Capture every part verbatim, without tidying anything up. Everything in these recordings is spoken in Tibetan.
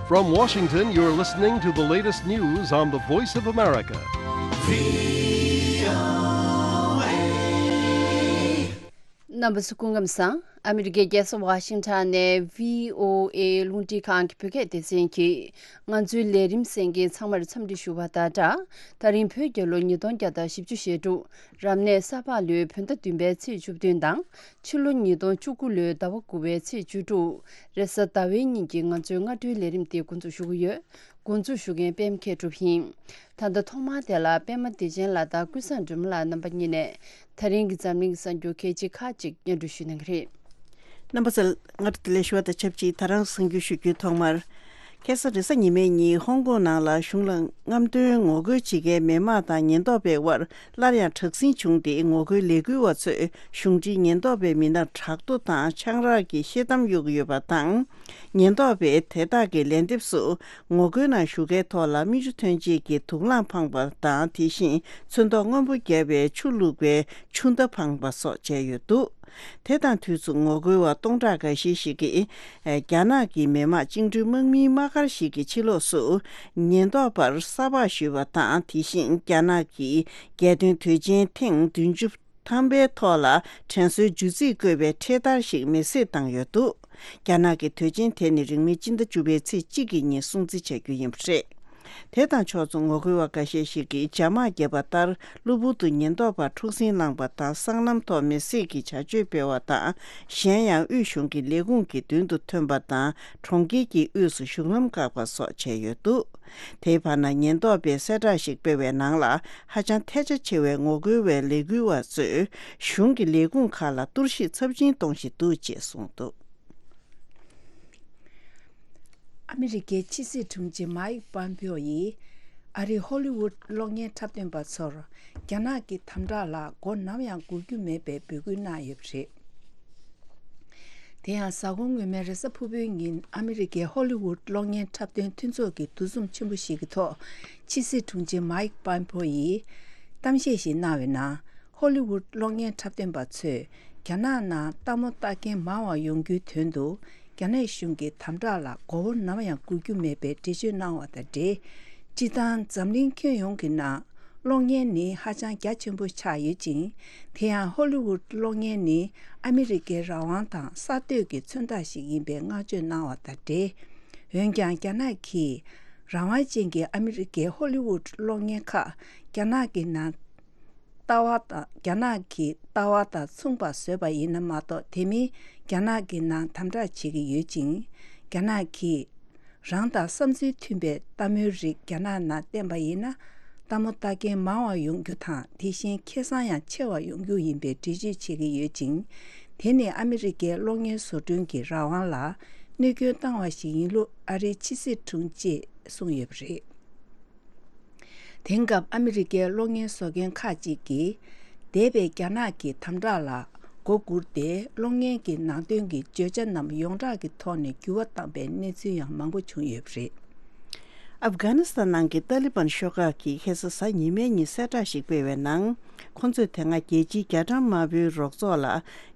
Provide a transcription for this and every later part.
From Washington, you're listening to the latest news on the Voice of America. རྣམ་པ་ཚོ་སྐུ་ཁམས་བཟང་། ཨ་མི་རི་ཀའི་རྒྱལ་ས་ཝ་ཤིང་ཊོན་ནས་བྷི་ཨོ་ཨེ་རླུང་འཕྲིན་ཁང་གི་བོད་སྐད་སྡེ་ཚན་གྱིས་ང་ཚོའི་ལས་རིམ་གསན་མཁན་ཚང་མར་འཚམས་འདྲི་ཞུ་བ་དང་སྦྲགས། ད་རིང་བོད་རྒྱལ་ལོ་ཉིས་སྟོང་བརྒྱ་དང་བཞི་བཅུ་ཞེ་དྲུག་རབ་གནས་ས་ཕག་ལོའི་བོད་ཟླ་བདུན་པའི་ཚེས་བཅུ་བདུན་དང་། ཕྱི་ལོ་ཉིས་སྟོང་བཅུ་དགུ་ལོའི་ཟླ་བ་དགུ་པའི་ཚེས་བཅུ་དྲུག་རེས་གཟའ་ཟླ་བའི་ཉིན་གྱི་ང་ཚོའི་སྔ་དྲོའི་ལས་རིམ་དེ་འགོ་འཛུགས་ཞུ་གི་ཡོད། འགོ་འཛུགས་ཞུ་མཁན་པད་མ་མཁས་གྲུབ་ཡིན། ད་ལྟ་ཐོག་མར་དེ་ལ་པད་མ་བདེ་ཆེན་ལགས་དང་ཀུན་བཟང་སྒྲོལ་མ་ལགས་རྣམ་པ་གཉིས་ནས་ད་རིང་གི་འཛམ་གླིང་གི་གསར་འགྱུར་གལ་ཆེ་ཁག་ཅིག་སྙན་སྒྲོན་ཞུ་གནང་གི་རེད། རྣམ་པ་ཚོ་སྔར་དུ་ལས་ཞུ་བ་དང་ཆབས་ཅིག་ད་རང་གསར་འགྱུར་ཞུ་རྒྱུའི་ཐོག་མར། ཁ་སང་རེས་གཟའ་ཉི་མའི་ཉིན་ཧོང་ཀོང་ནང་ལ་གཞུང་ལ་རྔམ་སྟོན་ངོ་རྒོལ་བྱེད་མཁན་མི་མང་དང་ཉེན་རྟོག་པའི་དབར་སླར་ཡང་དྲག་ཟིང་བྱུང་སྟེ། ངོ་རྒོལ་ལས་འགུལ་བ་ཚོས་གཞུང་འབྲེལ་ཉེན་རྟོག་པའི་མི་སྣར་དྲག་རྡོ་དང་ཆང་རག་གི་ཤེལ་དམ་གཡུག་ཡོད་པ་དང་། ཉེན་རྟོག་པས་དེ་དག་གི་ལན་འདེབས་སུ་ངོ་རྒོལ་ནང་ཞུགས་མཁན་ཐོག་ལ་མིག་ཆུ་ཐོན་ཆེད་ཀྱི་དུག་རླངས་འཕངས་པ་དང་། དེ་བཞིན་ཚོན་མདོག་སྔོན་པོ་བརྒྱབ་པའི་ཆུ་བླུགས་པའི་ཆུ་མདའ་འཕངས་པ་སོགས་བྱས་ཡོད་འདུག་དེ་དང་དུས་སུ་ངོ་རྒོལ་བ་སྟོང་ཕྲག་འགའ་ཤས་ཤིག་གིས་རྒྱ་ནག་གི་མི་དམངས་བཅིངས་འགྲོལ་དམག་མིའི་དམག་སྒར་ཞིག་གི་ཕྱི་ལོགས་སུ་ཉེན་རྟོག་པར་ས་ཕག་གཞུས་པ་དང་། དེ་བཞིན་རྒྱ་ནག་གི་རྒྱལ་དོན་དུས་ཆེན་ཐེངས་བདུན་ཅུ་ཐམ་པའི་ཐོག་ལ་དྲན་གསོའི་བརྗོད་ཚིག་བཀོད་པའི་འཕྲེད་དར་ཞིག་མེ་བསྲེགས་བཏང་ཡོད་འདུག་རྒྱ་ནག་གི་དུས་ཆེན་དེ་ནི་རིང་མིན་སྤྱི་ཟླ་བཅུ་པའི་ཚེས་གཅིག་གི་ཉིན་སྲུང་བརྩི་བྱ་རྒྱུ་ཡིན་པ་རེད། དེ་དང་ཕྱོགས་མཚུངས་ངོ་རྒོལ་བ་འགའ་ཤས་ཤིག་གིས་ཇ་དམག་བརྒྱབ་པ་ལྟར་གློ་བུར་དུ་ཉེན་རྟོག་པར་འཁྲུག་ཟིང་བསླངས་པ་དང་། སྲང་ལམ་ཐོག་མེ་བསྲེགས་ཀྱི་བྱ་སྤྱོད་སྤེལ་བ་དང་། གཞན་ཡང་དབུས་གཞུང་གི་ལས་ཁུངས་ཀྱི་མདུན་དུ་ཐོན་པ་དང་། གྲོང་ཁྱེར་གྱི་དབུས་སུ་བཞུགས་ལམ་བཀག་པ་སོགས་བྱས་ཡོད་འདུག་དེའི་བར་ན་ཉེན་རྟོག་པས་གསལ་བསྒྲགས་ཤིག་སྤེལ་བའི་ནང་ལ། ཧ་ཅང་ཐལ་ཆ་ཆེ་བའི་ངོ་རྒོལ་བའི་ལས་འགུལ་བ་ཚོས་གཞུང་གི་ལས་ཁུངས་ཁག་ལ་གཏོར་བཤིག་ཚབས་ཆེན་གཏོང་བཞིན་འདུག་ཅེས་གསུངས་འདུག་ཨ་མི་རི་ཀའི་ཕྱི་སྲིད་དྲུང་ཆེ་མཱིག་པོམ་པེའོ་ཡིས་ཨ་རིའི་ཧོ་ལི་ཝུད་གློག་བརྙན་འཁྲབ་སྟོན་པ་ཚོར་རྒྱ་ནག་གི་དམ་དྲག་ལ་མགོ་ནམ་ཡང་སྒུར་རྒྱུ་མེད་པའི་འབོད་སྐུལ་གནང་ཡོད་པ་རེད། དེ་ཡང་གཟའ་འཁོར་སྔོན་མའི་རེས་གཟའ་ཕུར་བུའི་ཉིན་ཨ་མི་རི་ཀའི་ཧོ་ལི་ཝུད་གློག་བརྙན་འཁྲབ་སྟོན་མཐུན་ཚོགས་ཀྱི་འདུ་འཛོམས་ཆེན་པོ་ཞིག་གི་ཐོག་ཕྱི་སྲིད་དྲུང་ཆེ་མཱིག་པོམ་པེའོ་ཡིས་གཏམ་བཤད་ཞིག་གནང་བའི་ནང་། ཧོ་ལི་ཝུད་གློག་བརྙན་འཁྲབ་སྟོན་པ་ཚོས་རྒྱ་ནག་ནང་ལྟད་མོ་ལྟ་མཁན་མང་བ་ཡོང་རྒྱུའི་དོན་དུ། རྒྱ་ནག་གཞུང་གི་དམ་དྲག་ལ་མགོ་བོ་ནམ་ཡང་སྒུར་རྒྱུ་མེད་པའི་འགྲེལ་བརྗོད་གནང་བ་དང་འབྲེལ། སྤྱིར་བཏང་འཛམ་གླིང་ཁྱོན་ཡོངས་ཀྱི་ནང་གློག་བརྙན་ནི་ཧ་ཅང་རྒྱ་ཆེན་པོ་ཆགས་ཡོད་ཅིང་། དེ་ཡང་ཧོ་ལི་ཝུད་གློག་བརྙན་ནི་ཨ་མི་རི་ཀའི་རང་དབང་དང་གསར་གཏོད་ཀྱི་མཚོན་རྟགས་ཤིག་ཡིན་པའི་བསྔགས་བརྗོད་གནང་བ་དང་འབྲེལ། འོན་ཀྱང་རྒྱ་ནག་གིས་རང་དབང་ཅན་གྱི་ཨ་མི་རི་ཀའི་ཧོ་ལི་ཝུད་གློག་བརྙན་ཁག་རྒྱ་ནག་གི་ནང་ལྟ་བ་དང་། རྒྱ་ནག་གི་ལྟ་བ་དང་མཚུངས་པ་བཟོས་པ་ཡིན་ན་མ་གཏོགས། དེ་མིན་རྒྱ་ནག་གི་ནང་དམ་དྲག་བྱེད་ཀྱི་ཡོད་ཅིང་། རྒྱ་ནག་གིས་རང་དང་བསམ་ཚུལ་མཐུན་པའི་ལྟད་མོའི་རིགས་རྒྱ་ནག་ནང་བསྟན་པ་ཡིན་ན། ལྟད་མོ་ལྟ་མཁན་མང་བ་ཡོང་རྒྱུ་དང་། དེ་བཞིན་ཁེ་བཟང་ཡང་ཆེ་བ་ཡོང་རྒྱུ་ཡིན་པའི་འགྲེལ་བརྗོད་བྱེད་ཀྱི་ཡོད་ཅིང་། དེ་ནི་ཨ་མི་རི་ཀའི་གློག་བརྙན་བཟོ་སྐྲུན་གྱི་རང་དབང་ལ་གནོད་སྐྱོན་བཏང་བ་ཞིག་ཡིན་ལུགས་ཨ་རིའི་ཕྱི་སྲིད་དྲུང་ཆེས་གསུངས་ཡོད་པ་རེད། དེང་སྐབས་ཨ་མི་རི་ཀའི་གློག་བརྙན་བཟོ་མཁན་ཁག་ཅིག་གིས། འདས་པའི་རྒྱ་ནག་གི་དམ་དྲག་ལ་མགོ་སྒུར་ཏེ། གློག་བརྙན་གྱི་ནང་དོན་གྱི་བརྗོད་བྱ་རྣམས་ཡོངས་གྲགས་ཀྱི་ཐོག་ནས་འགྱུར་བ་བཏང་པའི་གནས་ཚུལ་ཡང་མང་པོ་བྱུང་ཡོད་པ་རེད། ཨབ་གྷ་ནི་སི་ཐན་ནང་གི་ཏཱ་ལི་བན་ཤོག་ཁག་གིས་ཁ་སང་གཟའ་ཉི་མའི་ཉིན་གསལ་བསྒྲགས་ཤིག་སྤེལ་བའི་ནང་། ཁོ་ཚོས་དེ་སྔ་རྒྱལ་སྤྱིའི་རྒྱ་གྲམ་དམར་པོའི་རོགས་ཚོགས་ལ།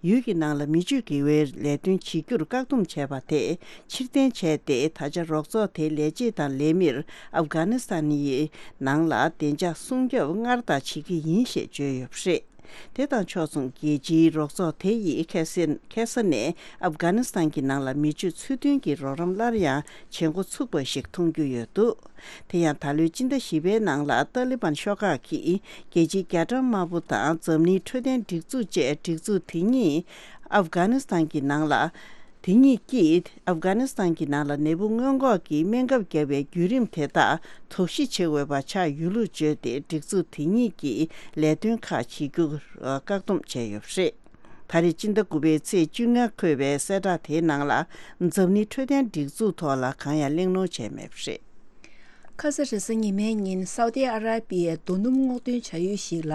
ཡུལ་གྱི་ནང་ལ་མི་སྤྱོད་དགེ་བའི་ལས་དོན་བྱེད་རྒྱུར་བཀག་སྡོམ་བྱས་པ་དེ་ཕྱིར་འཐེན་བྱས་ཏེ། ད་ཆ་རོགས་ཚོགས་དེའི་ལས་བྱེད་དང་ལས་མིར་ཨབ་གྷ་ནི་སི་ཐན་ཡི་ནང་ལ་བདེ་འཇགས་སྲུང་སྐྱོབ་སྔར་ལྟར་བྱེད་ཀྱི་ཡིན་ཞེས་བརྗོད་ཡོད་པ་རེད། དེ་དང་ཕྱོགས་མཚུངས། རྒྱལ་སྤྱིའི་རོགས་ཚོགས་དེ་ཡིས་ཁ་སང་ཁ་སང་ནས་ཨབ་གྷ་ནི་སི་ཐན་གྱི་ནང་ལ་མི་སྤྱོད་ཚུལ་མཐུན་གྱི་རོགས་རམ་སླར་ཡང་བྱེད་འགོ་ཚུགས་པ་ཞིག་མཐོང་རྒྱུ་ཡོད་འདུག་དེ་ཡང་ད་ལོའི་སྤྱི་ཟླ་བཞི་པའི་ནང་ལ་ཏཱ་ལི་བན་ཤོག་ཁག་གིས་རྒྱལ་སྤྱིའི་རྒྱ་གྲམ་དམར་པོ་དང་འཛམ་གླིང་འཕྲོད་བསྟེན་སྒྲིག་འཛུགས་བཅས་སྒྲིག་འཛུགས་དེ་གཉིས་ཨབ་གྷ་ནི་སི་ཐན་གྱི་ནང་ལ། དེ་གཉིས་ཀྱིས་ཨབ་གྷ་ནི་སི་ཐན་གྱི་ནང་ལ་ནད་འབུ་སྔོན་འགོག་གི་སྨན་ཁབ་བརྒྱབ་པའི་བརྒྱུད་རིམ་དེ་དག་དོགས་གཞི་ཆེ་དགོས་པ་ཆགས་ཡོད་ལུགས་བརྗོད་དེ། སྒྲིག་འཛུགས་དེ་གཉིས་ཀྱིས་ལས་དོན་ཁག་བྱེད་རྒྱུར་བཀག་སྡོམ་བྱས་ཡོད་པ་རེད། ད་རེས་སྤྱི་ཟླ་དགུ་པའི་ཚེས་བཅོ་ལྔ་འཁོད་པའི་གསལ་བསྒྲགས་དེའི་ནང་ལ། འཛམ་གླིང་འཕྲོད་བསྟེན་སྒྲིག་འཛུགས་ཐོག་ལ་གང་ཡང་གླེང་སློང་བྱས་མེད་པ་རེད། ཁ་ས་རེས་གཟའ་ཉི་མའི་ཉིན་སའུ་ཏི་ཨ་ར་པི་ཡའི་རྡོ་སྣུམ་སྔོག་འདོན་བྱ་ཡུལ་ཞིག་ལ་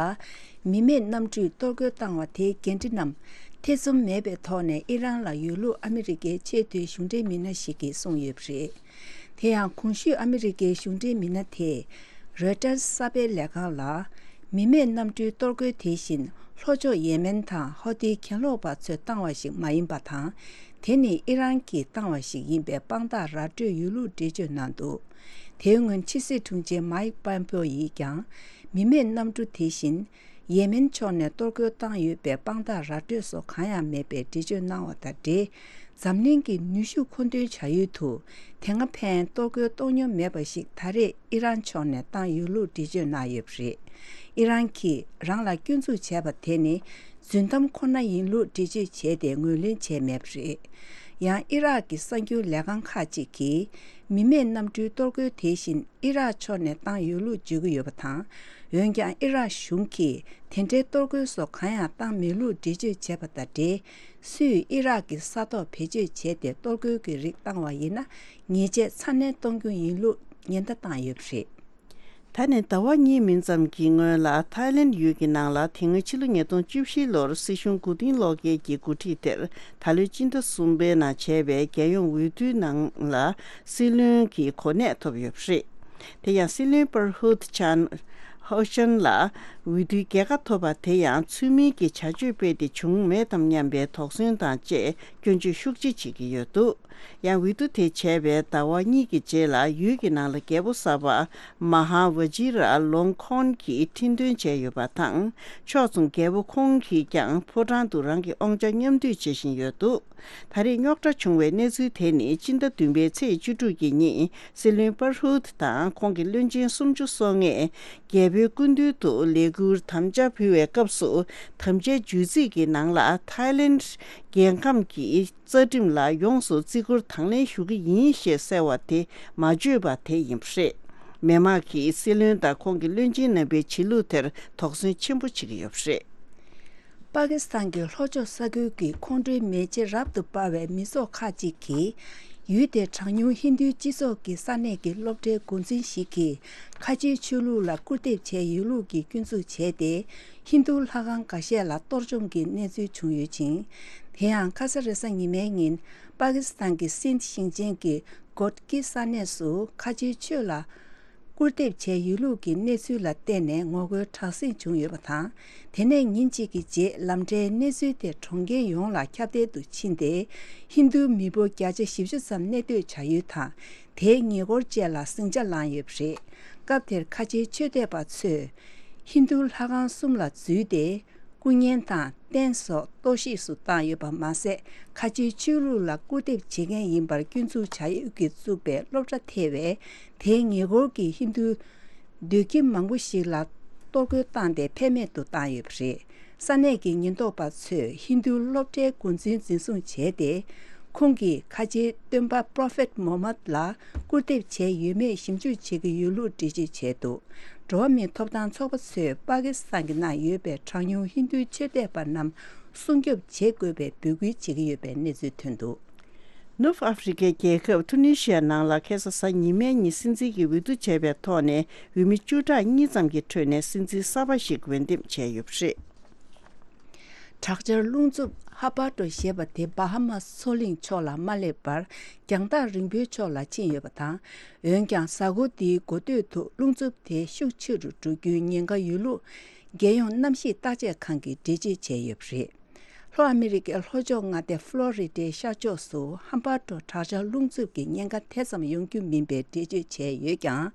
མི་མེད་གནམ་གྲུས་གཏོར་རྒོལ་བཏང་བ་དེའི་འགན་འཁྲི་རྣམས་ཐེ་ཚོམ་མེད་པའི་ཐོག་ནས་ཨི་རན་ལ་ཡོད་ལུགས་ཨ་མི་རི་ཀའི་ཆེས་མཐོའི་གཞུང་འབྲེལ་མི་སྣ་ཞིག་གིས་གསུངས་ཡོད་པ་རེད། དེ་ཡང་གོང་ཞུས་ཨ་མི་རི་ཀའི་གཞུང་འབྲེལ་མི་སྣ་དེས་རོའི་ཊར་གསར་སྤེལ་ལས་ཁང་ལ། མི་མེད་གནམ་གྲུའི་གཏོར་རྒོལ་དེ་བཞིན་ ལྷོ་ཕྱོགས་ཡེ་མེན་དང་ཧོ་ཏི་གྱེན་ལོག་པ་ཚོས་བཏང་བ་ཞིག་མ་ཡིན་པ་དང་། དེ་ནི་ཨི་རན་གྱིས་བཏང་བ་ཞིག་ཡིན་པའི་དཔང་རྟགས་ར་སྤྲོད་ཡོད་ལུགས་འགྲེལ་བརྗོད་གནང་འདུག་དེའི་སྔོན་ཕྱི་སྲིད་དྲུང་ཆེ་མཱིག་པོམ་པེའོ་ཡིས་ཀྱང་། མི་མེད་གནམ་གྲུ་དེ་བཞིན། ཡེ་མེན་ཕྱོགས་ནས་གཏོར་རྒོལ་བཏང་ཡོད་པའི་དཔང་རྟགས་ར་སྤྲོད་སོགས་གང་ཡང་མེད་པའི་འགྲེལ་བརྗོད་གནང་བ་དང་འབྲེལ། འཛམ་གླིང་གི་ནུས་ཤུགས་མཁོ་འདོན་བྱ་ཡུལ་དུ། དེ་སྔ་ཕན་གཏོར་རྒོལ་གཏོང་མྱོང་མེད་པ་ཞིག་ད་རེས་ཨི་རན་ཕྱོགས་ནས་བཏང་ཡོད་ལུགས་འགྲེལ་བརྗོད་གནང་ཡོད་པ་རེད། ཨི་རན་གྱིས་རང་ལ་སྐྱོན་འཛུགས་བྱས་པ་དེ་ནི། རྫུན་གཏམ་ཁོ་ན་ཡིན་ལུགས་འགྲེལ་བརྗོད་བྱས་ཏེ་ངོས་ལེན་བྱས་མེད་པ་རེད། ཡང་ཨི་རག་གི་གསར་འགྱུར་ལས་ཁང་ཁག་ཅིག་གིས། མི་མེད་གནམ་གྲུའི་གཏོར་རྒོལ་དེ་བཞིན་ཨི་རག་ཕྱོགས་ནས་བཏང་ཡོད་ལུགས་བརྗོད་ཀྱི་ཡོད་པ་དང་། འོན་ཀྱང་ཨི་རག་གཞུང་གིས་དེ་འདྲའི་གཏོར་རྒོལ་སོགས་གང་ཡང་བཏང་མེད་ལུགས་འགྲེལ་བརྗོད་བྱས་པ་དང་འབྲེལ། སུས་ཨི་རག་གི་ས་ཐོག་བེད་སྤྱོད་བྱས་ཏེ་གཏོར་རྒོལ་གྱི་རིགས་བཏང་བ་ཡིན་ན། ཉེས་ཆད་ཚ་ནན་གཏོང་རྒྱུ་ཡིན་ལུགས་ཉེན་བརྡ་བཏང་ཡོད་པ་རེད། ད་ནི་ཟླ་བ་གཉིས་མིན་ཙམ་གྱི་སྔོན་ལ་ཐའི་ལེན་ཡུལ་གྱི་ནང་ལ་དེ་སྔོན་ཕྱི་ལོ་ཉིས་སྟོང་བཅུ་བཞི་ལོར་སྲིད་གཞུང་མགོ་རྟིང་སློག་མཁན་གྱི་འགོ་ཁྲིད་དེར་ད་ལོའི་སྤྱི་ཟླ་གསུམ་པའི་ནང་བྱས་པའི་རྒྱལ་ཡོངས་འོས་བསྡུའི་ནང་ལ་སྲིད་བློན་གྱི་གོ་གནས་ཐོབ་ཡོད་པ་རེད། དེ་ཡང་སྲིད་བློན་པར་ཧུད་ཆན་ཧོ་ཤན་ལ་འོས་བསྡུའི་རྒྱལ་ཁ་ཐོབ་པ་དེ་ཡང་ཚུལ་མིན་གྱི་བྱ་སྤྱོད་སྤེལ་ཏེ་བྱུང་མེད་དམ་སྙམ་པའི་དོགས་ཟོན་དང་བཅས་སྐྱོན་བརྗོད་ཤུགས་ཆེ་བྱེད་ཀྱི་ཡོད་འདུག་ཡང་འོས་བསྡུ་དེ་བྱས་པའི་ཟླ་བ་གཉིས་ཀྱི་རྗེས་ལ་ཡུལ་གྱི་ནང་ལ་རྒྱལ་པོ་གསར་པ་མ་ཧཱ་ཝ་ཇི་ར་ལོང་ཁོན་གྱིས་ཁྲི་འདོན་བྱས་ཡོད་པ་དང་། ཕྱོགས་མཚུངས་རྒྱལ་པོ་ཁོང་གིས་ཀྱང་ཕོ་བྲང་དུ་རང་གི་དབང་ཆ་མཉམ་འདུས་བྱེད་བཞིན་ཡོད་འདུག་ད་རེས་རྙོག་དྲ་བྱུང་བའི་གནས་ཚུལ་དེ་ནི་སྤྱི་ཟླ་བདུན་པའི་ཚེས་བཅུ་དྲུག་གི་ཉིན་སྲིད་བློན་པར་ཧུད་དང་ཁོང་གི་བློན་ཆེན་སུམ་ཅུ་སོ་ལྔས་རྒྱལ་པོའི་སྐུ་མདུན་དུ་ལས་འཁུར་དམ་བཅའ་ཕུལ་བའི་སྐབས་སུ་དམ་བཅའི་བརྗོད་ཚིག་གི་ནང་ལ་ཐའི་ལེན་རྒྱལ་ཁམས་ཀྱི་རྩ་ཁྲིམས་ལ་ཡོངས་སུ་བརྩི་བཀུར་དང་ལེན་ཞུ་གི་ཡིན་ཞེས་གསལ་བ་དེ་མ་བརྗོད་པ་དེ་ཡིན་པ་རེད། མི་མང་གིས་སྲིད་བློན་དང་ཁོང་གི་བློན་ཆེན་རྣམ་པའི་བྱེད་ལུགས་དེར་དོགས་ཟོན་ཆེན་པོ་བྱེད་ཀྱི་ཡོད་པ་རེད། པ་ཀི་སི་ཐན་གྱི་ལྷོ་ཕྱོགས་ས་ཁུལ་གྱི་ཁོང་ཁྲོའི་མེ་ལྕེ་རབ་ཏུ་འབར་བའི་མི་ཚོགས་ཁག་ཅིག་གིས། ཡུལ་དེའི་གྲངས་ཉུང་ཧིན་རྡུའི་སྤྱི་ཚོགས་ཀྱི་ས་གནས་ཀྱི་སློབ་གྲྭའི་འགོ་འཛིན་ཞིག་གིས་ཁ་ཆེའི་ཆོས་ལུགས་ལ་སྐུར་འདེབས་བྱས་ཡོད་ལུགས་ཀྱི་སྐྱོན་འཛུགས་བྱས་ཏེ། ཧིན་རྡུ་ལྷ་ཁང་འགའ་ཤས་ལ་གཏོར་བཅོམ་གྱི་གནས་ཚུལ་བྱུང་ཡོད་ཅིང་། དེ་ཡང་ཁ་ས་རེ་ས་ཉི་མའི་ཉིན་པ་ཀི་སི་ཐན་གྱི་སིན་དྷི་ཞིང་ཆེན་གྱི་གོད་ཀི་ས་གནས་སུ་ཁ་ཆེའི་ཆོས་ལ་སྐུར་འདེབས་བྱས་ཡོད་ལུགས་ཀྱི་གནས་ཚུལ་ལ་བརྟེན་ནས་ངོ་རྒོལ་དྲག་ཟིང་བྱུང་ཡོད་པ་དང་། དེ་ནས་ཉིན་གཅིག་གི་རྗེས་ལམ་འབྲས་གནས་ཚུལ་དེ་གྲོང་ཁྱེར་ཡོངས་ལ་ཁྱབ་གདལ་དུ་ཕྱིན་ཏེ། ཧིན་རྡུ་མི་འབོར་བརྒྱ་ཆ་བཞི་བཅུ་ཙམ་གནས་སྡོད་བྱ་ཡུལ་དང་། དེའི་ཉེ་འཁོར་བཅས་ལ་ཟིང་ཆ་བསླངས་ཡོད་པ་རེད། སྐབས་དེར་ཁ་ཆེའི་ཆོས་དད་པ་ཚོས་ཧིན་རྡུ་ལྷ་ཁང་གསུམ་ལ་འཛུལ་ཏེ། སྐུ་བརྙན་དང་རྟེན་སོགས་གཏོར་བཤིག་སུ་བཏང་ཡོད་པ་མ་ཟད། ཁ་ཆེའི་ཆོས་ལུགས་ལ་སྐུར་འདེབས་བྱེད་མཁན་ཡིན་པར་སྐྱོན་འཛུགས་བྱ་ཡུལ་གྱིས་བཙུགས་པའི་སློབ་གྲྭ་ཐེ་བའི་དེའི་ཉེ་འཁོར་གྱི་ཧིན་རྡུ་སྡོད་ཁྱིམ་མང་པོ་ཞིག་ལ་གཏོར་རྒོལ་བཏང་སྟེ་ཕན་མེད་དུ་བཏང་ཡོད་པ་རེད། ས་གནས་ཀྱི་ཉེན་རྟོག་པ་ཚོས་ཧིན་རྡུ་སློབ་གྲྭའི་འགོ་འཛིན་འཛིན་བཟུང་བྱས་ཏེ། ཁོང་གིས་ཁ་ཆེའི་སྟོན་པ་Prophet Muhammad ལ་སྐུར་འདེབས་བྱས་ཡོད་མེད་ཞིབ་འཇུག་བྱེད་ཀྱི་ཡོད་ལུགས་འགྲེལ་བརྗོད་བྱས་འདུག་འགྲོ་བ་མིའི་ཐོབ་ཐང་ཚོགས་པ་ཚོས་པ་ཀི་སི་ཐན་གྱི་ནང་ཡོད་པའི་གྲངས་ཉུང་ཧིན་རྡུའི་ཆོས་དད་པ་རྣམས་སྲུང་སྐྱོབ་བྱེད་དགོས་པའི་འབོད་སྐུལ་བྱེད་ཀྱི་ཡོད་པའི་གནས་ཚུལ་ཐོན་འདུག་ནུབ་ཨ་ཧྥེ་རི་ཁའི་རྒྱལ་ཁབ་ཐུ་ནི་ཤི་ཡ་ནང་ལ་ཁ་སང་གཟའ་ཉི་མའི་ཉིན་སྲིད་འཛིན་གྱི་འོས་བསྡུ་བྱས་པའི་ཐོག་ནས་འོས་མི་བཅུ་ཕྲག་གཉིས་ཙམ་གྱི་ཁྲོད་ནས་སྲིད་འཛིན་གསར་པ་ཞིག་འོས་འདེམས་བྱས་ཡོད་པ་རེད། དྲག་ཆར་རླུང་འཚུབ་ཧ་པ་ཏྲོ་ཞེས་པ་དེ་བྷ་ཧ་མ་སི་མཚོ་གླིང་ཕྱོགས་ལ་མ་སླེབས་པར་རྒྱང་ཐག་རིང་པོའི་ཕྱོགས་ལ་ཕྱིན་ཡོད་པ་དང་། འོན་ཀྱང་གཟའ་འཁོར་འདིའི་འགོ་སྟོད་དུ་རླུང་འཚུབ་དེ་ཤུགས་ཆེ་རུ་འགྲོ་རྒྱུའི་ཉེན་ཁ་ཡོད་ལུགས་རྒྱལ་ཡོངས་གནམ་གཤིས་བརྟག་དཔྱད་ཁང་གིས་འགྲེལ་བརྗོད་བྱས་ཡོད་པ་རེད། ལྷོ་ཨ་མི་རི་ཀའི་ལྷོ་ཕྱོགས་མངའ་སྡེ་ཧྥ་ལོ་རི་ཌའི་ཤར་ཕྱོགས་སུ་ཧམ་པ་ཏྲོ་དྲག་ཆར་རླུང་འཚུབ་ཀྱི་ཉེན་ཁ་དེ་ཙམ་ཡོང་རྒྱུ་མིན་པའི་འགྲེལ་བརྗོད་བྱས་ཡོད་ཀྱང་།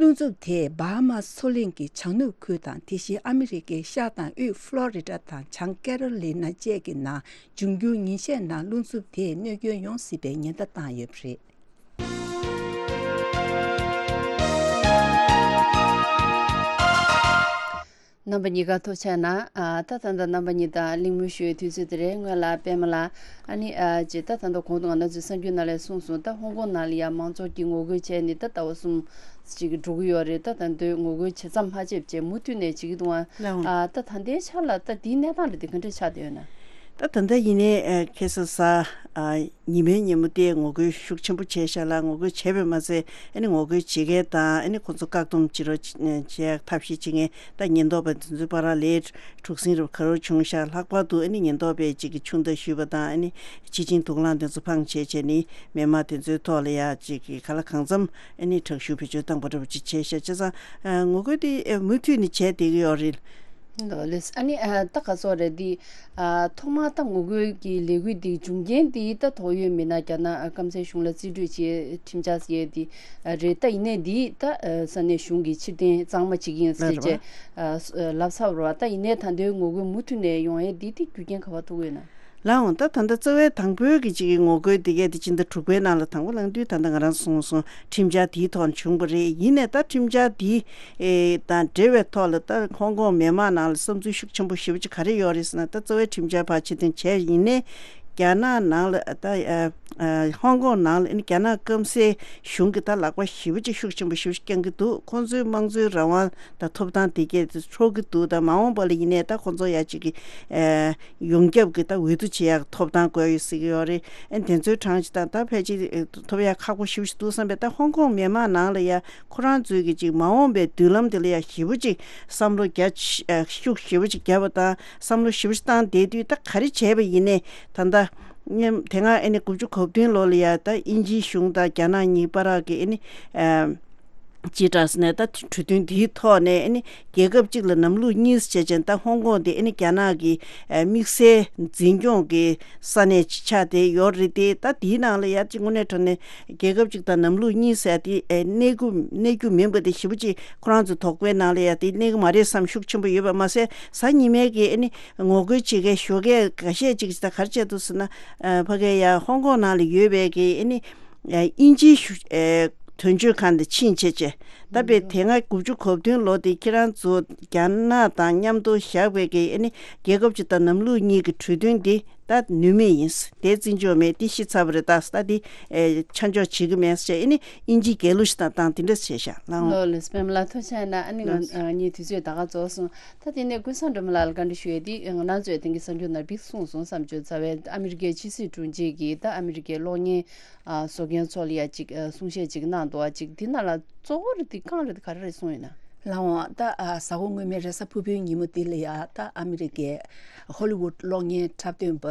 རླུང་འཚུབ་དེས་བྷ་ཧ་མ་སི་མཚོ་གླིང་གི་བྱང་ནུབ་ཁུལ་དང་དེ་བཞིན་ཨ་མི་རི་ཀའི་ཤར་དང་དབུས་ཧྥ་ལོ་རི་ཌ་དང་བྱང་ཀེ་རོ་ལི་ན་བཅས་ཀྱི་ནང་འབྱུང་འགྱུར་ཉིན་ཤས་ནང་རླུང་འཚུབ་དེས་གནོད་སྐྱོན་ཡོང་སྲིད་པའི་ཉེན་བརྡ་བཏང་ཡོད་པ་རེད། རྣམ་པ་གཉིས་ཀ་ཐུགས་རྗེ་གནང་། ཨ། ད་ད་ལྟ་རྣམ་པ་གཉིས་དང་གླེང་མོལ་ཞུ་བའི་དུས་ཚོད་དེ་རེད། སྔོན་ལ་པད་མ་ལགས། ཨ་ནི། ཨ། ཅེས་ད་ད་ལྟ་གོང་དུ་ང་རང་ཚོའི་གསར་འགྱུར་ནང་ལ་གསུངས་སོང་། ད་ཧོང་ཀོང་ནང་ལ་ཡང་མང་ཚོགས་ཀྱིས་ངོ་རྒོལ་བྱས་ནས་ད་ཟླ་བ་གསུམ་ཅིག་འགྲོ་གི་ཡོད་རེད། ད་ད་དུང་ངོ་རྒོལ་ཇེ་མཚམས་མ་ཆད་བྱས་མུ་མཐུད་ནས་བྱེད་ཀྱི་འདུག་ཨ། ལགས་འོང་། ཨ། ད་ད་ལྟའི་ཆ་ལ་ད་འདིའི་གནས་སྟངས་རེད་དེ་ག་འདྲ་ཆགས་བསྡད་ཡོད་ན། ད་ད་ལྟ་ཡིན་ནའི། ཨ། ཁ་སང་གཟའ། ཨ། ཉི་མའི་ཉིན་མོ་དེ་ངོ་རྒོལ་ཤུགས་ཆེན་པོ་བྱས་ཤག་ལ། ངོ་རྒོལ་བྱས་པས་མ་ཚད་ཨ་ནི་ངོ་རྒོལ་བྱེད་མཁན་དང་ཨ་ནི་ཁོ་ཚོ་བཀག་སྡོམ་བྱེད་རོགས་བྱེད་ཡག་ཐབས་ཤེས་བྱེད་མཁན་ད་ཉེན་རྟོག་པ་དེ་ཚོའི་བར་ལ་འཁྲུག་ཟིང་རུ་ག་རེ་བྱུང་ཤག་ལྷག་པར་དུ་ཨ་ནི་ཉེན་རྟོག་པས་ཅིག་གིས་ཆུ་མདའ་གཞུས་པ་དང་ཨ་ནི་ཕྱི་ཆིངས་དུག་རླངས་དེ་ཚོ་འཕངས་བྱས་བྱས་ནི་མི་མང་དེ་ཚོའི་ཐོག་ལ་ཡ་ཅིག་གིས་ག་ལ་གང་འཚམ་ཨ་ནི་དྲག་ཤུགས་བེད་སྤྱོད་བཏང་པ་འདྲ་པོ་ཅིག་བྱས་ཤག་བྱས་ཙང་ངོ་རྒོལ་དེ་མུ་མཐུད་ནས་བྱས་བསྡད་ཀྱི་ཡོད་རེད། ལགས་ལགས། ཨ་ནི་ཨ་ད་ག་ཚོད་རེད་འདི། ཨ་ཐོག་མར་ད་ངོ་རྒོལ་གྱི་ལས་འགུལ་འདི་འབྱུང་རྐྱེན་འདི་ད་ཐོག་ཡོད་མི་སྣ་རྒྱ་ནག་སྐམ་སའི་གཞུང་ལ་རྩིས་སྤྲོད་བྱས་ཁྲིམས་འཆར་ཟེར་འདི་རེད། ད་ཡིན་ནའི་འདི་ད་ས་གནས་གཞུང་གིས་ཕྱིར་འཐེན་གཙང་མ་བྱེད་ཀྱི་ཡིན་ཟེར་བྱས་ལབ་ཚར་བ་རེད་བ། ད་ཡིན་ནའི་ད་ལྟའི་ངོ་རྒོལ་མུ་མཐུད་ནས་ཡོང་ཡས་འདི་དེ་རྒྱུ་རྐྱེན་ག་པར་ཐུག་ཡོད་ན། ལགས་འོང་། ད་ད་ལྟ་རྩ་བའི་དང་པོའི་གི་ཅིག་གི་ངོ་རྒོལ་འདི་གས་དེ་སྤྱི་ཟླ་དྲུག་པའི་ནང་ལ་དང་པོ་ལངས་དུས་ད་ལྟ་ང་རང་གསུངས་སོང་། ཁྲིམས་འཆར་དེའི་ཐོག་ནས་བྱུང་བ་རེད། ཡིན་ནའི་ད་ཁྲིམས་འཆར་དེ་ཨེ་དང་འབྲེལ་བའི་ཐོག་ལ་ད་ཧོང་ཀོང་མི་མང་ནང་ལ་བསམ་ཚུལ་ཤུགས་ཆེན་པོ་ཞེ་པོ་ཅིག་ག་རེ་ཡོད་རེད་ཟེར་ན། ད་རྩ་བའི་ཁྲིམས་འཆར་ཕར་ཕྱིར་འཐེན་བྱས། ཡིན་ནའི་རྒྱ་ནག་ནང་ལ་ད་ཨ་ཨ་ཧོང་ཀོང་ནང་ལ་ཨ་ནི་རྒྱ་ནག་སྐམ་སའི་གཞུང་གི་ད་ལག་པ་ཞེ་པོ་ཅིག་ཤུགས་ཆེན་པོ་ཞེ་པོ་ཅིག་བརྐྱང་གི་འདུག་ཁོང་ཚོའི་དམངས་གཙོའི་རང་དབང་དང་ཐོབ་ཐང་དེ་གས་འཕྲོག་གི་འདུག་ད་མ་འོངས་པ་ལ་ཡིན་ནའི་ད་ཁོང་ཚོ་ཡ་ཅིག་གི་ཨ་ཡོངས་ཁྱབ་ཀྱི་ད་འོས་བསྡུ་བྱེད་ཡག་ཐོབ་ཐང་དགོས་ཡོད་ཟེར་གྱི་ཡོད་རེད། ཨ་དེ་ཚོའི་གྲངས་ཅིག་དང་ད་ཕལ་ཆེར་ཐོབ་ཡག་ཁག་པོ་ཞེ་པོ་ཅིག་འདུག་བསམ་པས། ད་ཧོང་ཀོང་མི་མང་ནང་ལ་ཡ་ཁོ་རང་ཚོའི་གི་ཅིག་མ་འོངས་པའི་མདུན་ལམ་དེ་ལ་ཡ་ཞེ་པོ་ཅིག་བསམ་བློ་རྒྱ་ཆེ་ཤུགས་ཞེ་པོ་ཅིག་བརྒྱབ་པ་དང་བསམ་བློ་ཞེ་པོ་ཅིག་བཏང་བསྡད་དུས། ད་ག་རེ་བྱས་པ་ཡིན་ནའི་ད་ལྟ་དེ་སྔ་ཨ་ནི་དགུ་བཅུ་གོ་བདུན་ལོ་ལ་ཡ་ད་དབྱིན་ཇིའི་གཞུང་དང་རྒྱ་ནག་གཉིས་བར་གྱི་ཨ་ནི་ཨ། ཅེས་དྲངས་ནས་ད་གྲོས་མཐུན་དེའི་ཐོག་ནས་ཨ་ནི་རྒྱལ་ཁབ་གཅིག་ལ་ལམ་ལུགས་གཉིས་བྱས་ཙང་ད་ཧོང་ཀོང་དེ་ཨ་ནི་རྒྱ་ནག་གི་ཨ་དམིགས་བསལ་འཛིན་སྐྱོང་གི་ས་གནས་ཆགས་བསྡད་ཡོད་རེད་དེ། ད་དེའི་ནང་ལ་ཡ་ཅིག་དངོས་གནས་དྲང་གནས་རྒྱལ་ཁབ་གཅིག་དང་ལམ་ལུགས་གཉིས་ཟེར་དེ་ཨ་གནས་རྒྱུ་གནས་རྒྱུ་མིན་པ་དེ་ཞེ་པོ་ཅིག་ཁོ་རང་ཚོ་དོགས་པའི་ནང་ལ་ཡ་དེ་གནས་ཀྱི་མ་རེད་བསམ་ཤུགས་ཆེན་པོ་ཡོད་པ་མ་ཟད། གཟའ་ཉི་མའི་གི་ཨ་ནི་ངོ་རྒོལ་བྱེད་མཁན་ཞོགས་ཀས་འགའ་ཤས་ཅིག་ད་ག་རེ་བྱས་འདུག་ཟེར་ན། ཨ་ཕ་གི་ཡ་ཧོང་ཀོང་ནང་ལ་ཡོད་པའི་གི་ཨ་ནི་ཨ་དབྱིན་ཇིའི་གཞུང་ཨ་དོན་གཅོད་ཁང་དུ་ཕྱིན་བྱས་བྱས། ད་དཔེ་དེ་སྔ་དགུ་བཅུ་གོ་བདུན་ལོ་དེ་ཁྱེད་རང་ཚོ་རྒྱ་ནག་དང་མཉམ་དུ་བཞག་པའི་གི་ཨ་ནི་རྒྱལ་ཁབ་གཅིག་དང་ལམ་ལུགས་གཉིས་ཀྱི་གྲོས་མཐུན་འདི་ད་ནུས་མེད་ཡིན། དེ་བརྩི་འཇོག་མེད། དེ་ཤི་ཚར་བ་རེད། ད་ད་དེ་ཨེ་ཆ་འཇོག་བྱེད་ཀྱི་མེད་ཟེར་བྱས་ཨ་ནི་དབྱིན་ཇིའི་རྒྱལ་གླུ་ཞིག་དང་བཏང་དེ་འདྲ་བྱས་ཤག་ལགས་འོང་། ལགས་ལགས། པདྨ་ལགས་ཐུགས་རྗེ་གནང་། ཨ་ནི་ང་ལགས། ཨ་ངའི་དུས་ཚོད་ད་ག་རྫོགས་སོང་། ད་དེ་ནས་ཀུན་བཟང་སྒྲོལ་མ་ལགས་ལ་བཀའ་འདྲི་ཞུ་ཡས་དེ་ང་རང་ཚོས་དེང་གི་གསར་འགྱུར་ནང་ཕར་གསུངས་སོང་བསམ་བྱུང་། རྩ་བའི་ཨ་མི་རི་ཀའི་ཕྱི་སྲིད་དྲུང་ཆེ་གིས་ད་ཨ་མི་རི་ཀའི་གློག་བརྙན་ཨ་བཟོ་མཁན་ཚོ་ལ་ཡ་ཅིག་ཨ་གསུང་བཤད་ཅིག་གནང་འདུག་ཨ་ཅིག་དེ་ནང་ལ་གཙོ་བོ་རེད་དེ་རྐང་རེད་དེ་ག་རེ་རེད་གསུངས་ཡོད་ན། ལགས་འོང་། ད་ཨ་གཟའ་འཁོར་སྔོན་མའི་རེས་གཟའ་ཕུར་བུའི་ཉིན་མོ་འདི་ལ་ཡ་ད་ཨ་མི་རི་ཀའི་ཧོ་ལི་ཝུད་གློག་བརྙན་འཁྲབ་སྟོན་པ་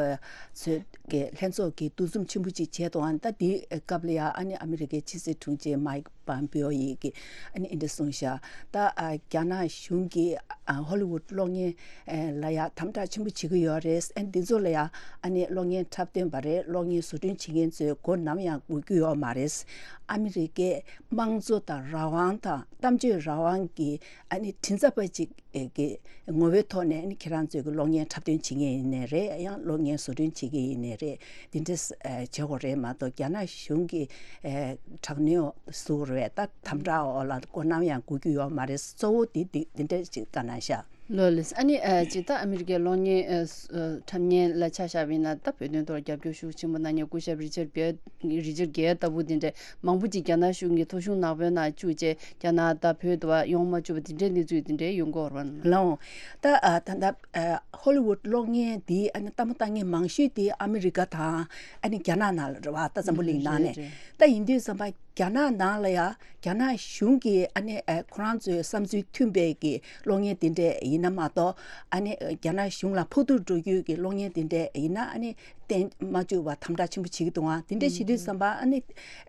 ཚོས་ཀྱི་ལྷན་ཚོགས་ཀྱི་འདུ་འཛོམས་ཆེན་པོ་ཅིག་བྱས་འདུག་ཨ་ད་དེའི་སྐབས་ལ་ཡ་ཨ་ནི་ཨ་མི་རི་ཀའི་ཕྱི་སྲིད་དྲུང་ཆེ་མའིག་པམ་པེའོ་ཡིས་ཀྱི་ཨ་ནི་འདི་འདྲ་གསུངས་ཤག་ད་ཨ་རྒྱ་ནག་གཞུང་གིས་ཨ་ཧོ་ལི་ཝུད་གློག་བརྙན་ཨ་ལ་ཡ་དམ་དྲག་ཆེན་པོ་བྱེད་ཀྱི་ཡོད་རེད། ཨ་འདི་ཚོ་ལ་ཡ་ཨ་ནི་གློག་བརྙན་འཁྲབ་སྟོན་པ་རེད། གློག་བརྙན་བཟོ་སྐྲུན་བྱེད་མཁན་ཚོས་མགོ་ནམ་ཡང་སྒུར་རྒྱུ་ཡོད་མ་རེད། ཨ་མི་རི་ཀའི་དམངས་གཙོ་དང་རང་དབང་དང་གཏམ་བརྗོད་རང་དབང་གི་ཨ་ནི་མགྲིན་ཚབ་པ་ཅིག་གི་ངོ་བོའི་ཐོག་ནས་ཨ་ནི་ཁྱེད་རང་ཚོས་ཀྱི་གློག་བརྙན་འཁྲབ་སྟོན་བྱེད་མཁན་ཡིན་ནའི་རེད། ཡང་གློག་བརྙན་བཟོ་སྐྲུན་བྱེད་མཁན་ཡིན་ནའི་རེད། འདི་འདྲ་ཨ་བྱེད་དགོས་རེད་མ་གཏོགས་རྒྱ་ནག་གཞུང་གི་ཨ་དྲག་གནོན་ཟུར་རེད། ད་དམ་དྲག་འོག་ལ་མགོ་ནམ་ཡང་སྒུར་རྒྱུ་ཡོད་མ་རེད། གཙོ་བོ་འདི་འདི་འདི་འདྲ་ཅིག་བཀའ་གནང་ཤག་ལགས་ལགས། ཨ་ནི་ཨ་ཅིག་ད་ཨ་མི་རི་ཀའི་གློག་བརྙན་ཨ་ཨ་འཁྲབ་མཁན་ལ་ཆ་བཞག་པ་ཡིན་ན། ད་བོད་དོན་ཐོག་རྒྱབ་སྐྱོར་ཤུགས་ཆེན་པོ་གནང་མཁན་སྐུ་ཞབས་རི་ཅར་གྷེལ་རི་ཅར་གྷེལ་ལྟ་བུ་དེ་འདྲས་མང་པོ་ཅིག་རྒྱ་ནག་གཞུང་གི་ཐོ་གཞུང་ནག་པོའི་ནང་བཅུག་བྱས་རྒྱ་ནག་ད་བོད་དུ་ཡོང་མ་བཅུག་པ་དེ་འདྲའི་གནས་ཚུལ་དེ་འདྲས་ཡོང་གི་ཡོད་རེད་པ། ལགས་འོང་། ད་ཨ་ད་ལྟ་ཨ་ཧོ་ལི་ཝུད་གློག་བརྙན་འདི་ཨ་ནི་ལྟད་མོ་ལྟ་མཁན་མང་ཤོས་དེ་ཨ་མི་རི་ཀ་དང་ཨ་ནི་རྒྱ་ནག་ནང་ལ་རེད་པ། ད་འཛམ་བུ་གླིང་ནང་ནས། རེད་རེད། ད་ཡིན་དུས་ཙམ་པ་རྒྱ་ནག་ནང་ལ་ཡ་རྒྱ་ནག་གཞུང་གིས་ཨ་ནི་ཨ་ཁོ་རང་ཚོའི་བསམ་ཚུལ་མཐུན་པའི་གི་གློག་བརྙན་དེ་འདྲས་ཡིན་ན་མ་གཏོགས། ཨ་ནི་རྒྱ་ནག་གཞུང་ལ་ཕོག་ཐུག་འགྲོ་རྒྱུའི་གི་གློག་བརྙན་དེ་འདྲས་ཡིན་ན་ཨ་ནི་བསྟན་མ་བཅུག་པ་དམ་དྲག་ཆེན་པོ་བྱེད་ཀྱི་འདུག་ཨང་། དེ་འདྲས་བྱེད་དུས་ཙམ་པ་ཨ་ནི་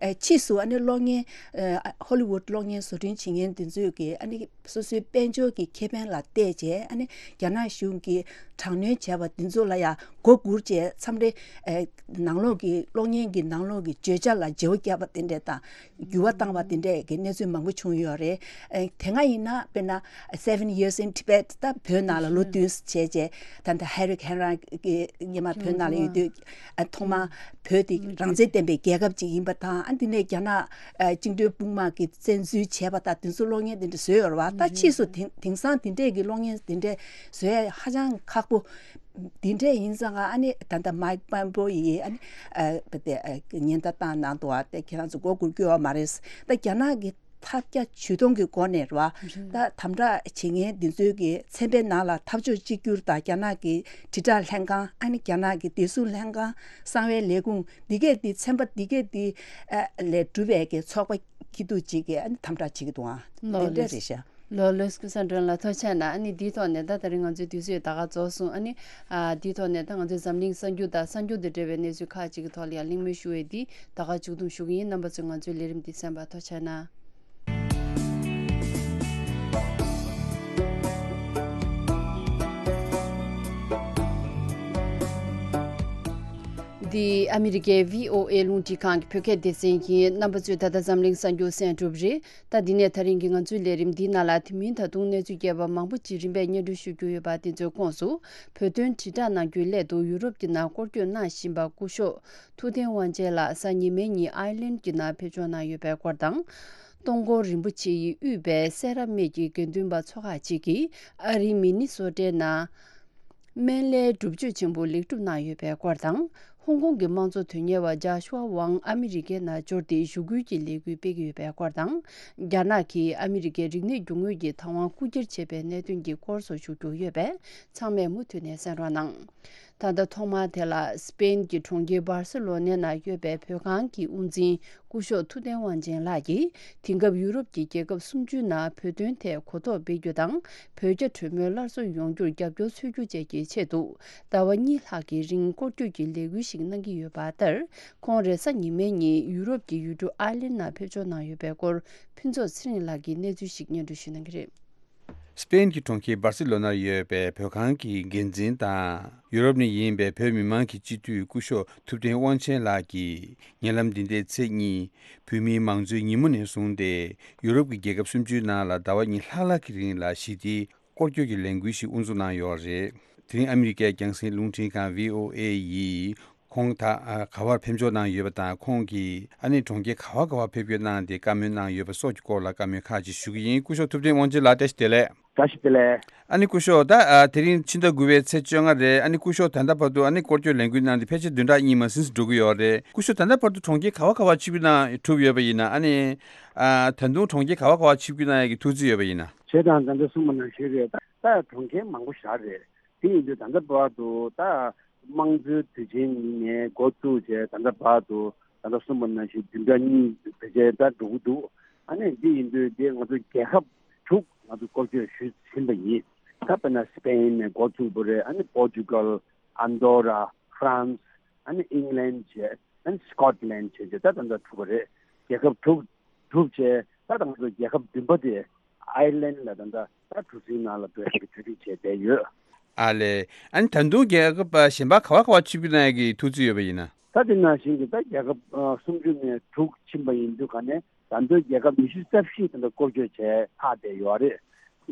ཨ་ཕྱིས་སུ་ཨ་ནི་གློག་བརྙན་ཨ་ཧོ་ལི་ཝུད་གློག་བརྙན་བཟོ་སྐྲུན་བྱེད་མཁན་དེ་ཚོས་གི་ཨ་ནི་སོ་སོའི་དཔལ་འབྱོར་གྱི་ཁེ་ཕན་ལ་བལྟས་བྱས་ཨ་ནི་རྒྱ་ནག་གཞུང་གིས་དྲག་གནོན་བྱས་པ་དེ་ཚོ་ལ་ཡ་མགོ་སྒུར་བྱས། མཚམས་རེ་ཨ་ནང་ལོགས་ཀྱི་གློག་བརྙན་གྱི་ནང་ལོགས་ཀྱི་བརྗོད་བྱ་ལ་བརྗེ་པོ་བརྒྱབ་པ་དེ་འདྲས་དང་། འགྱུར་བ་བཏང་བ་དེ་འདྲས་ཀྱི་གནས་ཚུལ་མང་པོ་བྱུང་ཡོད་རེད། ཨ་དེ་སྔ་ཡིན་ན་དཔེར་ན་Seven Years in Tibet ད་བོད་ནང་ལ་ལོ་བདུན་བྱས་རྗེས། ད་ལྟ་ཧེ་རིག་ཧེན་རང་གི་སྔོན་མ་བོད་ནང་ལ་ཡོད་དུས་ཨ་ཐོག་མ་བོད་དེ་རང་བཙན་ལྡན་པའི་རྒྱལ་ཁབ་ཅིག་ཡིན་པ་དང་། ཨ་དེ་ནས་རྒྱ་ནག་ཨ་བཅིངས་འགྲོལ་དཔུང་དམག་གིས་བཙན་འཛུལ་བྱས་པ་དང་དེ་ཚོ་གློག་བརྙན་དེ་འདྲ་བཟོས་ཡོད་རེད་པ། ད་ཕྱིས་སུ་དེང་དེང་སང་དེ་འདྲས་ཀྱི་གློག་བརྙན་དེ་འདྲས་བཟོ་ཡ་ཧ་ཅང་ཁག་པོ། འདི་འདྲས་ཡིན་ཙང་ཨ་ནི་ད་ལྟ་མའིག་པམ་པོ་ཡིས་ཨ་ནི་ཨ་བ་དེ་ཨ་ཉེན་བརྡ་བཏང་གནང་འདུག་པ། དེ་ཁྱེད་རང་ཚོ་མགོ་སྒུར་རྒྱུ་ཡོད་མ་རེད། ད་རྒྱ་ནག་གི་ཐབས་བརྒྱ་ཇུས་སྟོང་གི་སྒོ་ནས་རེད་པ། ད་དམ་དྲག་བྱེད་མཁན་འདི་ཚོའི་གི་ཚན་པའི་ནང་ལ་འཐབ་ཕྱོགས་གཅིག་གྱུར་དང་རྒྱ་ནག་གི་དྲིལ་བསྒྲགས་ལྷན་ཁང་། ཨ་ནི་རྒྱ་ནག་གི་བདེ་སྲུང་ལྷན་ཁང་། གསང་བའི་ལས་ཁུངས་འདི་གས་འདི་ཚན་པ་འདི་གས་འདི་ཨ་ལས་གྲུབ་པའི་གི་ཚོགས་པ་སྐྱིད་སྡུག་ཅིག་གིས་ཨ་ནི་དམ་དྲག་བྱེད་ཀྱི་འདུག་ཨང་། ལགས་དེ་འདྲ་ལགས། རེད་ཤག་ལགས་ལགས། ཀུན་བཟང་སྒྲོལ་ལགས་ཐུགས་རྗེ་གནང་། ཨ་ནི་འདིའི་ཐོག་ནས་ད་དེ་རིང་ང་ཚོའི་དུས་ཚོད་ད་ག་རྫོགས་སོང་། ཨ་ནི་ཨ་འདིའི་ཐོག་ནས་ད་ང་ཚོའི་འཛམ་གླིང་གསར་འགྱུར་དང་གསར་འགྱུར་དང་འབྲེལ་བའི་གནས་ཚུལ་ཁག་ཅིག་གི་ཐོག་ལ་ཡང་གླེང་མོལ་ཞུ་བའི་འདི་ད་ག་མཇུག་བསྡོམས་ཞུ་གི་ཡིན། རྣམ་པ་ཚོས་ང་ཚོའི་ལས་རིམ་འདི་གསན་པར་ཐུགས་རྗེ་གནང་། འདི་ཨ་མི་རི་ཀའི་བྷི་ཨོ་ཨེ་རླུང་འཕྲིན་ཁང་གི་བོད་སྐད་སྡེ་ཚན་ཡིན། རྣམ་པ་ཚོས་ད་ལྟ་འཛམ་གླིང་གསར་འགྱུར་གསན་གྲུབ་རེད། ད་འདི་ནས་ད་རིང་གི་ང་ཚོའི་ལས་རིམ་འདིའི་ནང་ལ་དེ་མིན་ད་དུང་གནས་ཚུལ་རྒྱས་པ་མང་པོ་ཅིག་རིམ་པས་སྙན་སྒྲོན་ཞུ་རྒྱུ་ཡོད་པ། དེ་ཚོའི་ཁོངས་སུ་བོད་དོན་དྲིལ་བསྒྲགས་གནང་རྒྱུའི་སླད་དུ་ཡུ་རོབ་ཀྱི་ནང་སྐོར་སྐྱོད་གནང་བཞིན་པ་སྐུ་ཞབས་ཐུབ་བསྟན་དབང་ཆེན་ལགས་གཟའ་ཉི་མའི་ཉིན་ཨའི་ལན་གྱི་ནང་ཕེབས་འབྱོར་གནང་ཡོད་པའི་སྐོར་དང་། སྟོང་སྐོར་རིན་པོ་ཆེ་ཡིས་དབུས་པའི་སེ་ར་སྨད་ཀྱི་དགེ་འདུན་པ་ཚོ་ཁག་ཅིག་གིས་ཨ་རིའི་མི་ནི་སོ་ཊའི་ནང་སྨན་བླའི་སྒྲུབ་མཆོད་ཆེན་པོ་ལེགས་གྲུབ་གནང་ཡོད་པའི་སྐོར་དང་། ཧོང་ཀོང་གི་དམངས་གཙོ་དོན་གཉེར་བ་ཇཱ་ཤུའ་ཝང་ཨ་མི་རི་ཀའི་ནང་འབྱོར་ཏེ་ཞུ་སྐུལ་གྱི་ལས་འགུལ་སྤེལ་གྱི་ཡོད་པའི་སྐོར་དང་། རྒྱ་ནག་གིས་ཨ་མི་རི་ཀའི་རིག་གནས་རྒྱུ་དངོས་ཀྱི་བདག་དབང་རྐུ་འཁྱེར་བྱས་པའི་གནད་དོན་གྱི་སྐོར་སོགས་ཞུ་རྒྱུ་ཡོད་པས། ཚང་མས་མུ་མཐུད་ནས་གསན་རོགས་གནང་། ད་ལྟ་ཐོག་མར་དེ་ལ་སི་པེན་གྱི་གྲོང་ཁྱེར་སྦར་སེ་ལོ་ནའི་ནང་ཡོད་པའི་བོད་ཁང་གི་དབུ་འཛིན་སྐུ་ཞབས་ཐུབ་བསྟན་དབང་ཆེན་ལགས་ཀྱིས་དེང་སྐབས་ཡུ་རོབ་ཀྱི་རྒྱལ་ཁབ་སུམ་ཅུའི་ནང་བོད་དོན་ཐད་གོ་རྟོགས་སྤེལ་རྒྱུ་དང་། བོད་རྒྱ་གྲོས་མོལ་སླར་གསོ་ཡོང་རྒྱུར་རྒྱབ་སྐྱོར་འཚོལ་རྒྱུ་བཅས་ཀྱི་ཆེད་དུ་ཟླ་བ་གཉིས་ལྷག་གི་རིང་སྐོར་སྐྱོད་ཀྱི་ལས་འགུལ་ཞིག་གནང་གི་ཡོད་པ་ལྟར། ཁོང་རེས་གཟའ་ཉི་མའི་ཉིན་ཡུ་རོབ་ཀྱི་ཡུལ་གྲུ་ཨའི་ལན་ནང་ཕེབས་འབྱོར་གནང་ཡོད་པའི་སྐོར་ཕུན་ཚོགས་ཚེ་རིང་ལགས་ཀྱིས་གནས་ཚུལ་ཞིག་སྙན་སྒྲོན་ཞུ་གནང་གི་རེད། སི་པེན་གྱི་གྲོང་ཁྱེར་སྦར་སེ་ལོ་ནར་ཡོད་པའི་བོད་ཁང་གི་འགན་འཛིན་དང་ཡུ་རོབ་ནས་ཡིན་པའི་བོད་མི་མང་གི་སྤྱི་འཐུས་སྐུ་ཞབས་ཐུབ་བསྟན་དབང་ཆེན་ལགས་ཀྱིས། ཉེ་ལམ་འདི་ཟླའི་ཚེས་གཉིས་བོད་མིའི་མང་གཙོའི་ཉིན་མོ་ནས་བཟུང་སྟེ་ཡུ་རོབ་ཀྱི་རྒྱལ་ཁབ་སུམ་ཅུའི་ནང་ལ་ཟླ་བ་གཉིས་ལྷག་ལྷག་གི་རིང་ལ་ཞི་བདེའི་སྐོར་སྐྱོད་ཀྱི་ལས་འགུལ་ཞིག་དབུ་འཛུགས་གནང་ཡོད་རེད། དེ་རིང་ཨ་མི་རི་ཀའི་རྒྱང་སྲིང་རླུང་འཕྲིན་ཁང་བྷི་ཨོ་ཨེ་ཡིས་ཁོང་ད་ཨ་ག་བར་ཕེབས་འབྱོར་གནང་ཡོད་པ་དང་། ཁོང་གིས་ཨ་ནི་གྲོང་ཁྱེར་ག་བ་ག་བར་ཕེབས་སྐྱོད་གནང་སྟེ་བཀའ་མོལ་གནང་ཡོད་པ་སོགས་ཀྱི་སྐོར་ལ་བཀའ་མོལ་ཁག་ཅིག་ཞུ་གི་ཡིན། སྐུ་ཞབས་ཐུབ་བསྟན་དབང་ཆེན་ལགས་བཀྲ་ཤིས་བདེ་ལེགས། བཀྲ་ཤིས་བདེ་ལེགས། ཨ་ནི་སྐུ་ཞབས་ད་ཨ་དེ་རིང་ཕྱི་ཟླ་དགུ་པའི་ཚེས་བཅོ་ལྔ་རེད། ཨ་ནི་སྐུ་ཞབས་ད་ལྟ་བར་དུ་ཨ་ནི་སྐོར་སྐྱོད་ལས་འགུལ་གནང་སྟེ་ཕལ་ཆེར་བདུན་ཕྲག་གཉིས་མ་ཟིན་ཙམ་འགྲོ་གི་ཡོད་རེད། སྐུ་ཞབས་ད་ལྟ་བར་དུ་གྲོང་ཁྱེར་ག་བ་ག་བར་ཆིབས་བསྒྱུར་གནང་གྲུབ་ཡོད་པ་ཡིན་ན། ཨ་ནི་ཨ་ད་དུང་གྲོང་ཁྱེར་ག་བ་ག་བར་ཆིབས་བསྒྱུར་གནང་ཡག་གི་ཐུགས་བརྩེ་ཡོད་པ་ཡིན་ན། བྱས་ཙང་ད་ལྟ་གསུངས་པ་ནང་བཞིན་རེད། ད་ད་གྲོང་ཁྱེར་མང་པོ་བཞག་རེད། དེ་ཡིན་དུས་ད་ལྟ་བར་དུ་ད་དམངས་གཙོའི་དུས་ཆེན་ནས་འགོ་བཙུགས་བྱས་ད་ལྟ་བར་དུ་ད་ལྟ་གསུངས་པ་ནང་བཞིན་བདུན་ཕྲག་གཉིས་ཕལ་ཆེར་ད་འགྲོ་གི་འདུག་ཨ་ནི་འདི་ཡིན་དུས་འདི་ང་ཚོ་རྒྱལ་ཁབ་དྲུག་ང་ཚོ་སྐོར་སྐྱོད་ཞུས་ཟིན་པ་ཡིན། ད་དཔེར་ན་སི་པེན་ནས་འགོ་བཙུགས་པ་རེད། ཨ་ནི་པོར་ཅུ་གལ། ཨན་ཌོ་ར། ཧྥ་རན་སི། ཨ་ནི་ཨིང་ལན་བྱས། ཨ་ནི་སི་ཀོཊ་ལན་བྱས་བྱས་ད་ད་ལྟ་གྲུབ་པ་རེད། རྒྱལ་ཁབ་དྲུག་གྲུབ་བྱས་ད་ད་ང་ཚོ་རྒྱལ་ཁབ་བདུན་པ་དེ་ཨའི་ལན་ལ་ད་ལྟ་ད་གྲུ་གཟིངས་ནང་ལ་འགྲོ་ཡག་གི་གྲ་སྒྲིག་བྱས་བསྡད་ཡོད། ཨ་ལས། ཨ་ནི་ད་དུང་རྒྱལ་ཁབ་གཞན་པ་ག་བ་ག་བ་ཆིབས་བསྒྱུར་གནང་ཡག་གི་ཐུགས་བརྩེ་ཡོད་པ་ཡིན་ན། ད་དེ་ནང་བཞིན་གྱི་ད་རྒྱལ་ཁབ་ཨ་སུམ་ཅུ་ནས་དྲུག་ཕྱིན་པ་ཡིན་དུས་ག་ནས་ད་དུང་རྒྱལ་ཁབ་ཉི་ཤུ་རྩ་བཞི་ད་ལྟ་སྐོར་སྐྱོད་བྱས་ཚར་བསྡད་ཡོད་རེད།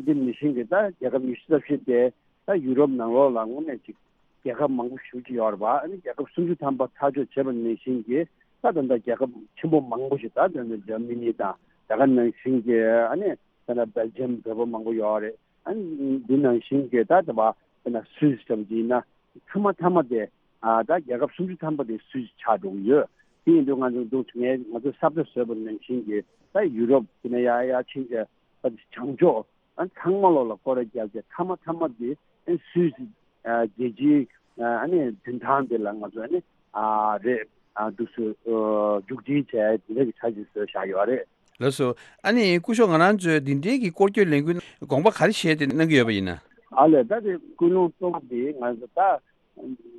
དེ་ནང་བཞིན་གྱི་ད་རྒྱལ་ཁབ་ཉི་ཤུ་རྩ་བཞི་དེ་ད་ཡུ་རོབ་ནང་ལོགས་ལ་དངོས་གནས་ཅིག་རྒྱལ་ཁབ་མང་པོ་ཞེ་པོ་ཅིག་ཡོད་རེད་པ། ཨ་ནི་རྒྱལ་ཁབ་སུམ་ཅུ་ཐམ་པ་ཚར་གཅོད་བྱས་པ་ནང་བཞིན་གྱི་ད་ད་ལྟ་རྒྱལ་ཁབ་ཆེན་པོ་མང་པོ་ཞིག་ད་ད་ལྟ་འཇར་མ་ནི་དང་། དེ་ག་ནང་བཞིན་གྱི་ཨ་ནི་ད་ལྟ་སྦེལ་ཇམ་བོད་པ་མང་པོ་ཡོད་རེད། ཨ་ནི་འདི་ནང་བཞིན་གྱི་ད་ད་བ་ད་ལྟ་སུད་སི་ཙམ་གྱི་ཡིན་ན་མཐའ་མ་མཐའ་མ་དེ་ཨ་ད་རྒྱལ་ཁབ་སུམ་ཅུ་ཐམ་པ་དེ་སུད་སི་ཆགས་འགྲོ་གི་ཡོད། དེ་ཡིན་དུས་ང་ཚོ་འདུག་ངས་ང་ཚོ་ས་བཀྲ་བཟོས་པ་ནང་བཞིན་གྱི་ད་ཡུ་རོབ་དེ་ནས་ཡར་ཡར་ཕྱིན་བྱས་ད་བྱང་ཕྱོགས། ཨ་ཚང་མ་ལོག་ལ་སྐོར་ར་བརྒྱབ་བྱས་མཐའ་མ་མཐའ་མ་དེ་ཨ་སུད་སི་ཨ་རྒྱལ་སྤྱིའི་ཨ་ནི་མདུན་ཐང་དེ་ལ་ང་ཚོ་ཨ་ནི་ཨ་རེད། ཨ་འདུག་སེ་ཨ་མཇུག་སྒྲིལ་བྱས་དེ་འདྲ་གི་འཆར་གཞི་བཟོས་བཞག་ཡོད་རེད། ལགས་སོ། ཨ་ནི་སྐུ་ཞབས་ང་རང་ཚོས་འདི་འདྲའི་གི་སྐོར་སྐྱོད་ལས་འགུལ་དགོངས་པ་ག་རེ་བཞེས་ཏེ་གནང་གི་ཡོད་པ་ཡིན་ན། ཨ་ལས། ད་དེ་ཀུན་སློང་གཙོ་བོ་དེ་ང་ཚོ་ད་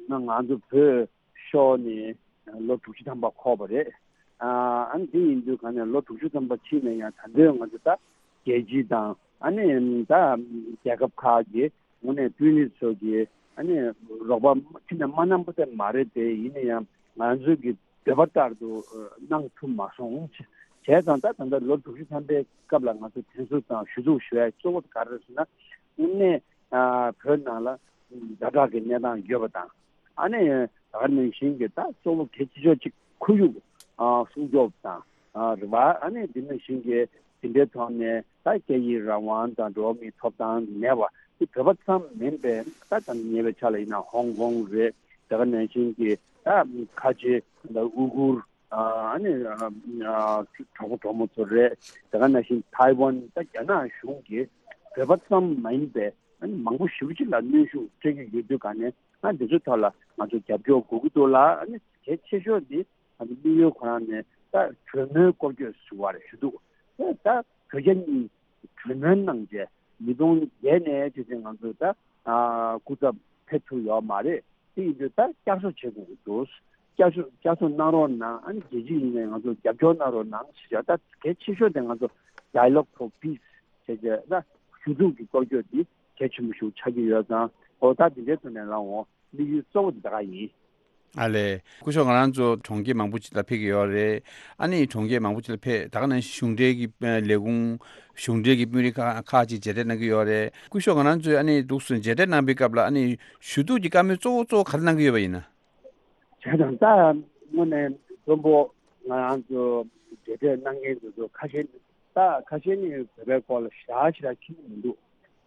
ང་ཚོ་བོད་ཤོར་ནས་ལོ་དྲུག་ཅུ་ཐམ་པ་འཁོར་བ་རེད། ཨ་ནི་དེ་ཡིན་དུས་ག་ནས་ལོ་དྲུག་ཅུ་ཐམ་པ་ཕྱིན་ན་ཡང་ད་ལྟའི་ང་ཚོ་ད་རྒྱལ་སྤྱི་དང་ཨ་ནི་ད་རྒྱལ་ཁབ་ཁག་གི་དངོས་གནས་དཔོན་རིགས་ཚོ་གི་ཨ་ནི་རོགས་པ་ཅི་ནས་མ་གནང་པ་དེ་མ་རེད་དེ། ཡིན་ན་ཡང་ང་ཚོའི་གི་འདོད་པ་ལྟར་དུ་གནང་ཐུབ་མ་སོང་། བྱས་ཙང་ད་ད་ལྟ་ལོ་དྲུག་ཅུ་ཐམ་པའི་སྐབས་ལ་ང་ཚོ་དྲན་གསོ་དང་ཞུ་གཏུག་ཞུ་ཡ་གཙོ་བོ་ག་རེ་རེད་ཟེར་ན། དངོས་གནས་བོད་ནང་ལ་ཛ་དྲག་གི་གནས་སྟངས་ཡོད་པ་དང་། ཨ་ནི་ད་ག་ནང་བཞིན་གྱི་ད་གཙོ་བོ་གལ་ཆེ་ཤོས་གཅིག་ཁོར་ཡུག་སྲུང་སྐྱོབ་དང་རེད་བ། ཨ་ནི་དེ་ནང་བཞིན་གྱི་དེ་འདྲའི་ཐོག་ནས་ད་སྐད་ཡིག་རང་དབང་དང་འགྲོ་བ་མིའི་ཐོབ་ཐང་མེད་པ་དེ་བོད་པ་ཙམ་མིན་པའི་ད་ད་ཉེ་བའི་ཆར་ལ་ཡིན་ན་ཧོང་ཀོང་རེད། དེ་ག་ནང་བཞིན་གྱི་ད་ཁ་ཆེ་ད་ཨུ་ཁུར་ཨ་ནི་གྲོགས་པོ་གྲོགས་མོ་ཚོ་རེད། དེ་ག་ནང་བཞིན་ཐའེ་ཝན་ད་རྒྱ་ནག་གཞུང་གིས་བོད་པ་ཙམ་མ་ཡིན་པའི་ཨ་ནི་མང་པོ་ཞེ་པོ་ཅིག་ལ་གནོན་ཤུགས་སྤྲད་ཀྱི་ཡོད་དུས་ག་ནས་ང་འདི་ཚོའི་ཐོག་ལ་ང་ཚོ་རྒྱབ་སྐྱོར་དགོས་ཀྱི་འདུག་ལ། ཨ་ནི་གལ་ཆེ་ཤོས་འདི་ང་ཚོ་དམིགས་ཡུལ་ཁོ་རང་ནས་ད་གྲོས་མོལ་སྐོར་སྐྱོད་ཞུ་བ་རེད་ཞུ་འདུག་ད་བོད་རྒྱ་གཉིས་གྲོས་མོལ་གནང་རྗེས་ཉིས་སྟོང་བརྒྱད་ནས་བྱས་ཙང་ང་ཚོ་ད་སྐུ་ཚབ་ཕེབས་ཐུབ་ཡོད་མ་རེད། དེ་ཡིན་དུས་ད་བསྐྱར་གསོ་བྱེད་དགོས་ཀྱི་འདུག་བསྐྱར་གསོ་བསྐྱར་གསོ་གནང་རོགས་གནང་། ཨ་ནི་རྒྱལ་སྤྱི་ཡིན་ནའི་ང་ཚོ་རྒྱབ་སྐྱོར་གནང་རོགས་གནང་ཞེས་བྱ། ད་གལ་ཆེ་ཤོས་དེ་ང་ཚོ་Dialogue for Peace་བྱས་རྗེས་ད་ཞུ་གཏུག་གི་སྐོར་སྐྱོད་འདི་གལ་ཆེན་པོ་ཞིག་ཆགས་ཀྱི་ཡོད་ཙང་། འོ་ད་འདི་འདྲའི་ཐོག་ནས་ལངས་འོང་། དམིགས་ཡུལ་གཙོ་བོ་འདི་ད་ག་ཡིན། ཨ་ལས། སྐུ་ཞབས་ང་རང་ཚོ་གྲོང་ཁྱེར་མང་པོ་ཅིག་ལ་ཕེབས་ཀྱི་ཡོད་རེད། ཨ་ནི་གྲོང་ཁྱེར་མང་པོ་ཅིག་ལ་ཕེབས་ད་ག་ནང་བཞིན་གཞུང་འབྲེལ་གྱི་ཨ་ལས་ཁུངས་གཞུང་འབྲེལ་གྱི་དཔོན་རིགས་ཁག་ཁག་ཅིག་མཇལ་འཕྲད་གནང་གི་ཡོད་རེད། སྐུ་ཞབས་ང་རང་ཚོས་ཨ་ནི་འདུག་སེ་མཇལ་འཕྲད་གནང་པའི་སྐབས་ལ་ཨ་ནི་ཞུ་གཏུག་གི་བཀའ་མོལ་གཙོ་བོ་གཙོ་བོ་ག་རེ་གནང་གི་ཡོད་པ་ཡིན་ན། བྱས་ཙང་ད་དངོས་གནས་དཔོན་པོ་ང་རང་ཚོ་མཇལ་འཕྲད་གནང་མཁན་དེ་ཚོ་ཁ་ཤས་ད་ཁ་ཤས་ནི་བོད་པའི་སྐོར་ལ་ཞེ་དྲག་ཞེ་དྲག་མཁྱེན་གྱི་མི་འདུག་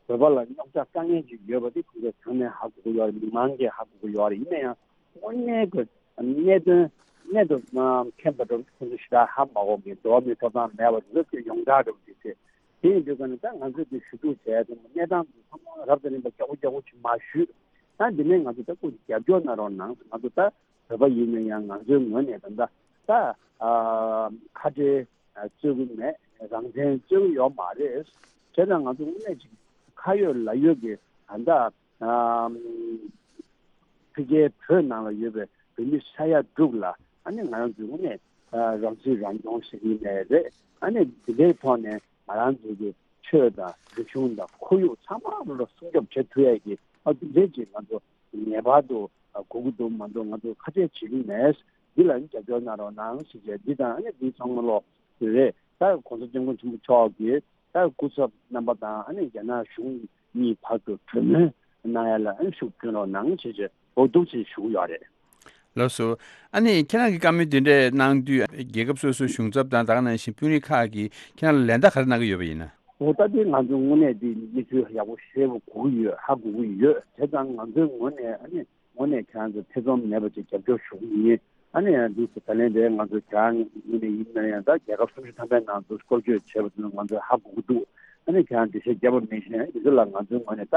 བོད་པ་ལ་རྙོག་དྲ་དཀའ་ངལ་ཅིག་ཡོད་པ་དེ་ཁོང་ཚོ་ཚང་མས་ཧ་གོ་གི་ཡོད་རེད། མི་མང་གིས་ཧ་གོ་གི་ཡོད་རེད། ཡིན་ན་ཡང་དངོས་གནས་ཀྱི་གནད་དོན་གནད་དུ་མཁྱེན་པ་འདྲ་བོ་ཁོང་ཚོ་ཞེ་དྲག་ཧ་མ་གོ་མཁན། འགྲོ་བ་མིའི་ཐོབ་ཐང་མེད་པ་འདི་ཚོ་ཡོངས་གྲགས་འདྲ་བོ་ཅིག་རེད། དེ་ཡིན་དུས་ཀ་ནས་ད་ང་ཚོས་དེ་ཞུ་གཏུག་བྱས་ཙང་གནས་སྟངས་དེ་ཚང་མ་རབ་དང་རིམ་པ་མགྱོགས་པོ་མགྱོགས་པོ་ཅིག་མར་ཞུས། ད་འདི་ནས་ང་ཚོ་ད་སྐུ་མཁྱེན་རྒྱབ་སྐྱོར་གནང་རོགས་གནང་། ང་ཚོ་ད་བོད་པ་ཡིན་ན་ཡང་ང་ཚོའི་ངོས་ནས་ད་ད་ད་ཨ་ཁ་བྲལ་རྩོད་ཀྱི་མེད། རང་བཙན་རྩོད་ཀྱི་ཡོད་མ་རེད། བྱས་ཙང་ང་ཚོ་དངོས་གནས་ཅིག་ཁ་ཡོད་ལག་ཡོད་ཀྱི་ད་ད་ཨ་ཕ་གིའི་བོད་ནང་ལ་ཡོད་པའི་བོད་མི་ས་ཡ་དྲུག་ལ་ཨ་ནི་ང་རང་ཚོའི་དངོས་གནས་ཨ་རང་སྲིད་རང་སྐྱོང་ཟེར་གྱི་མེད་རེད། ཨ་ནི་འདི་འདྲའི་ཐོག་ནས་ང་རང་ཚོའི་གི་ཆོས་དང་རིག་གཞུང་དང་ཁོར་ཡུག་ཚང་མ་ལ་སྲུང་སྐྱོབ་བྱེད་ཐུབ་ཡ་གི་ཨ་འདི་འདྲའི་ཅིག་ང་ཚོ་ངེས་པར་དུ་ཨ་དགོས་ཀྱི་འདུག་མ་གཏོགས་ང་ཚོ་ཁ་གཏད་བྱེད་ཀྱི་མེད། འདི་ལ་ནི་རྒྱབ་སྐྱོར་གནང་རོགས་གནང་ཞེས་བྱས། འདི་དང་ཨ་ནི་འདི་ཚང་མ་ལོག་དེ་རེད། ད་༸གོང་ས་༸སྐྱབས་མགོན་ཆེན་པོ་མཆོག་གིས་ད་སྐུ་ཚབ་རྣམ་པ་དང་ཨ་ནི་རྒྱ་ནག་གཞུང་གཉིས་བར་དུ་གྲོས་མོལ་གནང་ཡ་ལ་ཨ་ནི་ཤུགས་སྐྱོན་རོགས་གནང་ཞེས་བྱས་འོ་འདུག་ཅེས་ཞུ་གི་ཡོད་རེད། ལགས་སོ། ཨ་ནི་ཁྱེད་རང་གིས་བཀའ་མོལ་དེ་འདྲས་གནང་དུས་རྒྱལ་ཁབ་སོ་སོའི་གཞུང་ཚབ་དང་ད་ག་ནང་བཞིན་དཔོན་རིགས་ཁག་གིས་ཁྱེད་རང་ལ་ལན་བརྡ་ག་རེ་གནང་གི་ཡོད་པ་ཡིན་ན། འོ་ད་དེ་ང་ཚོ་དངོས་གནས་དེ་གནས་ཚུལ་ཡག་པོ་ཤེས་པ་གོ་གི་ཡོད། ཧ་གོ་གི་ཡོད། བྱས་ཙང་ང་ཚོའི་ངོས་ནས་ཨ་ནི་དངོས་གནས་ཁྱེད་རང་ཚོ་ཐེ་ཚོམ་མེད་པ་ཅིག་རྒྱབ་སྐྱོར་ཞུ་གི་ཡིན། ཨ་ནི་ཡང་འདུག་སེ་ད་ལན་དེ་ང་ཚོ་ཁྱེད་རང་ངོས་ནས་ཡིན་ན་ཡང་ད་རྒྱལ་ཁབ་སུམ་ཅུ་ཐམ་པའི་ནང་དུ་སྐོར་སྐྱོད་བྱས་པ་དེ་ང་ཚོས་ཧ་གོ་གི་འདུག་ཨ་ནི་ཁྱེད་རང་འགྲེལ་བཤད་བརྒྱབ་པ་མིན་ཞིང་འདི་ཚོ་ལ་ང་ཚོའི་ངོས་ནས་ད་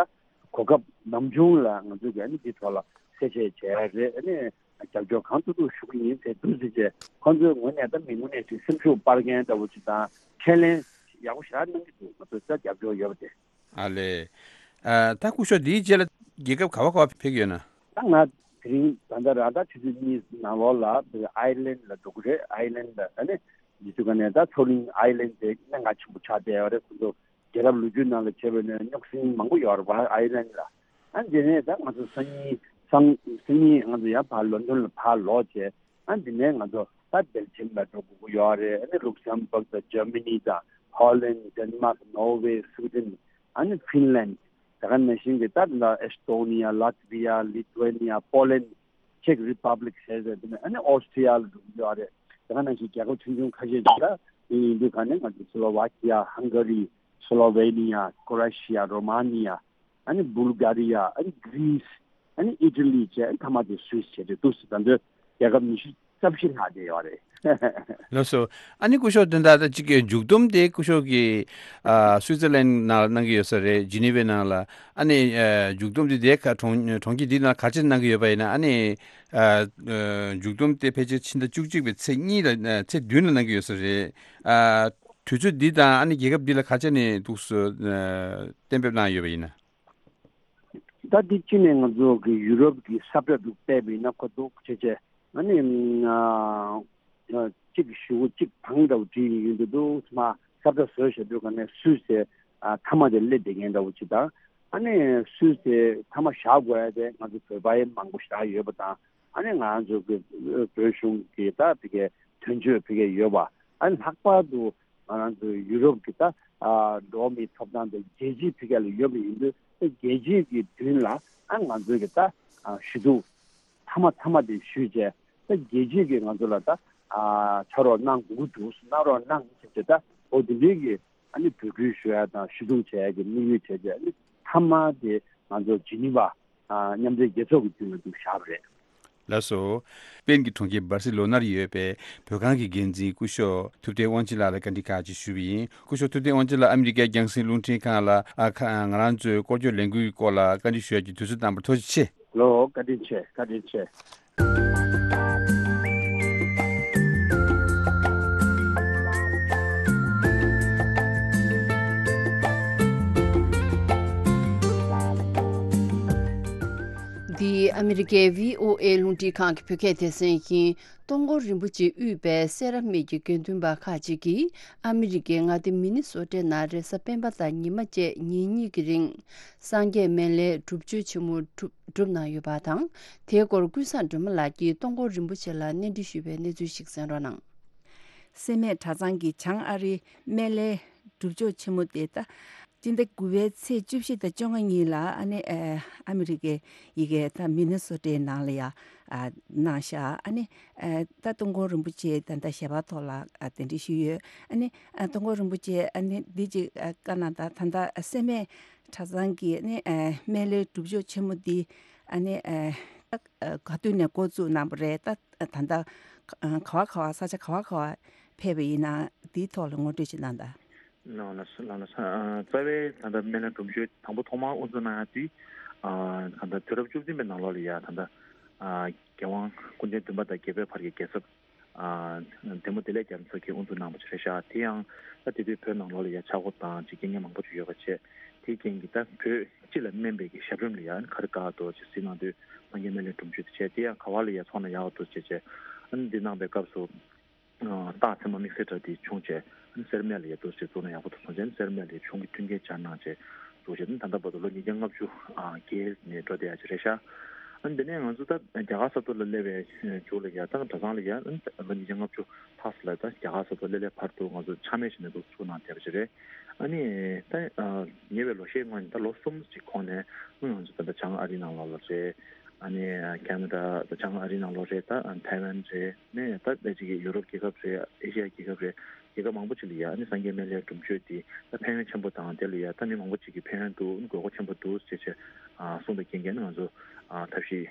གོ་སྐབས་ནམ་བྱུང་ལ་ང་ཚོས་ཀྱི་ཨ་ནི་འདི་ཐོག་ལ་གསལ་བཤད་བྱས་རེད། ཨ་ནི་རྒྱབ་སྐྱོར་གང་ཐུབ་ཐུབ་ཞུ་གི་ཡིན་ཟེར་འདུག་ཟེར་བྱས་ཁོང་ཚོའི་ངོས་ནས་ད་མི་ངོས་ནས་ཅིག་སེམས་ཤུགས་སྤར་མཁན་འདྲ་བོ་ཅིག་དང་ཁས་ལེན་ཡག་པོ་ཞེ་དྲག་གནང་གི་འདུག་ང་ཚོས་ད་རྒྱབ་སྐྱོར་ཡོད་པ་དེ། ཨ་ལས། ཨ་ད་སྐུ་ཞབས་འདིའི་རྗེས་ལ་རྒྱལ་ཁབ་ག་བ་ག་བ་ཕེབས་ཀྱི་ཡོད་ན། ད་ང་དེ་རིང་ད་ལྟ་ར་ད་ཆུ་ཚོད་གཉིས་ནང་ལོགས་ལ་ཨའི་ལན་ལ་འགྲོ་གི་རེད། ཨའི་ལན་ལ་ཨ་ནི་འདི་ཚོ་ག་ནས་ད་མཚོ་གླིང་ཨའི་ལན་དེ་གནད་འགག་ཆེན་པོ་ཆགས་བསྡད་ཡོད་རེད། ཁོ་ཚོ་རྒྱལ་རབས་ལོ་རྒྱུས་ནང་ལ་བྱས་པ་ནས་རྙོག་ཟིང་མང་པོ་ཡོད་རེད་པ་ཨའི་ལན་ལ། ཨ་འདི་ནས་ད་ང་ཚོ་སང་ཉིན་སང་སང་ཉིན་ང་ཚོ་ཡང་ཕར་ལོན་ཌོན་ལ་ཕར་ལོག་བྱས། ཨ་འདི་ནས་ང་ཚོ་ད་སྦེལ་ཇམ་ལ་འགྲོ་དགོས་ཀྱི་ཡོད་རེད། ཨ་ནི་ལུག་སམ་བྷག་དང་ཇར་མ་ནི་དང་ཧོ་ལན། ཌེན་མཱག། ནོར་ཝེ། སུའི་ཌེན། ཨ་ནི་ཧྥིན་ལན། དེ་ག་ནང་བཞིན་གྱི་ད་ལ་ཨེ་སི་ཏོ་ནི་ཡ། ལཱ་ཏི་ཝི་ཡ། ལི་ཐུ་ཝེ་ནི་ཡ། པོ་ལན། ཅེག་རི་པབ་ལིག་བྱས་ཟེར་དེ་ནས་ཨ་ནི་ཨོ་སི་ཊི་ཡ་ལ་འགྲོ་གི་ཡོད་རེད། དེ་ག་ནང་བཞིན་རྒྱལ་ཁབ་ཆུང་ཆུང་ཁ་ཤས་ཅིག་ད་དེ་ཡིན་དུས་ག་ནས་ང་ཚོ་སི་ལོ་ཝ་ཀི་ཡ། ཧང་ག་རི། སི་ལོ་ཝེ་ནི་ཡ། ཀོ་ར་ཤི་ཡ། རོ་མ་ནི་ཡ། ཨ་ནི་བུལ་ག་རི་ཡ། ཨ་ནི་གྷི་རིས། ཨ་ནི་ཨི་ཊ་ལི་བཅས་ཨ་ནི་མཐའ་མ་དེ་སུད་སི་བྱས་ཏེ་འདུག་སེ་ད་ལྟ་རྒྱལ་ཁབ་ཉི་ཤུ་རྩ་བཞི་ལྷག་བསྡད་ཡོད་རེད། ལགས་སོ། ཨ་ནི་སྐུ་ཞབས་དོན་དག་ད་གཅིག་གི་མཇུག་བསྡོམས་དེ་སྐུ་ཞབས་ཀྱིས་ཨ་སུའི་ཙར་ལན་ནང་ལ་གནང་གི་ཡོད་ས་རེད། ཇི་ནི་ཝའི་ནང་ལ། ཨ་ནི་ཨ་མཇུག་བསྡོམས་དེ་དེ་ག་གྲོང་གྲོང་ཁྱེར་འདིའི་ནང་ག་ཚོད་གནང་གི་ཡོད་པ་ཡིན་ན། ཨ་ནི་ཨ་ཨ་མཇུག་བསྡོམས་དེ་ཕལ་ཆེར་ཕྱི་ཟླ་བཅུ་གཅིག་པའི་ཚེས་གཉིས་ལ་ཨ་ཚེས་བདུན་ལ་གནང་གི་ཡོད་ས་རེད། ཨ་དུས་ཚོད་འདི་དང་ཨ་ནི་རྒྱལ་ཁབ་འདི་ལ་ག་ཚོད་ནས་འདུག་སེ་ཨ་གཏན་འབེབས་གནང་ཡོད་པ་ཡིན་ན། ད་འདི་གཅིག་ནས་ང་ཚོ་གི་ཡུ་རོབ་ཀྱི་ས་བཀྲ་དྲུག་སྤེལ་བ་ཡིན་ན་ཁོ་འདུག་བྱས་བྱས་ཨ་ནི་ཨ་གཅིག་ཞུ་གཅིག་དང་འདྲ་བོ་བྲིས་ཡིན་འདུག་འདུག་མ་ས་བཀྲ་བཟོས་བཞག་དུས་ག་ནས་སུད་སི་ཨ་མཐའ་མ་དེ་སླེབས་བསྡད་མཁན་འདྲ་བོ་ཅིག་དང་། ཨ་ནི་སུད་སི་མཐའ་མ་བཞག་དགོས་ཡ་དེ་ང་ཚོ་བོད་པ་ཡི་མང་པོ་ཞེ་དྲག་ཡོད་པ་དང་། ཨ་ནི་ང་ཚོ་གི་བོད་གཞུང་གི་ད་ཕ་གིའི་དོན་གཅོད་ཕ་གིར་ཡོད་པ། ཨ་ནི་ལྷག་པར་དུ་ང་རང་ཚོའི་ཡུ་རོབ་ཀྱི་ད་ཨ་འགྲོ་བ་མིའི་ཐོབ་ཐང་དང་རྒྱལ་སྤྱིའི་ཕ་གི་ལ་ཡོད་པ་ཡིན་དུས་རྒྱལ་སྤྱིའི་གི་མདུན་ལ་ཨ་ང་ཚོའི་གི་ད་ཨ་ཞུ་གཏུག་མཐའ་མ་མཐའ་མ་དེ་ཞུས་བྱས་ད་རྒྱལ་སྤྱིའི་གི་ང་ཚོ་ལ་ད་ཨ་ཕྱག་རོགས་གནང་དགོས་ཀྱི་འདུག་གནང་རོགས་གནང་ཟེར་བྱས་ད་འོ་དེ་འདྲའི་གི་ཨ་ནི་འབོད་སྐུལ་ཞུ་ཡ་དང་ཞུ་གཏུག་བྱེད་ཡ་གི་དམིགས་ཡུལ་བྱས་བྱས་ཨ་ནི་མཐའ་མ་དེ་ང་ཚོ་ཇི་ནི་ཝ་ཨ་མཉམ་འབྲེལ་རྒྱལ་ཚོགས་ཀྱི་མདུན་ལ་འདུག་བཞག་པ་རེད། ལགས་སོ། སྤེན་གྱི་གྲོང་ཁྱེར་སྦར་སི་ལོ་ནར་ཡོད་པའི་བོད་ཁང་གི་འགན་འཛིན་སྐུ་ཞབས་ཐུབ་བསྟན་དབང་ཆེན་ལགས་ལ་བཀའ་འདྲི་ཁག་ཅིག་ཞུས་པ་ཡིན། སྐུ་ཞབས་ཐུབ་བསྟན་དབང་ཆེན་ལགས་ཨ་མི་རི་ཀའི་རྒྱང་སྲིང་རླུང་འཕྲིན་ཁང་ལ་ཨ་ཁ་ང་རང་ཚོའི་སྐོར་སྐྱོད་ལས་འགུལ་གྱི་སྐོར་ལ་བཀའ་འདྲི་ཞུ་ཡ་གི་དུས་ཚོད་བཏང་པར་ཐུགས་རྗེ་ཆེ། ལོ་བཀའ་དྲིན་ཆེ། བཀའ་དྲིན་ཆེ། འདི་ ཨ་མི་རི་ཀའི་བྷི་ཨོ་ཨེ་རླུང་འཕྲིན་ཁང་གི་བོད་སྐད་སྡེ་ཚན་ཡིན། སྟོང་སྐོར་རིན་པོ་ཆེ་དབུས་པའི་སེ་ར་སྨད་ཀྱི་དགེ་འདུན་པ་ཁག་ཅིག་གིས་ཨ་མི་རི་ཀའི་མངའ་སྡེ་མི་ནི་སོ་ཊའི་ནང་རེས་གཟའ་སྤེན་པ་དང་ཉི་མ་བཅས་ཉིན་གཉིས་ཀྱི་རིང་། སངས་རྒྱས་སྨན་བླའི་སྒྲུབ་མཆོད་ཆེན་མོ་གྲུབ་གྲུབ་གནང་ཡོད་པ་དང་། དེའི་སྐོར་ཀུན་བཟང་སྒྲོལ་མ་ལགས་ཀྱིས་སྟོང་སྐོར་རིན་པོ་ཆེ་ལ་གནས་འདྲི་ཞུས་པའི་གནས་ཚུལ་ཞིག་གསན་རོགས་གནང་། སེ་སྨད་གྲྭ་ཚང་གི་བྱང་ཨ་རིའི་སྨན་བླའི་སྒྲུབ་མཆོད་ཆེན་མོ་དེ་ད། སྤྱི་ཟླ་དགུ་པའི་ཚེས་བཅུ་བཞི་དང་བཅོ་ལྔ་གཉིས་ལ་ཨ་ནི་ཨ་མི་རི་ཀའི་ཡི་གེ་ད་མི་ནི་སོ་ཊའི་ནང་ལ་ཡ་གནང་ཤག་ཨ་ནི་ད་སྟོང་སྐོར་རིན་པོ་ཆེ་ད་ད་ཞལ་པར་ཐོག་ལ་གདན་འདྲེན་ཞུས་ཡོད། ཨ་ནི་སྟོང་སྐོར་རིན་པོ་ཆེ་ཨ་ནི་འདི་ཅིག་བཀའ་གནང་དང་། ད་ད་སེ་སྨད་གྲྭ་ཚང་གི་ཨ་ནི་སྨན་བླའི་སྒྲུབ་མཆོད་ཆེན་མོ་འདི་ཨ་ནི་ག་དུས་ནས་འགོ་བཙུགས་གནང་པ་རེད། ད་ད་ད་ག་བ་ག་བ་ས་ཆ་ག་བ་ག་བ་ཕེབས་པ་ཡིན་ན་འདིའི་ཐོག་ལ་ངོ་སྤྲོད་ཅིག་གནང་དང་། ལགས་ལགས་ལགས་ལགས། རྩ་བའི་ད་ལྟ་སྨན་བླའི་སྒྲུབ་མཆོད་དང་པོ་ཐོག་མར་དབུ་འཛུགས་གནང་ཡ་དེ་ད་ལྟ་དུས་རབས་བཅུ་བདུན་པའི་ནང་ལོགས་ལ་ཡ་ད་ལྟ་རྒྱལ་དབང་སྐུ་ཕྲེང་བདུན་པ་དང་བརྒྱད་པའི་བར་གྱི་རྒྱལ་ཚབ་བདེ་མོ་བདེ་ལེགས་རྒྱ་མཚོ་གིས་དབུ་འཛུགས་གནང་བ་ཅིག་རེད་ཤག་དེ་ཡང་ད་དེ་དུས་བོད་ནང་ལོགས་ལ་ཡ་ཆག་སྒོ་དང་ཅིག་རྐྱེན་ངན་མང་པོ་ཅིག་ཡོད་པ་བྱས། དེའི་རྐྱེན་གྱིས་ད་བོད་སྤྱི་ལ་སྨན་པའི་གི་ཞབས་རིམ་ལ་ཡ་ག་རེ་དགའ་འདུག་ཅེས་གཟིགས་གནང་དུས་སངས་རྒྱས་སྨན་བླའི་སྒྲུབ་མཆོད་དེ་བྱས། དེ་ཡང་ག་བ་ལ་ཡ་ཚོགས་ན་ཡག་འདུག་ཅེས་བྱས། ཨ་ནི་འདི་གནང་པའི་སྐབས་སུ། རྟགས་མཚན་མ་དམིགས་བསལ་འདྲ་དེ་བྱུང་བྱས། ཨ་ནི་སེར་སྨད་ལ་ཡ་འདུག་ཅེས་བཙུགས་ན་ཡག་པོ་འདུག་སོང་བྱས། ཨ་ནི་སེར་སྨད་ལ་ཡ་གཞུང་གི་མཐུན་རྐྱེན་སྦྱར་གནང་བྱས་འདུག་ཅེས། ཨ་ནི་ད་ལྟ་བར་དུ་ལོ་ཉིས་བརྒྱ་ལྔ་བཅུ་བརྒལ་ནས་འགྲོ་བསྡད་ཡ་ཅིག་རེད་ཤག་ཨ་ནི་དེ་ནས་ང་ཚོ་ད་རྒྱ་གར་ས་ཐོག་ལ་སླེབས་པའི་མཇུག་ལ་ཡ་ད་གྲྭ་ཚང་ལ་ཡ་ཨ་ནི་ལོ་ཉིས་བརྒྱ་ལྔ་བཅུ་ལྷག་ཙམ་ལ་ད་རྒྱ་གར་ས་ཐོག་སླེབས་སླེབས་བར་དུ་ང་ཚོ་ཆག་མེད་བྱས་ནས་འདུག་ཚུགས་གནང་བསྡད་པ་ཅིག་རེད། ཨ་ནི་ད་ཉེ་བའི་ལོ་ཤས་སྔོན་ད་ལོ་གསུམ་ཅིག་གོང་ནས་ང་ཚོ་ད་ལྟ་བྱང་ཨ་རིའི་ནང་ལོགས་ལ་རེད། ཨ་ནི་ཁེ་ན་ཌ་ད་བྱང་ཨ་རིའི་ནང་ལོགས་རེད། ད་ཐའེ་ཝན་རེད། ནས་ད་ཕལ་ཆེར་གྱི་ཡུ་རོབ་རྒྱལ་ཁབ་རེད། ཨེ་ཤི་ཡ་རྒྱལ་ཁབ་རེད། རྒྱལ་ཁབ་མང་པོ་ཅིག་ལ་ཡ་ཨ་ནི་སངས་རྒྱས་སྨན་བླའི་སྒྲུབ་མཆོད་འདི་ད་ཕན་ཡོན་ཆེན་པོ་དང་། དེ་ལ་ཡ་ད་མི་མང་པོ་ཅིག་གིས་ཕན་ཡོན་འདུག་ཨ་ནི་དགོས་མཁོ་ཆེན་པོ་འདུག་ཅེས་བྱས་གསུངས་པའི་རྐྱེན་གྱིས་ཨ་ནི་ང་ཚོ་ཐབས་ཤེས་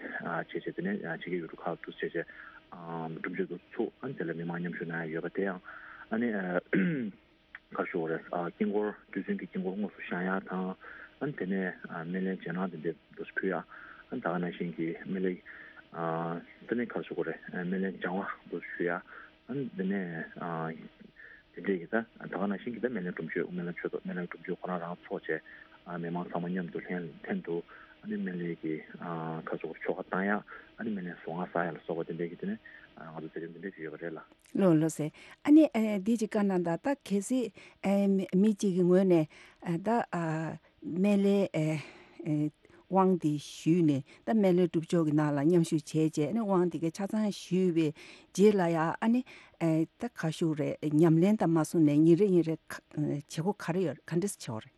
བྱས་བྱས། དེ་ནས་ཕྱི་རྒྱལ་ཡུལ་གྲུ་ཁག་ཏུ་བྱས་བྱས་སྒྲུབ་མཆོད་འདུག་ཚུགས། ཨ་ནི་དེ་ལ་མི་མང་མཉམ་ཞུགས་གནང་ཡ་ཡོད་པ་དེ་ཡང་ཨ་ནི། ག་རེ་ཞུ་དགོས་རེད། ཨ་དཀྱིལ་འཁོར་རྡུལ་ཚོན་གྱི་དཀྱིལ་འཁོར་དངོས་སུ་བཞེངས་ཡག་དང་། ཨ་ནི་དེ་ནས་ཨ་སྨན་བླའི་རྗེས་གནང་དེ་འདྲ་འདུག་སེ་ཕུལ་ཡག་ཨ་ནི་ད་ག་ནང་བཞིན་གྱི་སྨན་བླའི་ཨ་དེ་ནས་ག་རེ་ཞུ་དགོས་རེད། ཨ་སྨན་བླའི་སྦྱང་བ་འདུག་སེ་ཞུ་ཡག་ཨ་ནི་དེ་ནས་ཨ་དེ་འདྲས་ཀྱི་ད་ད་ག་ནང་བཞིན་གྱི་ད་སྨན་བླའི་སྒྲུབ་མཆོད། སྨན་བླའི་མཆོད་གཏོར། སྨན་བླའི་སྒྲུབ་མཆོད་ཁོ་རང་རང་ཚོགས་བྱས། ཨ་མི་མང་ཚང་མ་མཉམ་དུ་ལྷན་ལྷན་དུ་ཨ་ནི་སྨན་བླའི་གི་ཨ་ག་རེ་ཞུ་དགོས་རེད། ཆོ་ག་བཏང་ཡག་ཨ་ནི་སྨན་བླའི་གཟུངས་སྔགས་བསག་ཡག་ལ་སོགས་པ་དེ་འདྲས་ཀྱི་དེ་ནས་ཨ་ང་ཚོ་མཛད་རིམ་དེ་འདྲས་ཅིག་ཡོད་པ་རེད་ལགས། ལགས་ལགས་སེ། ཨ་ནི་ཨ་འདི་ཅིག་བཀའ་གནང་དང་། ད་གལ་སྲིད་ཨ་མི་གཅིག་གི་ངོས་ནས་ཨ་ད་ཨ་སྨན་བླའི་ཨ་ཨ་དབང་འདི་ཞུས་ནས། ད་སྨན་བླའི་སྒྲུབ་མཆོད་ཀྱི་ནང་ལ་མཉམ་ཞུགས་བྱས་བྱས། ཨ་ནི་དབང་འདི་གའི་ཆ་ཚང་ཞུས་པའི་རྗེས་ལ་ཡ་ཨ་ནི་ཨ་ད་ག་རེ་ཞུ་དགོས་རེད། ཉམས་ལེན་དང་མ་སོང་ནས་ཉིན་རེ་ཉིན་རེ་ག་བྱེད་སྒོ་ག་རེ་ཡོད། ག་འདྲས་བྱེད་དགོས་རེད།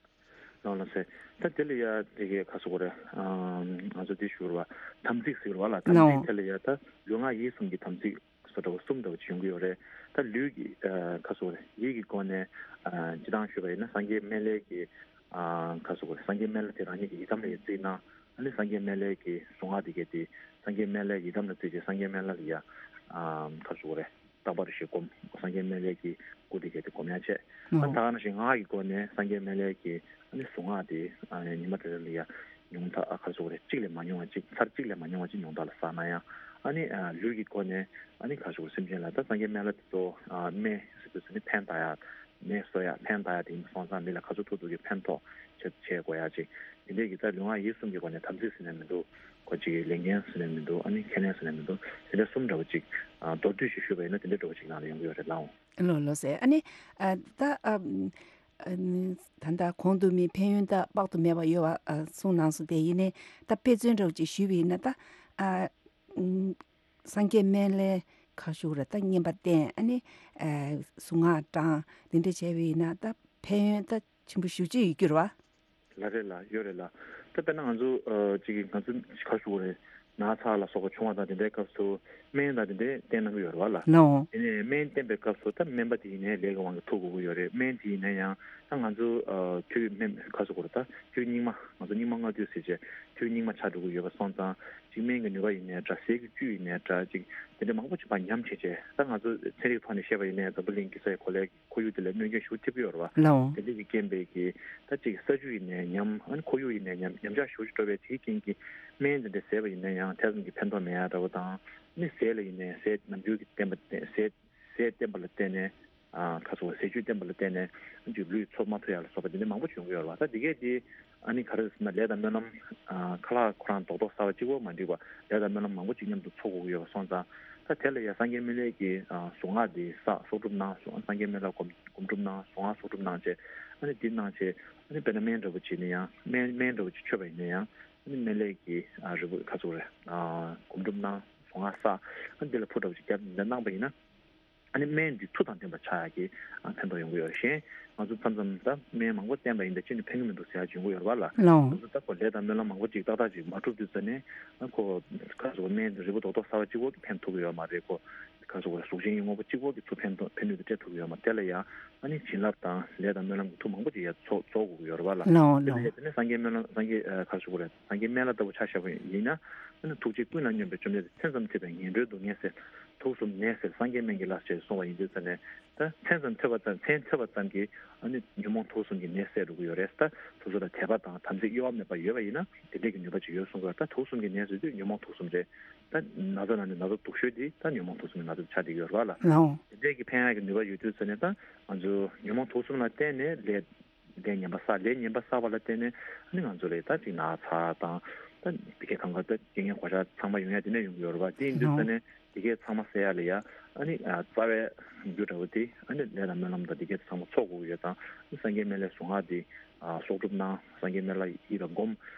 ལགས་ལགས་སེ། ད་དེ་ལ་ཡ་དེ་གའི་ག་རེ་ཞུ་དགོས་རེད། ཨ་ང་ཚོ་འདི་ཞུ་རེད་བ། དམ་ཚིག་ཟེར་རེད་བ་ལགས། དམ་ལགས། ཚིག་དེ་ལ་ཡ་ད་ལུས་ངག་ཡིད་གསུམ་གྱི་དམ་ཚིག་སོ་འདྲ་བོ་གསུམ་འདྲ་བོ་ཅིག་ཡོང་གི་ཡོད་རེད། ད་ལུས་ཀྱི་ཨ་ག་རེ་ཞུ་དགོས་རེད། ཡིད་ཀྱི་སྒོ་ནས་ཨ་སྤྱིར་བཏང་ཞུས་པ་ཡིན་ན་སངས་རྒྱས་སྨན་བླའི་གི་ཨ་ག་རེ་ཞུ་དགོས་རེད། སངས་རྒྱས་སྨན་བླ་དེ་རང་ཉིད་ཀྱི་ཡི་དམ་ལ་ཡ་བརྩིས་ན། ཨ་ནི་སངས་རྒྱས་སྨན་བླའི་གི་གཟུངས་སྔགས་དེ་གའི་དེ་སངས་རྒྱས་སྨན་བླའི་ཡི་དམ་ལ་བརྩིས་བྱས། སངས་རྒྱས་སྨན་བླ་ལ་ཡ་ཨ་ག་རེ་ཞུ་དགོས་རེད། རྟག་པར་ཞིག་སྒོམ། སངས་རྒྱས་སྨན་བླའི་གི་སྐུ་དེ་གའི་དེ་སྒོམ་ཡག་བྱས། ཨ་ཨོ། ད་ག་ནང་བཞིན་ངག་གི་སྒོ་ནས་སངས་རྒྱས་སྨན་བླའི་གི་ཨ་ནི་གཟུངས་སྔགས་དེ་ཨ་ཉི་མ་རེ་རེ་ལ་ཡ་ཉུང་མཐའ་ཨ་ག་རེ་ཞུ་དགོས་རེད། གཅིག་ལས་མ་ཉུང་བ་ཅིག་ཚར་གཅིག་ལས་མ་ཉུང་བ་ཅིག་ཉུང་མཐའ་ལ་བསགས་ན་ཡང་། ཨ་ནི་ཨ་ལུས་ཀྱི་སྒོ་ནས་ཨ་ནི་ག་རེ་ཞུ་དགོས་རེད། སེམས་ཅན་ལ་ད་སངས་རྒྱས་སྨན་བླ་དེ་ཚོ་ཨ་སྨན་ཟེར་དུས་ཙམ་ནི་ཕན་བཏགས་ཡག་ནད་གསོ་ཡག་ཕན་བཏགས་ཡག་དེ་ཡིན་པ་སོང་ཙང་། མི་ལ་ག་ཚོད་ཐུབ་ཐུབ་ཀྱིས་ཕན་ཐོགས་བྱེད་བྱེད་དགོས་ཡག་ཅིག་དེ་འདྲས་ཀྱི་ད་ལུས་ངག་ཡིད་གསུམ་གྱི་སྒོ་ནས་དམ་ཚིག་ཟེར་ནས་མི་འདུག་ཁོ་གཅིག་གི་ལས་འགན་ཟེར་ནས་མི་འདུག་ཨ་ནི་ཁས་ལེན་ཟེར་ནས་མི་འདུག་དེ་འདྲ་གསུམ་འདྲ་བོ་ཅིག་ཨ་མདོར་བསྡུས་ཤིག་ཞུས་པ་ཡིན་ན་དེ་འདྲ་འདྲ་བོ་ཅིག་ནང་ལ་ཡོང་གི་ཡོད་རེད་ལགས། ལགས་ལགས་སེ། ཨ་ནི་ཨ་ད་ཨ་ཨ་ནི་ད་ལྟ་གོང་དུ་མི་ཕན་ཡོན་ད་དཔག་ཏུ་མེད་པ་ཡོད་པ་ཨ་གསུངས་གནང་སོང་། དེ་ཡིན་ནའི་ད་དཔེ་མཚོན་འདྲ་བོ་ཅིག་ཞུས་པ་ཡིན་ན། ད་ཨ་ཨུམ་སངས་རྒྱས་སྨན་བླའི་ག་རེ་ཞུ་དགོས་རེད། ད་བསྙེན་པ་བསྟེན། ཨ་ནི་ཨ་གཟུངས་སྔགས་བགྲང་། དེ་འདྲ་བྱས་པ་ཡིན་ན་ད་ཕན་ཡོན་ད་ཆེན་པོ་ཞེ་པོ་ཅིག་ཡོད་རྒྱུ་རེད་བ། ལགས་རེད་ལགས། ཡོད་རེད་ལགས། ད་དཔེར་ན་ང་ཚོ་ཨ་ཅིག་གིས་ང་ཚོ་ག་རེ་ཞུ་དགོས་རེད། ན་ཚ་ལ་སོགས་པ་བྱུང་བ་དང་དེ་འདྲའི་སྐབས་སུ་སྨན་དང་དེ་འདྲའི་བསྟེན་གནང་གི་ཡོད་རེད་བ་ལགས། ལགས་འོང་། དེ་ནས་སྨན་བསྟེན་པའི་སྐབས་སུ་ད་སྨན་པ་དེ་ཡིན་ནའི་ལས་ཀྱི་དབང་གིས་ཐུག་དགོས་ཀྱི་ཡོད་རེད། སྨན་དེ་ཡིན་ན་ཡང་ད་ང་ཚོ་ཨ་དུས་སྨན་ག་རེ་ཞུ་དགོས་རེད། ད་དུས་སྙིགས་མ། ང་ཚོ་སྙིགས་མ་ལྔ་བདོ་ཟེར་བྱས་དུས་སྙིགས་མ་ཆགས་འགྲོ་གི་ཡོད་པ་སོང་ཙང་། ཅིག་སྨན་གྱི་ནུས་པ་ཡིན་ནའི་འདྲ། ཟས་ཀྱི་བཅུད་ཡིན་ནའི་འདྲ། ཅིག་དེ་འདྲ་མང་པོ་ཅིག་ཕར་ཉམས་བྱས་བྱས། ད་ང་ཚོ་ཚན་རིག་ཐོག་ནས་བཤད་པ་ཡིན་ནའི་འཛམ་བུ་གླིང་གི་ས་ཡི་གོ་ལའི་ཁོར་ཡུག་དེ་ལ་གནོད་སྐྱོན་ཞེ་པོ་ཐེབས་ཀྱི་ཡོད་རེད་བ། ལགས་འོང་། དེ་འདྲ་གི་རྐྱེན་པས་ཀྱི་ད་ཅིག་ས་ཆུ་ཡིན་ནའི་ཉམས། ཨ་ནི་ཁོར་ཡུག་ཡིན་ནའི་ཉམས། ཉམས་ཆག་ཞེ་པོ་ཅིག་འགྲོ་བས། དེའི་རྐྱེན་གྱིས་སྨན་དེ་འདྲ་བཟས་པ་ཡིན་ན་ཡང་དེ་ཙམ་གྱི་ཕན་ཐོགས་མེད་ཡ་འདྲ་བོ་དང་། ཨ་ནི་ཟས་ལ་ཡིན་ནའི་ཟས་ནམ་རྒྱུན་གྱི་བསྟེན་པ་བསྟེན་ཟས་ཟས་བསྟེན་པ་ལ་བརྟེན་ནས། ཨ་ག་རེ་ཟས་བཅུད་བསྟེན་པ་ལ་བརྟེན་ནས་ཨ་ཅིག་ལུས་འཚོ་མ་ཐུབ་ཡ་ལ་སོགས་པ་དེ་འདྲ་མང་པོ་ཅིག་ཡོང་གི་ཡོད་རེད་བ། ད་དེ་གས་དེ་ ཨ་ནི་ག་རེ་ཟེར་ན་ལས་དང་སྨོན་ལམ། ཨ་ཁ་ལག་ཁོ་རང་རྡོག་རྡོག་ཟ་བ་གཅིག་པོ་མ་འགྲིག་པ་ལས་དང་སྨོན་ལམ་མང་པོ་གཅིག་མཉམ་དུ་འཚོ་དགོས་ཀྱི་ཡོད་པ་སོང་ཙང་། ད་དེ་ལ་ཡང་སངས་རྒྱས་སྨན་བླའི་གི་ཨ་གཟུངས་སྔགས་འདི་བསགས་གསོག་སྒྲུབ་གནང་། སངས་རྒྱས་སྨན་བླ་སྒོམ་སྒོམ་སྒྲུབ་གནང་། གཟུངས་སྔགས་གསོག་སྒྲུབ་གནང་བྱས། ཨ་ནི་འདི་གནང་བྱས། ཨ་ནི་དཔེར་ན་སྨན་འདྲ་པོ་བྱས་ནས་ཡང་སྨན་སྨན་འདྲ་པོ་ཅིག་མཆོད་པ་ཡིན་ན་ཡང་། ཨ་ནི་སྨན་བླའི་གི་ཨ་རིལ་བུ་ག་ཚོད་རེད། ཨ་སྒོམ་སྒྲུབ་གནང་། གཟུངས་སྔགས་བསགས། ཨ་ནི་འདི་ལ་ཕུར་འདྲ་པོ་ཅིག་བརྒྱབ་འདི་འདྲ་གནང་པ་ཡིན་ན། ཨ་ནི་སྨན་འདི་མཐུ་དང་ལྡན་པ་ཆགས་ཡག་གི་ཨ་ཕན་ཐོགས་ཡོང་གི་ཡོད་རེད། གཞན་ང་ཚོ་མཚམས་མཚམས་ད་སྨན་མང་པོ་བསྟེན་པ་ཡིན་ད་ཅི་ནས་ཕན་གི་མི་འདུག་ཟེར་ཡག་ཅིག་ཡོང་གི་ཡོད་རེད་པ་ལ། ལགས། ང་ཚོ་ད་ཁོ་ལས་དང་སྨོན་ལམ་མང་པོ་ཅིག་ཏག་ཏག་ཅིག་མ་འགྲུབ་དུས་ཙ་ནས། ཨ་ཁོ་ག་ཚོད་སྨན་འདི་རིལ་བུ་རྡོག་རྡོག་ཟ་བ་གཅིག་པོ་གིས་ཕན་ཐོགས་ཀྱི་ཡོད་མ་རེད། ཁོ་ག་ཚོད་གཟུགས་ཅན་གྱི་དངོས་པོ་གཅིག་པོ་གིས་ཚུར་ཕན་ཐོགས་ཕན་ནུས་དེ་སྤྲད་ཐུབ་ཀྱི་ཡོད་མ་རེད། དེ་ལ་ཡང་ཨ་ནི་བྱིན་རླབས་དང་ལས་དང་སྨོན་ལམ་གྱི་མཐུ་མང་པོ་ཅིག་ཡར་ཚོགས་ཚོགས་དགོས་ཀྱི་ཡོད་རེད་པ་ལ། ལགས་འོང་། དེ་ལ་ལགས་འོང་། ཡང་དེ་ནས་སངས་རྒྱས་སྨན་ལམ་སངས་རྒྱས་ཨ་ག་ཚོད་རེད། སངས་རྒྱས་སྨན་བླ་ལྟ་བུ་ཆ་བཞག་པ་ཡིན་ན། ཨ་ནི་ཐུགས་རྗེ་ཀུན་ལ་སྙོམས་པའི་བཅོམ་ལྡན་འདས། མཚན་ཙམ་ཐོས་པས་ངན་འགྲོའི་སྡུག་བསྔལ་སེལ། དུག་གསུམ་ནད་སེལ་སངས་རྒྱས་སྨན་གྱི་བླ། ཞེས་གསུངས་པ་ཡིན་དུས་ཙ་ནས། ད་མཚན་ཙམ་ཐོས་པ་ཙམ་མཚན་ཐོས་པ་ཙམ་གྱིས་ཨ་ནི་ཉོན་མོངས་དུག་གསུམ་གྱི་ནད་སེལ་འགྲོ་གི་ཡོད་རེད། ད་སོ་སོ་ལ་དད་པ་དང་དམ་ཚིག་གཡོ་བ་མེད་པ་ཡོད་པ་ཡིན་ན་དེ་འདྲས་ཀྱི་ནུས་པ་ཅིག་ཡོད་གསུངས་པ། ད་དུག་གསུམ་གྱི་ནད་ཟེར་དུས་ཉོན་མོངས་དུག་གསུམ་རེད། ད་ན་ཚ་ནང་ནས་ན་ཚ་སྡུག་ཤོས་དེ་ད་ཉོན་མོངས་དུག་གསུམ་གྱི་ན་ཚ་ཆགས་བསྡད་ཡོད་རེད་པ་ལ། ལགས་འོང་། དེ་འདྲས་ཀྱི་ཕན་ཡག་གི་ནུས་པ་ཡོད་དུས་ཙ་ནས། ད་ང་ཚོ་ཉོན་མོངས་དུག་གསུམ་ལ་བརྟེན་ནས་ལས་ལས་ངན་པ་བསགས། ལས་ངན་པ་བསགས་པ་ལ་བརྟེན་ནས་ཨ་ནི་ང་ཚོ་ལ་ད་ཅིག་ན་ཚ་དང་། ད་དེ་གའི་གང་ག་ད་རྐྱེན་ངན་གོད་ཆག་ཚང་མ་ཡོང་ཡ་དེ་ནས་ཡོང་གི་ཡོད་རེད་པ། དེ་ཡིན་དུས་ཙ་ནས་དེ་གའི་ཚང་མ་སེལ་ཡ་ལ་ཡ་ཨ་ནི་ཨ་རྩ་བའི་རྒྱུ་འདྲ་བོ་དེ་ཨ་ནི་ལས་དང་སྨོན་ལམ་དང་དེ་གའི་ཚང་མ་ཚོགས་དགོས་ཀྱི་ཡོད་ཙང་། ཨ་ནི་སངས་རྒྱས་སྨན་བླའི་གཟུངས་སྔགས་དེ་ཨ་གསོག་སྒྲུབ་གནང་། སངས་རྒྱས་སྨན་བླ་ཡིད་ལ་སྒོམ།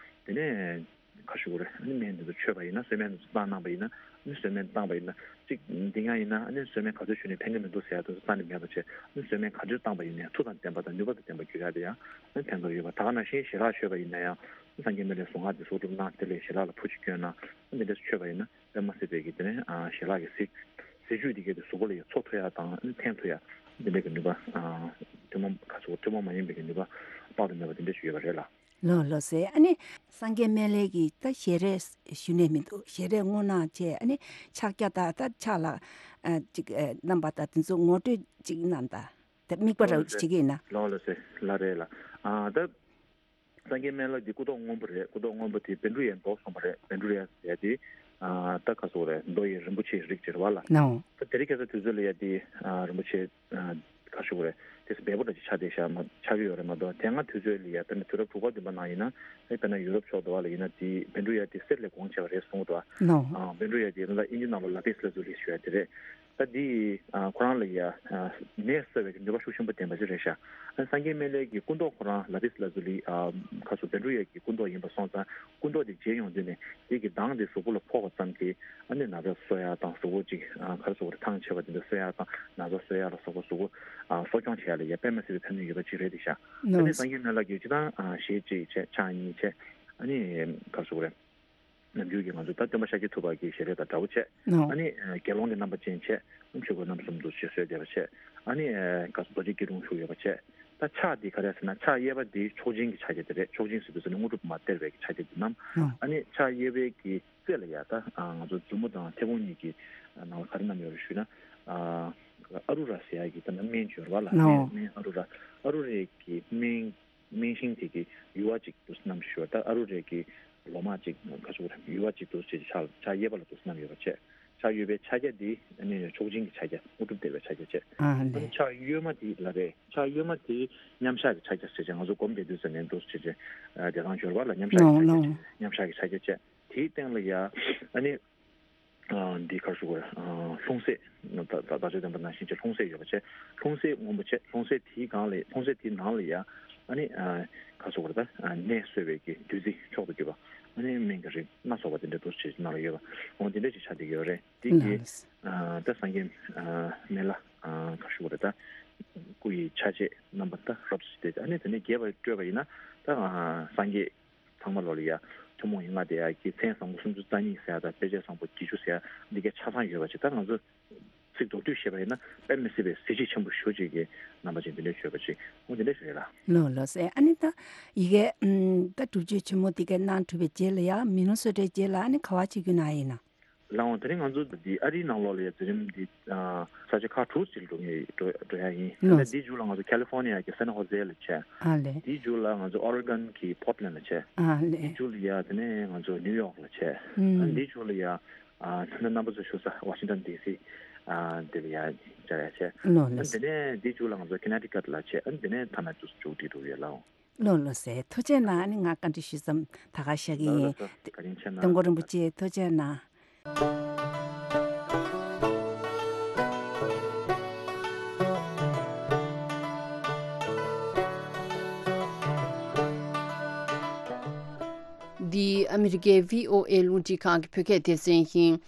དེ་ནས་ག་ཞུ་དགོས་རེད། ཨ་ནི་སྨན་དེ་ཚོ་མཆོད་པ་ཡིན་ན། གསོལ་སྨན་དེ་ཚོ་བཏང་གནང་པ་ཡིན་ན། ཨ་ནི་གསོལ་སྨན་བཏང་པ་ཡིན་ན། གཅིག་འདི་ཡང་ཡིན་ན་ཨ་ནི་གསོལ་སྨན་ག་ཚོད་མཆོད་ནས་ཕན་གི་མི་འདུག་ཟེར་ཡ་དེ་ཚོ་རྩ་ནས་མེད་པ་བྱས། ཨ་ནི་གསོལ་སྨན་ག་ཚོད་བཏང་པ་ཡིན་ནའི་མཐུ་དང་ལྡན་པ་དང་ནུས་པ་དང་ལྡན་པ་འགྱུར་ཡ་དེ་ཡང་ཨ་ནི་ཕན་ཐོགས་ཡོད་པ། ད་ག་ནང་བཞིན་ཞལ་ལག་མཆོད་པ་ཡིན་ན་ཡང་། ཨ་ནི་སངས་རྒྱས་སྨན་བླའི་གཟུངས་སྔགས་དེ་གསོག་སྒྲུབ་གནང་། དེ་ལས་ཞལ་ལག་ལ་ཕུར་ཅིག་བསྐྱོན་ན། ཨ་ནི་འདི་འདྲ་མཆོད་པ་ཡིན་ན་དཔེ་མ་སྲིད་པའི་གི་དེ་ནས་ཨ་ཞལ་ལག་གི་ཟས་ཟས་བཅུད་དེ་གའི་དེ་གཟུགས་པོ་ལ་ཡང་འཚོ་ཐུབ་ཡ་དང་ཨ་ནི་འཐེན་ཐུབ་ཡ། འདི་འདྲ་གི་ནུས་པ་ཨ་ཐུན་མོང་ག་ཚོད་ཐུན་མོང་མ་ཡིན་པའི་གི་ནུས་པ་དཔག་ཏུ་མེད་པ་དེ་འདྲ་ཞིག་ཡོད་པ་རེད་ལ། ལགས་ལགས་སེ། ཨ་ནི་སངས་རྒྱས་སྨན་བླའི་གི་ད་ཞལ་རས་ཞུ་ནས་མི་འདུག་ཞལ་རས་སྔོ་ནག་བྱས། ཨ་ནི་ཕྱག་རྒྱ་དང་ད་ཕྱག་ལ་ཨ་ཅིག་ཨ་བསྣམས་པ་དང་དེ་ཚོ་ངོ་སྤྲོད་ཅིག་གནང་དང་། ད་དམིགས་པ་ར་ལགས་ལགས་སེ། བྱེད་ཀྱི་ཡིན་ན། ལགས་ལགས་སེ། ལགས་རེད་ལ། ཨ་ད་སངས་རྒྱས་སྨན་བླ་འདི་སྐུ་མདོག་སྔོན་པོ་རེད། སྐུ་མདོག་སྔོན་པོ་དེ་བཻ་ཌཱུརྱ་མདོག་གསུངས་པ་རེད། བཻ་ཌཱུརྱ་ཟེར་ཡ་དེ་ཨ་ད་ག་ཟེར་དགོས་རེད། མདོ་ཡི་རིན་པོ་ཆེའི་རིགས་ཅིག་རེད་པ་ལ། ལགས་འོང་། ད་དེ་རིང་ཁ་སང་དུས་ཚོད་ལ་ཡ་དེ་ཨ་རིན་པོ་ཆེ་ཨ་ག་ཟེར་དགོས་རེད། དེ་སྦས་པོ་འདྲ་ཅིག་ཆགས་བསྡད་ཤག་མ་ཆགས་ཀྱི་ཡོད་རེད་མ་གཏོགས། དེ་སྔ་དུས་ཚོད་ལ་ཡ་དཔེར་ན་དུས་རབས་དྲུག་པ་བདུན་པ་ནང་ཡིན་ན། ཨེ་དཔེར་ན་ཡུ་རོབ་ཕྱོགས་དུ་བ་ལ་ཡིན་ན་དེ་བཻ་ཌཱུརྱ་དེ་གསེར་ལས་གོང་ཆེ་བ་རེད་གསུངས་འདུག་པ། ལགས་འོང་། ཨ་བཻ་ཌཱུརྱ་དེ་ད་ལྟ་དབྱིན་ཇི་ནང་ལ་ལ་པིས་ལ་ཛུ་ལི་ཞུ་ཡ་དེ་རེད། ད་འདི་ཨ་ཁོ་རང་ལ་ཡ་ཨ་ནད་གསོ་བའི་གི་ནུས་པ་ཤུགས་ཆེན་པོ་ལྡན་པ་ཞིག་རེད་ཤག་ཨ་སངས་རྒྱས་སྨན་བླའི་གི་སྐུ་མདོག་ཁོ་རང་ལ་པིས་ལ་ཛུ་ལི་ཨ་ཁ་སོ་བཻ་ཌཱུརྱ་གི་སྐུ་མདོག་ཡིན་པ་སོང་ཙང་། སྐུ་མདོག་དེ་བརྗེ་ཡོང་དུས་ནས་དེ་གི་མདངས་དེ་གཟུགས་པོ་ལ་ཕོག་པ་ཙམ་གྱིས་ཨ་ནི་ན་ཚ་གསོ་ཡ་དང་། གཟུགས་པོ་ཅིག་ཨ་ག་རེ་ཟེར་དགོས་རེད། ཐང་ཆད་པ་དེ་འདྲ་གསོ་ཡ་དང་། ན་ཚ་གསོ་ཡ་ལ་སོགས་པ་གཟུགས་པོ་ཨ་གསོ་སྐྱོང་བྱེད་ཡ་ལ་ཡ་དཔེ་མ་སྲིད་པའི་ཕན་ནུས་ཡོད་པ་ཅིག་རེད་དེ་ཤག་ཨ་ནི་ལགས། སངས་རྒྱས་སྨན་བླ་གིས་སྤྱིར་བཏང་ཨ་ཞལ་གཅིག་བྱས། ཕྱག་གཉིས་བྱས། ཨ་ནི་ག་རེ་ཟེར་དགོས་རེད། ནམ་རྒྱུན་གྱི་ང་ཚོ་ད་སྟོན་པ་ཤཱཀྱ་ཐུབ་པ་གི་ཞལ་རས་དང་འདྲ་བོ་བྱས། ཨོ། ཨ་ནི་ཨ་དགེ་སློང་གི་རྣམ་པ་ཅན་བྱས། ཨ་ཆོས་གོས་རྣམ་གསུམ་དུ་ཞིག་གསོལ་བསྡད་པ་བྱས། ཨ་ནི་ཨ་ག་རྡོ་རྗེ་སྐྱིལ་ཀྲུང་བཞུགས་ཡོད་པ་བྱས། ད་ཕྱག་འདི་ག་རེ་ཟེར་ན། ཕྱག་གཡས་པ་འདི་མཆོག་སྦྱིན་གྱི་ཕྱག་རྒྱ་དེ་རེད། མཆོག་སྦྱིན་ཟེར་དུས་ཙ་ནི་དངོས་གྲུབ་མར་སྟེར་བའི་གི་ཕྱག་རྒྱ་དེ་བསྣམས། ཨོ། ཨ་ནི་ཕྱག་གཡས་པའི་གི་རྩེ་ལ་ཡ་ད་ཨ་ང་ཚོ་མཛུབ་མོ་དང་མཐེ་བོང་གཉིས་ཀྱི་ནང་ལ་ག་རེ་བསྣམས་ཡོད་རེད་ཞུས་ན། ཨ་ཨ་རུ་ར་ཟེར་ཡ་གི་ད་ནི་སྨན་ཅིག་ཡོད་རེད་པ་ལ། ཨོ། སྨན་སྨན་ཨ་རུ་ར། ཨ་རུ་རའི་གི་སྨན། སྨན་ཤིང་དེ་གི་ཡུ་བ་གཅིག་འདུག་སེ་བསྣམས་ཞུ་བ། ད་ཨ་རུ་རའི་གི་ལོ་མ་གཅིག་ག་ཟེར་དགོས་རེད། ཡུ་བ་གཅིག་འདུག་སེ་ཕྱག་ཕྱག་གཡས་པ་ལ་འདུག་སེ་བསྣམས་ཡོད་པ་བྱས། ཕྱག་གཡོན་པའི་ཕྱག་རྒྱ་འདི་ཨ་ནི་མཆོག་སྦྱིན་གྱི་ཕྱག་རྒྱ། དངོས་གྲུབ་སྟེར་བའི་ཕྱག་རྒྱ་བྱས། ཨ་ཨ་ནི་ཕྱག་གཡོན་མ་འདི་ལ་རེད། ཕྱག་གཡོན་མ་འདི་མཉམ་བཞག་གི་ཕྱག་རྒྱ་ཟེར་བྱས། ང་ཚོ་སྒོམ་བསྡད་དུས་ཙ་ནས་འདུག་སེ་བྱས་བྱས་བདེ་ཐང་འབྱོར་བ་ལ་མཉམ་བཞག་གི་ཕྱག་རྒྱ་བྱས། མཉམ་བཞག་གི་ཕྱག་རྒྱ་བྱས། དེའི་སྟེང་ལ་ཡ་ཨ་ནི། ཨ་འདི་ག་རེ་ཟེར་དགོས་རེད། ཨ་ལྷུང་བཟེད། ད་ད་ལྟ་ཆོས་བསྟན་པ་ནང་བཞིན་བྱས་ལྷུང་བཟེད་ཡོད་པ་བྱས། ལྷུང་བཟེད་སྔོན་པོ་བྱས། ལྷུང་བཟེད་དེའི་སྒང་ལ། ལྷུང་བཟེད་དེའི་ནང་ལ་ཡ་ཨ་ནི་ཨ་ག་རེ་ཟེར་དགོས་རེད། ད་ནད་གསོ་བའི་གི་བདུད་རྩི་མཆོག་ཏུ་གྱུར་པ། ཨ་ནི་སྨན་གྱི་རིགས་སྣ་ཚོགས་པ་དེ་འདྲ་འདུག་སེ་བྱས་ནང་ལ་ཡོད་པ། འོ་དེ་འདྲ་ཞིག་ཆགས་བསྡད་ཀྱི་ཡོད་རེད། དེ་གི་ལགས། ཨ་ད་སངས་རྒྱས་ཨ་སྨན་བླ་ཨ་ག་རེ་ཟེར་དགོས་རེད། ད་སྐུ་ཡི་ཆ་བྱད་རྣམ་པ་ད་རབ་ཏུ་ཞིག་བསྟན། ཨ་ནི་དེ་ནས་རྒྱས་པར་བཀྲོལ་བ་ཡིན་ན། ད་ཨ་སངས་རྒྱས་ཚང་མ་ལོ་ལ་ཡ་ཐུན་མོང་ཡན་ལག་བཟླས་ཡ་གི་མཚན་བཟང་པོ་སུམ་ཅུ་རྩ་གཉིས་ཟེར་ཡ་དང་། དཔེ་བྱད་བཟང་པོ་བརྒྱད་ཅུ་ཟེར་ཡ་འདི་གའི་ཆ་ཚང་ཡོད་པ་ཅིག་ད་ང་ཚོ་ཚིག་མདོར་བསྡུས་བཤད་པ་ཡིན་ན་དཔེ་མི་སྲིད་པའི་གཟི་བརྗིད་ཆེན་པོ་ཞེ་པོ་ཅིག་གི་རྣམ་པ་ཅན་འདི་འདྲ་ཡོད་པ་ཅིག་འོ་འདི་འདྲ་ཞིག་རེད་ལ། ལགས་ལགས་སེ། ཨ་ནི་ད་ཡི་གེ་ཨམ་ད་སྒྲུབ་མཆོད་ཆེན་མོ་འདི་གའི་གནང་གྲུབ་པའི་རྗེས་ལ་ཡ་མི་ལོ་སོ་ཊའི་རྗེས་ལ་ཨ་ནི་ག་པར་ཕྱིན་རྒྱུ་ན་ཡིན་ན། ལགས་འོང་། དེ་རིང་ང་ཚོ་འདི་ཨ་རིའི་ནང་ལོགས་ལ་ཡ་འཛིན་རིམ་འདི་ཨ་ས་ཆ་ཁག་དྲུག་ཅིག་ལ་འགྲོ་ངེས་འགྲོ་འགྲོ་ཡ་ཡིན། ལགས། ད་འདིའི་མཇུག་ལ་ང་ཚོ་ཁ་ལི་ཧྥོར་ནི་ཡ་གི་སན་ཧོ་ཟེ་ལ་བྱས། ཨ་ལས། འདིའི་མཇུག་ལ་ང་ཚོ་ཨོ་རེ་གོན་གྱི་པོར་ཊི་ལེན་ལ་བྱས། ཨ་ལས། འདིའི་མཇུག་ལ་ཡ་དེ་ནས་ང་ཚོ་ནིའུ་ཡོག་ལ་བྱས། ཨ་ཨུམ། འདིའི་མཇུག་ལ་ཡ་ཨ་ད་ལྟ་རྣམ་པ་ཚོ་བཞུགས་ས་ཝ་ཤིང་ཊོན་ཌི་སི་ཨ་འདི་ལ་ཡ་བཅར་ཡ་བྱས། ལགས་ལགས། ཨ་དེ་ནས་འདིའི་མཇུག་ལ་ང་ཚོ་ཀི་ནེ་ཊི་ཀཊ་ལ་བྱས། ཨ་དེ་ནས་ཐ་ན་ཚུར་མཇུག་སྒྲིལ་འགྲོ་གི་ཡོད་ལགས། ལོ་ལོ་ཟེར། ཐུགས་རྗེ་གནང་། ཨ་ནི་ང་བཀའ་འདྲི་ཞུས་ཙམ་ད་ག་བཞག་གི་ལོ་ཡིན། ལོ་ལོ་བཀའ་དྲིན་ཆེ་གནང་། དོན་གོ་རིན་པོ་ཆེ་ཐུགས་རྗེ་གནང་། འདི་ཨ་མི་རི་ཀའི་བྷི་ཨོ་ཨེ་རླུང་འཕྲིན་ཁང་གི་བོད་སྐད་སྡེ་ཚན་ཡིན།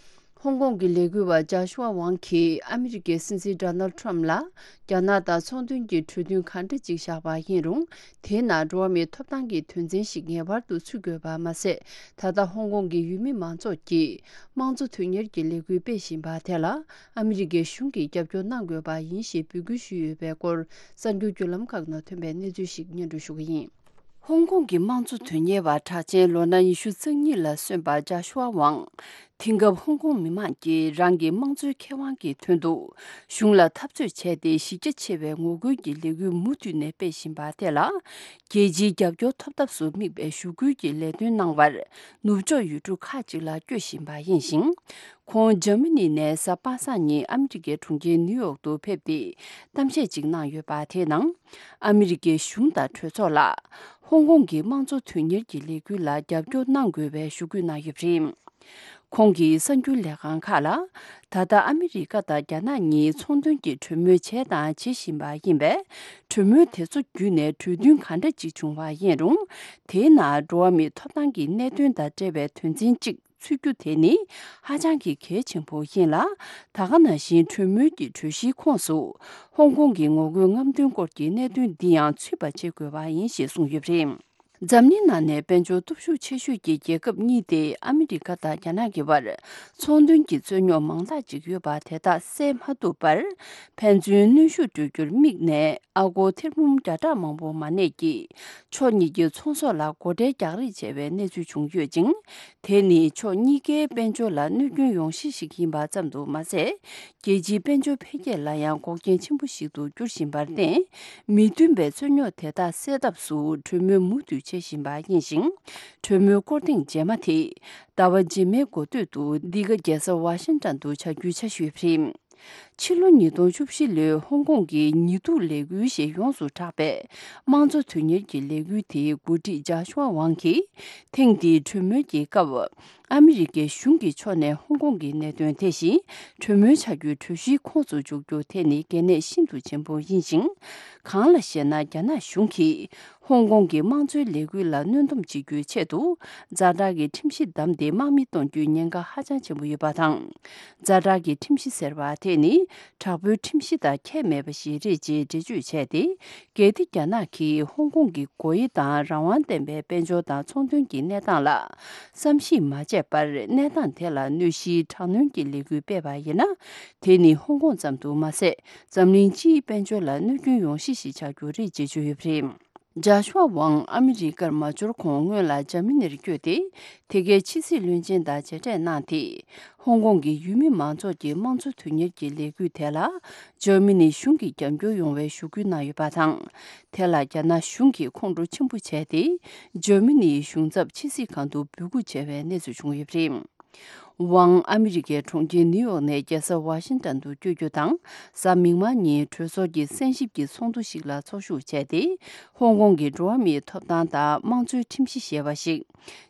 ཧོང་ཀོང་གི་ལས་འགུལ་བ་ཇཱ་ཤུ་ཝ་ཝང་གིས་ཨ་མི་རི་ཀའི་སྲིད་འཛིན་ཌོ་ནལ་ཁྲམ་ལ་རྒྱ་ནག་དང་ཚོང་དོན་གྱི་གྲོས་མཐུན་ག་འདྲ་ཅིག་བཞག་པ་ཡིན་རུང་། དེའི་ནང་འགྲོ་བ་མིའི་ཐོབ་ཐང་གི་དོན་ཚན་ཞིག་ངེས་པར་དུ་ཚུད་དགོས་པ་མ་ཟད། ད་ལྟ་ཧོང་ཀོང་གི་ཡུལ་མི་མང་ཚོགས་ཀྱིས་དམངས་གཙོ་དོན་གཉེར་གྱི་ལས་འགུལ་སྤེལ་བཞིན་པ་དེ་ལ་ཨ་མི་རི་ཀའི་གཞུང་གིས་རྒྱབ་སྐྱོར་གནང་དགོས་པ་ཡིན་ཞེས་འབོད་སྐུལ་ཞུས་ཡོད་པའི་སྐོར། གསར་འགྱུར་བརྒྱུད་ལམ་ཁག་ནང་ཐོན་པའི་གནས་ཚུལ་ཞིག་སྙན་སྒྲོན་ཞུ་གི་ཡིན། ཧོང་ཀོང་གི་དམངས་གཙོ་དོན་གཉེར་བ་གྲགས་ཅན་ལོ་ན་ཉི་ཤུ་རྩ་གཉིས་ལ་སོན་པ་ཇཱ་ཤུ་ཝ་ཝང་། དེང་སྐབས་ཧོང་ཀོང་མི་མང་གིས་རང་གི་དམངས་གཙོའི་ཁེ་དབང་གི་དོན་དུ་གཞུང་ལ་འཐབ་རྩོད་བྱས་ཏེ་གཞི་རྒྱ་ཆེ་བའི་ངོ་རྒོལ་གྱི་ལས་འགུལ་མུ་མཐུད་ནས་སྤེལ་བཞིན་པ་དེ་ལ། རྒྱལ་སྤྱིའི་རྒྱབ་སྐྱོར་ཐོབ་ཐབས་སུ་དམིགས་པའི་ཞུ་སྐུལ་གྱི་ལས་དོན་གནང་བར་ནུབ་ཕྱོགས་ཡུལ་གྲུ་ཁག་ཅིག་ལ་བསྐྱོད་བཞིན་པ་ཡིན་ཞིང་། ཁོང་འཇར་མ་ནི་ནས་གཟའ་པ་སངས་ཉིན་ཨ་མི་རི་ཀའི་གྲོང་ཁྱེར་ནིའུ་ཡོག་ཏུ་ཕེབས་ཏེ་གཏམ་བཤད་ཅིག་གནང་ཡོད་པ་དེའི་ནང་། ཨ་མི་རི་ཀའི་གཞུང་དང་གྲོས་ཚོགས་ལ་ཧོང་ཀོང་གི་དམངས་གཙོ་དོན་གཉེར་གྱི་ལས་འགུལ་ལ་རྒྱབ་སྐྱོར་གནང་དགོས་པའི་ཞུ་སྐུལ་གནང་ཡོད་པ་རེད། ཁོང་གིས་གསར་འགྱུར་ལས་ཁང་ཁག་ལ། ད་ལྟ་ཨ་མི་རི་ཀ་དང་རྒྱ་ནག་གཉིས་ཚོང་དོན་གྱི་གྲོས་མོལ་བྱས་དང་བྱེད་བཞིན་པ་ཡིན་པས། གྲོས་མོལ་དེ་ཚོ་བརྒྱུད་ནས་གྲོས་མཐུན་ག་འདྲ་ཅིག་བྱུང་བ་ཡིན་རུང་། དེའི་ནང་འགྲོ་བ་མིའི་ཐོབ་ཐང་གི་གནད་དོན་དང་འབྲེལ་བའི་དོན་ཚན་གཅིག་ཚུད་རྒྱུ་དེ་ནི་ཧ་ཅང་གི་གལ་ཆེན་པོ་ཡིན་ལ། ད་ག་ནང་བཞིན་གྲོས་མོལ་གྱི་གྲོས་གཞིའི་ཁོངས་སུ་ཧོང་ཀོང་གི་ངོ་རྒོལ་རྔམ་སྟོན་སྐོར་གྱི་གནད་དོན་འདི་ཡང་ཚུད་པ་བྱེད་དགོས་པ་ཡིན་ཞེས་གསུངས་ཡོད་པ་རེད། འཛམ་གླིང་ནང་ནས་དཔལ་འབྱོར་སྟོབས་ཤུགས་ཆེ་ཤོས་ཀྱི་རྒྱལ་ཁབ་གཉིས་ཏེ་ཨ་མི་རི་ཀ་དང་རྒྱ་ནག་གི་བར་ཚོང་དོན་གྱི་རྩོད་རྙོག་མང་དག་ཅིག་ཡོད་པ་དེ་དག་སེལ་མ་ཐུབ་པར་ཕན་ཚུན་གནོན་ཤུགས་སྤྲོད་རྒྱུར་དམིགས་ནས། ཨ་སྒོར་ཐེར་འབུམ་བརྒྱ་ཕྲག་མང་པོ་མ་གནས་ཀྱིས་ཕྱོགས་གཉིས་ཀྱི་ཚོང་ཟོག་ལ་སྒོ་ཁྲལ་རྒྱག་རེས་བྱས་པའི་གནས་ཚུལ་བྱུང་ཡོད་ཅིང་། དེ་ནི་ཕྱོགས་གཉིས་ཀའི་དཔལ་འབྱོར་ལ་གནོད་སྐྱོན་ཡོང་གཞི་ཞིག་ཡིན་པ་ཙམ་དུ་མ་ཟད། རྒྱལ་སྤྱིའི་དཔལ་འབྱོར་འཕེལ་རྒྱས་ལ་ཡང་འགོག་རྐྱེན་ཆེན་པོ་ཞིག་ཏུ་འགྱུར་བཞིན་པར་བརྟེན། མི་མཐུན་པའི་རྩོད་རྙོག་དེ་དག་སེལ་ཐབས་སུ་གྲོས་མོལ་མུ་མཐུད་བྱེད་བཞིན་པ་ཡིན་ཞིང་། གྲོས་མོལ་སྐོར་ཐེངས་རྗེས་མ་དེ་ཟླ་བ་རྗེས་མའི་འགོ་སྟོད་དུ་འདི་ག་རྒྱལ་ས་ཝ་ཤིང་ཊོན་དུ་བྱ་རྒྱུའི་འཆར་གཞི་ཡོད་པ་རེད། ཕྱི་ལོ་ཉིས་སྟོང་བཅུ་བཞི་ལོའི་ཧོང་ཀོང་གི་ཉི་གདུགས་ལས་འགུལ་ཞེས་ཡོངས་སུ་གྲགས་པའི་དམངས་གཙོ་དོན་གཉེར་གྱི་ལས་འགུལ་དེའི་འགོ་ཁྲིད་ཇཱ་ཤུ་ཝ་ཝང་གིས། ཐེངས་འདིའི་གྲོས་མོལ་གྱི་སྐབས། ཨ་མི་རི་ཀའི་གཞུང་གི་ཕྱོགས་ནས་ཧོང་ཀོང་གི་གནད་དོན་དེ་བཞིན་གྲོས་མོལ་བྱ་རྒྱུའི་གྲོས་གཞིའི་ཁོངས་སུ་འཇུག་རྒྱུ་དེ་ནི་གལ་གནད་ཤིན་ཏུ་ཆེན་པོ་ཡིན་ཞིང་། གང་ལ་ཞེ་ན། རྒྱ་ནག་གཞུང་གིས། ཧོང་ཀོང་གི་དམངས་གཙོའི་ལས་འགུལ་ལ་གནོན་སྡོམ་བྱེད་རྒྱུའི་ཆེད་དུ། ཛ་དྲག་གི་ཁྲིམས་གཞི་བདམས་ཏེ་དམག་མི་གཏོང་རྒྱུའི་ཉེན་ཁ་ཧ་ཅང་ཆེན་པོ་ཡོད་པ་དང་། ཛ་དྲག་གི་ཁྲིམས་གཞི་ཟེར་བ་དེ་ནི། དྲག་པོའི་ཁྲིམས་གཞི་དང་ཁྱད་མེད་པ་ཞིག་རེད་ཅེས་འགྲེལ་བརྗོད་བྱས་ཏེ། གལ་ཏེ་རྒྱ་ནག་གིས་ཧོང་ཀོང་གི་སྒོ་དབྱེ་དང་རང་དབང་ལྡན་པའི་དཔལ་འབྱོར་དང་ཚོང་དོན་གྱི་གནས་སྟངས་ལ། བསམ་གཞིག་མ་བྱས་པར། གནས་སྟངས་དེ་ལ་གནོད་གཞིའི་དྲག་གནོན་གྱི་ལས་འགུལ་སྤེལ་བ་ཡིན་ན། དེ་ནི་ཧོང་ཀོང་ཙམ་དུ་མ་ཟད། འཛམ་གླིང་སྤྱིའི་དཔལ་འབྱོར་ལ་གནོད་སྐྱོན་ཡོང་གཞི་ཞིག་ཆགས་རྒྱུ་རེད་ཅེས་བརྗོད་ཡོད་པ་རེད། ཇཱ་ཤུ་ཝ་ཝང་ཨ་མི་རི་ཀར་མ་འབྱོར་གོང་སྔོན་ལ་འཇར་མ་ནིར་བསྐྱོད་དེ། དེ་གའི་ཕྱི་སྲིད་བློན་ཆེན་དང་མཇལ་འཕྲད་གནང་སྟེ། ཧོང་ཀོང་གི་ཡུལ་མི་མང་ཚོགས་ཀྱི་དམངས་གཙོ་དོན་གཉེར་གྱི་ལས་འགུལ་དེ་ལ། འཇར་མ་ནི་གཞུང་གིས་རྒྱབ་སྐྱོར་ཡོང་བའི་ཞུ་སྐུལ་གནང་ཡོད་པ་དང་། དེ་ལ་རྒྱ་ནག་གཞུང་གིས་ཁོང་ཁྲོ་ཆེན་པོ་བྱས་ཏེ། འཇར་མ་ནིའི་གཞུང་ཚབ་ཕྱི་སྲིད་ཁང་དུ་འབོད་སྐུལ་བྱས་པའི་གནས་ཚུལ་བྱུང་ཡོད་པ་རེད། ཝང་ཨ་མི་རི་ཀའི་གྲོང་ཁྱེར་ནིའུ་ཡོག་ནས་རྒྱལ་ས་ཝ་ཤིང་ཊོན་དུ་བསྐྱོད་རྒྱུ་དང་། གཟའ་མིག་དམར་ཉིན་གྲོས་ཚོགས་ཀྱི་གསན་ཞིབ་ཀྱི་ཚོགས་འདུ་ཞིག་ལ་ཚོགས་ཞུགས་བྱས་ཏེ། ཧོང་ཀོང་གི་འགྲོ་བ་མིའི་ཐོབ་ཐང་དང་དམངས་གཙོའི་ཁྲིམས་གཞི་ཞེས་པ་ཞིག་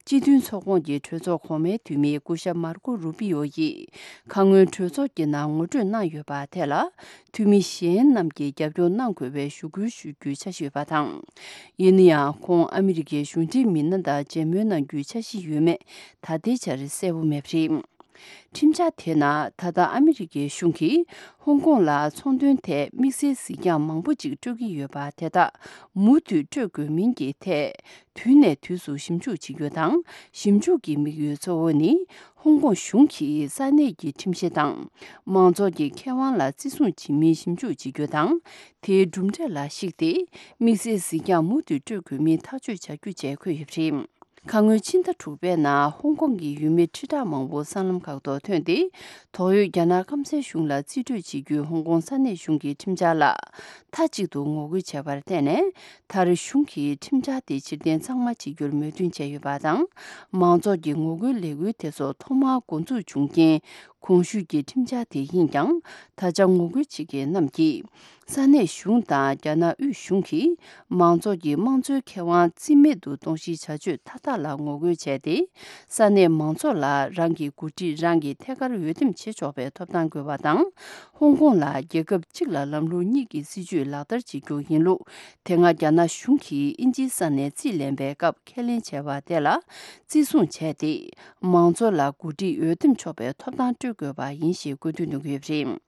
སྤྱི་མཐུན་ཚོགས་ཁོངས་ཀྱི་གྲོས་ཚོགས་གོང་མའི་འཐུས་མི་སྐུ་ཞབས་མར་ཀོ་རུ་པི་ཡོ་ཡིས་ཁ་སྔོན་གྲོས་ཚོགས་ཀྱི་ནང་ངོ་སྤྲོད་གནང་ཡོད་པ་དེ་ལ། འཐུས་མི་གཞན་རྣམས་ཀྱིས་རྒྱབ་སྐྱོར་གནང་དགོས་པའི་ཞུ་སྐུལ་ཞུ་རྒྱུའི་འཆར་གཞི་ཡོད་པ་དང་། ཡིན་ན་ཡང་། ཁོང་ཨ་མི་རི་ཀའི་གཞུང་འབྲེལ་མི་སྣ་དང་མཇལ་མོལ་གནང་རྒྱུའི་འཆར་གཞི་ཡོད་མེད་ད་ལྟའི་ཆར་གསལ་པོ་མེད་པ་རེད། ཁྲིམས་འཆར་དེའི་ནང་། ད་ལྟ་ཨ་མི་རི་ཀའི་གཞུང་གིས་ཧོང་ཀོང་ལ་ཚོང་དོན་ཐད་དམིགས་བསལ་གཟིགས་རྒྱང་མང་པོ་ཅིག་སྤྲོད་ཀྱི་ཡོད་པ་དེ་དག་མུ་མཐུད་སྤྲོད་དགོས་མིན་གྱི་ཐད། དུས་ནས་དུས་སུ་ཞིབ་འཇུག་བྱེད་རྒྱུ་དང་། ཞིབ་འཇུག་གི་དམིགས་ཡུལ་གཙོ་བོ་ནི། ཧོང་ཀོང་གཞུང་གིས་ས་གནས་ཀྱི་ཁྲིམས་གཞི་དང་། མང་ཚོགས་ཀྱི་ཁེ་དབང་ལ་བརྩི་སྲུང་བྱེད་མིན་ཞིབ་འཇུག་བྱེད་རྒྱུ་དང་། དེའི་གྲུབ་འབྲས་ལ་གཞིགས་ཏེ། དམིགས་བསལ་གཟིགས་རྒྱང་མུ་མཐུད་སྤྲོད་དགོས་མིན་ཐག་གཅོད་བྱ་རྒྱུ་བཅས་འཁོད་ཡོད་པ་རེད། ཁ་སྔོན་ཕྱི་ཟླ་དྲུག་པའི་ནང་ཧོང་ཀོང་གི་ཡུལ་མི་ཁྲི་ཕྲག་མང་པོ་སྲང་ལམ་ཁག་ཏུ་ཐོན་ཏེ། དོགས་ཡོད་རྒྱ་ནག་སྐམ་སའི་གཞུང་ལ་རྩིས་སྤྲོད་བྱེད་རྒྱུའི་ཧོང་ཀོང་ས་གནས་གཞུང་གི་ཁྲིམས་འཆར་ལ་མཐའ་གཅིག་ཏུ་ངོ་རྒོལ་བྱས་པར་བརྟེན་ནས། མཐར་གཞུང་གིས་ཁྲིམས་འཆར་དེ་ཕྱིར་འཐེན་གཙང་མ་བྱེད་རྒྱུར་མོས་མཐུན་བྱས་ཡོད་པ་དང་། མང་ཚོགས་ཀྱི་ངོ་རྒོལ་ལས་འགུལ་དེ་ཚོ་ཐོག་མར་འགོ་འཛུགས་བྱུང་རྐྱེན། གོང་ཞུས་ཀྱི་ཁྲིམས་འཆར་དེ་ཡིན་ཀྱང་། ད་ཆ་ངོ་རྒོལ་བྱེད་མཁན་རྣམས་ཀྱིས། ས་གནས་གཞུང་དང་རྒྱ་ནག་དབུས་གཞུང་གིས་མང་ཚོགས་ཀྱི་དམངས་གཙོའི་ཁེ་དབང་རྩིས་མེད་དུ་གཏོང་གཞིའི་བྱ་སྤྱོད་མཐའ་དག་ལ་ངོ་རྒོལ་བྱས་ཏེ། ས་གནས་མང་ཚོགས་ལ་རང་གི་འགོ་ཁྲིད་རང་གིས་ཐད་ཀར་འོས་འདེམས་བྱེད་ཆོག་པའི་ཐོབ་ཐང་དགོས་པ་དང་། ཧོང་ཀོང་ལ་རྒྱལ་ཁབ་གཅིག་ལ་ལམ་ལུགས་གཉིས་ཀྱི་སྲིད་ཇུས་ལག་བསྟར་བྱེད་རྒྱུ་ཡིན་ལུགས། དེ་སྔ་རྒྱ་ནག་གཞུང་གིས་དབྱིན་ཇིའི་ས་ནས་རྩིས་ལེན་པའི་སྐབས་ཁས་ལེན་བྱས་པ་དེ་ལ་བརྩི་སྲུང་བྱས་ཏེ། མང་ཚོགས་ལ་འགོ་ཁྲིད་འོས་འདེམས་ཆོག་པའི་ཐོབ་ཐང་སྤྲོད་དགོས་པ་ཡིན་ཞེས་བཀོད་འདོམས་གནང་གི་ཡོད་པ་རེད།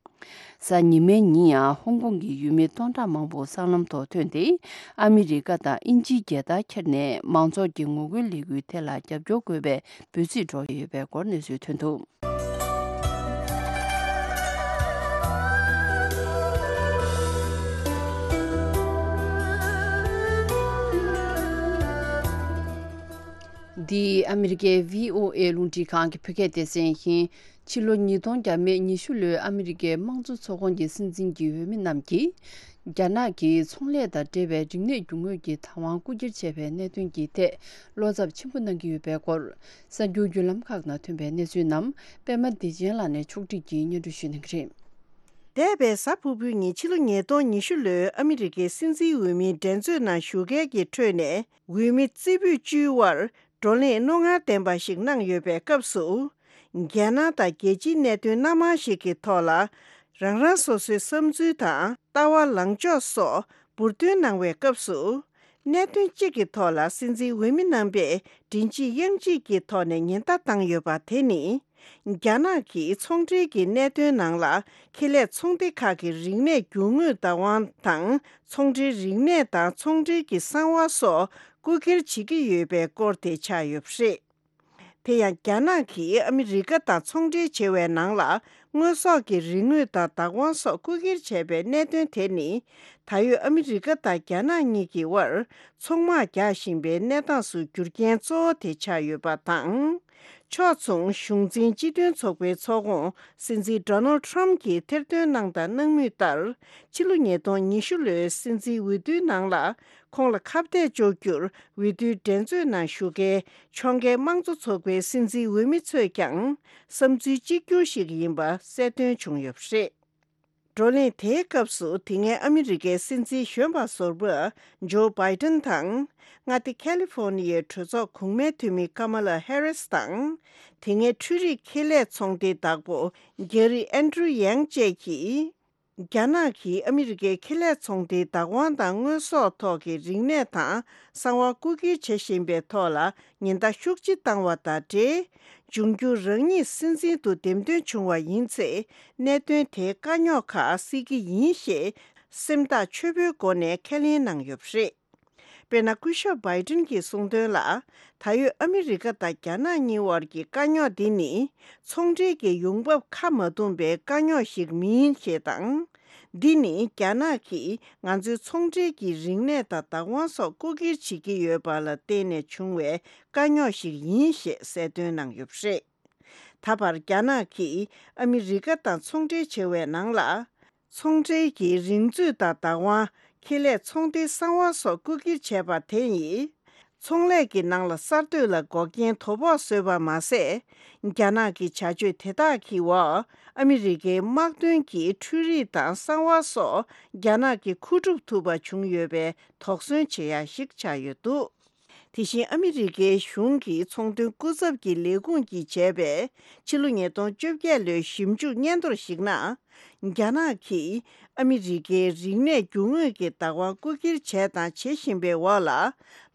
གཟའ་ཉི་མའི་ཉིན་ཡང་ཧོང་ཀོང་གི་ཡུལ་མི་སྟོང་ཕྲག་མང་པོ་སྲང་ལམ་ཐོག་ཐོན་ཏེ། ཨ་མི་རི་ཀ་དང་དབྱིན་ཇིའི་རྒྱལ་དར་འཁྱེར་ནས་མང་ཚོགས་ཀྱི་ངོ་རྒོལ་ལས་འགུལ་དེ་ལ་རྒྱབ་སྐྱོར་དགོས་པའི་འབོད་ཚིག་སྒྲོག་གི་ཡོད་པའི་སྐོར་གནས་ཚུལ་ཐོན་འདུག། འདི་ཨ་མི་རི་ཀའི་བྷི་ཨོ་ཨེ་རླུང་འཕྲིན་ཁང་གི་བོད་སྐད་སྡེ་ཚན་ཡིན། ཕྱི་ལོ་ཉིས་སྟོང་བརྒྱ་མེད་ཉི་ཤུ་ལོའི་ཨ་མི་རི་ཀའི་དམངས་གཙོ་ཚོགས་ཁོངས་ཀྱི་སྲིད་འཛིན་གྱི་འོས་མི་རྣམས་ཀྱིས། རྒྱ་ནག་གིས་ཚོང་ལས་དང་འབྲེལ་བའི་རིག་གནས་རྒྱུ་དངོས་ཀྱི་བདག་དབང་རྐུ་འཁྱེར་བྱས་པའི་གནད་དོན་གྱི་ཐད་བློ་འཚབ་ཆེན་པོ་གནང་གི་ཡོད་པའི་སྐོར། གསར་འགྱུར་བརྒྱུད་ལམ་ཁག་ནང་ཐོན་པའི་གནས་ཚུལ་རྣམས་པད་མ་བདེ་ཆེན་ལགས་ནས་ཕྱོགས་སྒྲིག་གིས་སྙན་སྒྲོན་ཞུ་གནང་གི་རེད། འདས་པའི་གཟའ་ཕུར་བུའི་ཉིན་ཕྱི་ལོ་ཉིས་སྟོང་ཉི་ཤུ་ལོའི་ཨ་མི་རི་ཀའི་སྲིད་འཛིན་འོས་མིའི་འགྲན་རྩོད་ནང་ཞུགས་མཁན་གྱི་ཁྲོད་ནས། འོས་མི་རྩེ་ཕུད་བཅུའི་དབར་བགྲོ་གླེང་རྣོ་ངར་ལྡན་པ་ཞིག་གནང་ཡོད་པའི་སྐབས་སུ། རྒྱལ་ནང་དང་རྒྱལ་སྤྱིའི་གནད་དོན་སྣ་མང་ཞིག་གི་ཐོག་ལ། རང་རང་སོ་སོའི་བསམ་ཚུལ་དང་ལྟ་བ་ལངས་ཕྱོགས་སོགས་འབུར་འདོན་གནང་བའི་སྐབས་སུ། གནད་དོན་གཅིག་གི་ཐོག་ལ་སྲིད་འཛིན་འོས་མི་རྣམ་པས་མགྲིན་གཅིག་དབྱངས་གཅིག་གི་ཐོག་ནས་ཉེན་བརྡ་བཏང་ཡོད་པ་དེ་ནི། རྒྱ་ནག་གིས་ཚོང་འབྲེལ་གྱི་གནད་དོན་ནང་ལ་ཁེ་ལས་ཚོང་སྡེ་ཁག་གི་རིག་གནས་རྒྱུ་དངོས་བདག་དབང་དང་། ཚོང་འབྲེལ་རིག་གནས་དང་ཚོང་འབྲེལ་གྱི་གསང་བ་སོགས་རྐུ་འཁྱེར་བྱེད་ཀྱི་ཡོད་པའི་སྐོར་དེ་ཆགས་ཡོད་པ་རེད། དེ་ཡང་རྒྱ་ནག་གིས་ཨ་མི་རི་ཀ་དང་ཚོང་འབྲེལ་བྱེད་པའི་ནང་ལ་དངོས་ཟོག་གི་རིག་དངོས་དང་བདག་དབང་སོགས་རྐུ་འཁྱེར་བྱས་པའི་གནད་དོན་དེ་ནི། ད་ཡོད་ཨ་མི་རི་ཀ་དང་རྒྱ་ནག་གཉིས་ཀྱི་དབར་ཚོང་དམག་རྒྱག་བཞིན་པའི་གནས་སྟངས་སུ་འགྱུར་རྐྱེན་གཙོ་བོ་དེ་ཆགས་ཡོད་པ་དང་། ཕྱོགས་མཚུངས་གཞུང་འཛིན་སྤྱི་མཐུན་ཚོགས་པའི་ཚོགས་ཁོངས་སྲིད་འཛིན་ཌོ་ནལ་ཌི་ཊརམ་ཕི་གྱིས་ཐེར་འདོན་གནང་དང་གནང་མུས་ལྟར། ཕྱི་ལོ་ཉིས་སྟོང་ཉི་ཤུ་ལོའི་སྲིད་འཛིན་འོས་བསྡུའི་ནང་ལ་ཁོང་ལ་ཁ་གཏད་གཅོག་རྒྱུར་འོས་བསྡུའི་འགྲན་རྩོད་ནང་ཞུགས་མཁན་ཕྱོགས་འགལ་དམངས་གཙོ་ཚོགས་པའི་སྲིད་འཛིན་འོས་མི་ཚོས་ཀྱང་བསམ་ཚུལ་གཅིག་གྱུར་ཞིག་ཡིན་པ་གསལ་སྟོན་བྱུང་ཡོད་པ་རེད། བགྲོ་གླེང་དེའི་སྐབས་སུ་དེ་སྔའི་ཨ་མི་རི་ཀའི་སྲིད་འཛིན་གཞོན་པ་ཟུར་པ་ཇོ་བྷའི་ཏན་དང་། མངའ་སྡེ་ཁ་ལི་ཧྥོ་ནི་ཡའི་གྲོས་ཚོགས་གོང་མའི་འཐུས་མི་ཀ་མ་ལ་ཧེ་རིས་དང་། དེ་སྔའི་འཕྲུལ་རིག་ཁེ་ལས་ཚོང་སྡེའི་བདག་པོ་གྷེ་རི་ཨན་ཌྲུ་ཡང་བཅས་ཀྱིས། རྒྱ་ནག་གིས་ཨ་མི་རི་ཀའི་ཁེ་ལས་ཚོང་སྡེའི་བདག་དབང་དང་དངོས་ཟོག་ཐོག་གི་རིག་གནས་དང་གསང་བ་རྐུ་འཁྱེར་བྱེད་བཞིན་པའི་ཐོག་ལ་ཉེན་བརྡ་ཤུགས་ཆེ་བཏང་བ་དང་འབྲེལ། འབྱུང་འགྱུར་རང་ཉིད་སྲིད་འཛིན་དུ་འདེམས་ཐོན་བྱུང་བ་ཡིན་ཚེ། གནད་དོན་དེའི་དཀའ་རྙོག་ཁག་སེལ་གྱི་ཡིན་ཞེས་སེམས་ཐག་ཆོད་པོའི་སྒོ་ནས་ཁས་ལེན་གནང་ཡོད་པ་རེད། དཔེར་ན། སྐུ་ཞབས་བྷའི་ཏིན་གྱིས་གསུངས་དོན་ལ། ད་ཡོད་ཨ་མི་རི་ཀ་དང་རྒྱ་ནག་གཉིས་དབར་གྱི་དཀའ་རྙོག་འདི་ནི། ཚོང་འབྲེལ་གྱི་ཡོང་འབབ་ཁ་མ་འདུམ་པའི་དཀའ་རྙོག་ཞིག་མིན་ཞེས་དང་། འདི་ནི་རྒྱ་ནག་གིས་ང་ཚོའི་ཚོང་འབྲེལ་གྱི་རིག་གནས་དང་བདག་དབང་སོགས་རྐུ་འཁྱེར་བྱེད་ཀྱི་ཡོད་པ་ལ་བརྟེན་ནས་བྱུང་བའི་དཀའ་རྙོག་ཞིག་ཡིན་ཞེས་གསལ་སྟོན་གནང་ཡོད་པ་རེད། ད་བར་རྒྱ་ནག་གིས་ཨ་མི་རི་ཀ་དང་ཚོང་འབྲེལ་བྱེད་པའི་ནང་ལ། ཚོང་འབྲེལ་གྱི་རིག་མཛོད་དང་བདག་དབང་། ཁེ་ལས་ཚོང་སྡེའི་གསང་བ་སོགས་རྐུ་འཁྱེར་བྱས་པ་དེ་ཡིས། ཚོང་ལས་ཀྱི་ནང་ལ་གསར་གཏོད་ལ་འགོག་རྐྱེན་དོ་ཕོག་བཟོས་པ་མ་ཟད། རྒྱ་ནག་གི་བྱ་སྤྱོད་དེ་དག་གི་འོག་ཨ་མི་རི་ཀའི་དམག་དོན་གྱི་འཕྲུལ་རིག་དང་གསང་བ་སོགས་རྒྱ་ནག་གི་མཁོ་སྒྲུབ་ཐུབ་པ་བྱུང་ཡོད་པའི་དོགས་ཟོན་བྱེད་ཡ་ཞིག་ཆགས་ཡོད་འདུག། དེ་བཞིན་ཨ་མི་རི་ཀའི་གཞུང་གི་ཚོང་དོན་སྐུ་ཚབ་ཀྱི་ལས་ཁུངས་ཀྱིས་བྱས་པའི་ཕྱི་ལོ་ཉིས་སྟོང་བཅོ་བརྒྱད་ལོའི་ཞིབ་འཇུག་སྙན་ཐོར་ཞིག་ནང་། རྒྱ་ནག་གིས་ཨ་མི་རི་ཀའི་རིག་གནས་རྒྱུ་དངོས་ཀྱི་བདག་དབང་རྐུ་འཁྱེར་བྱས་དང་བྱེད་བཞིན་པའི་འོག་ལ།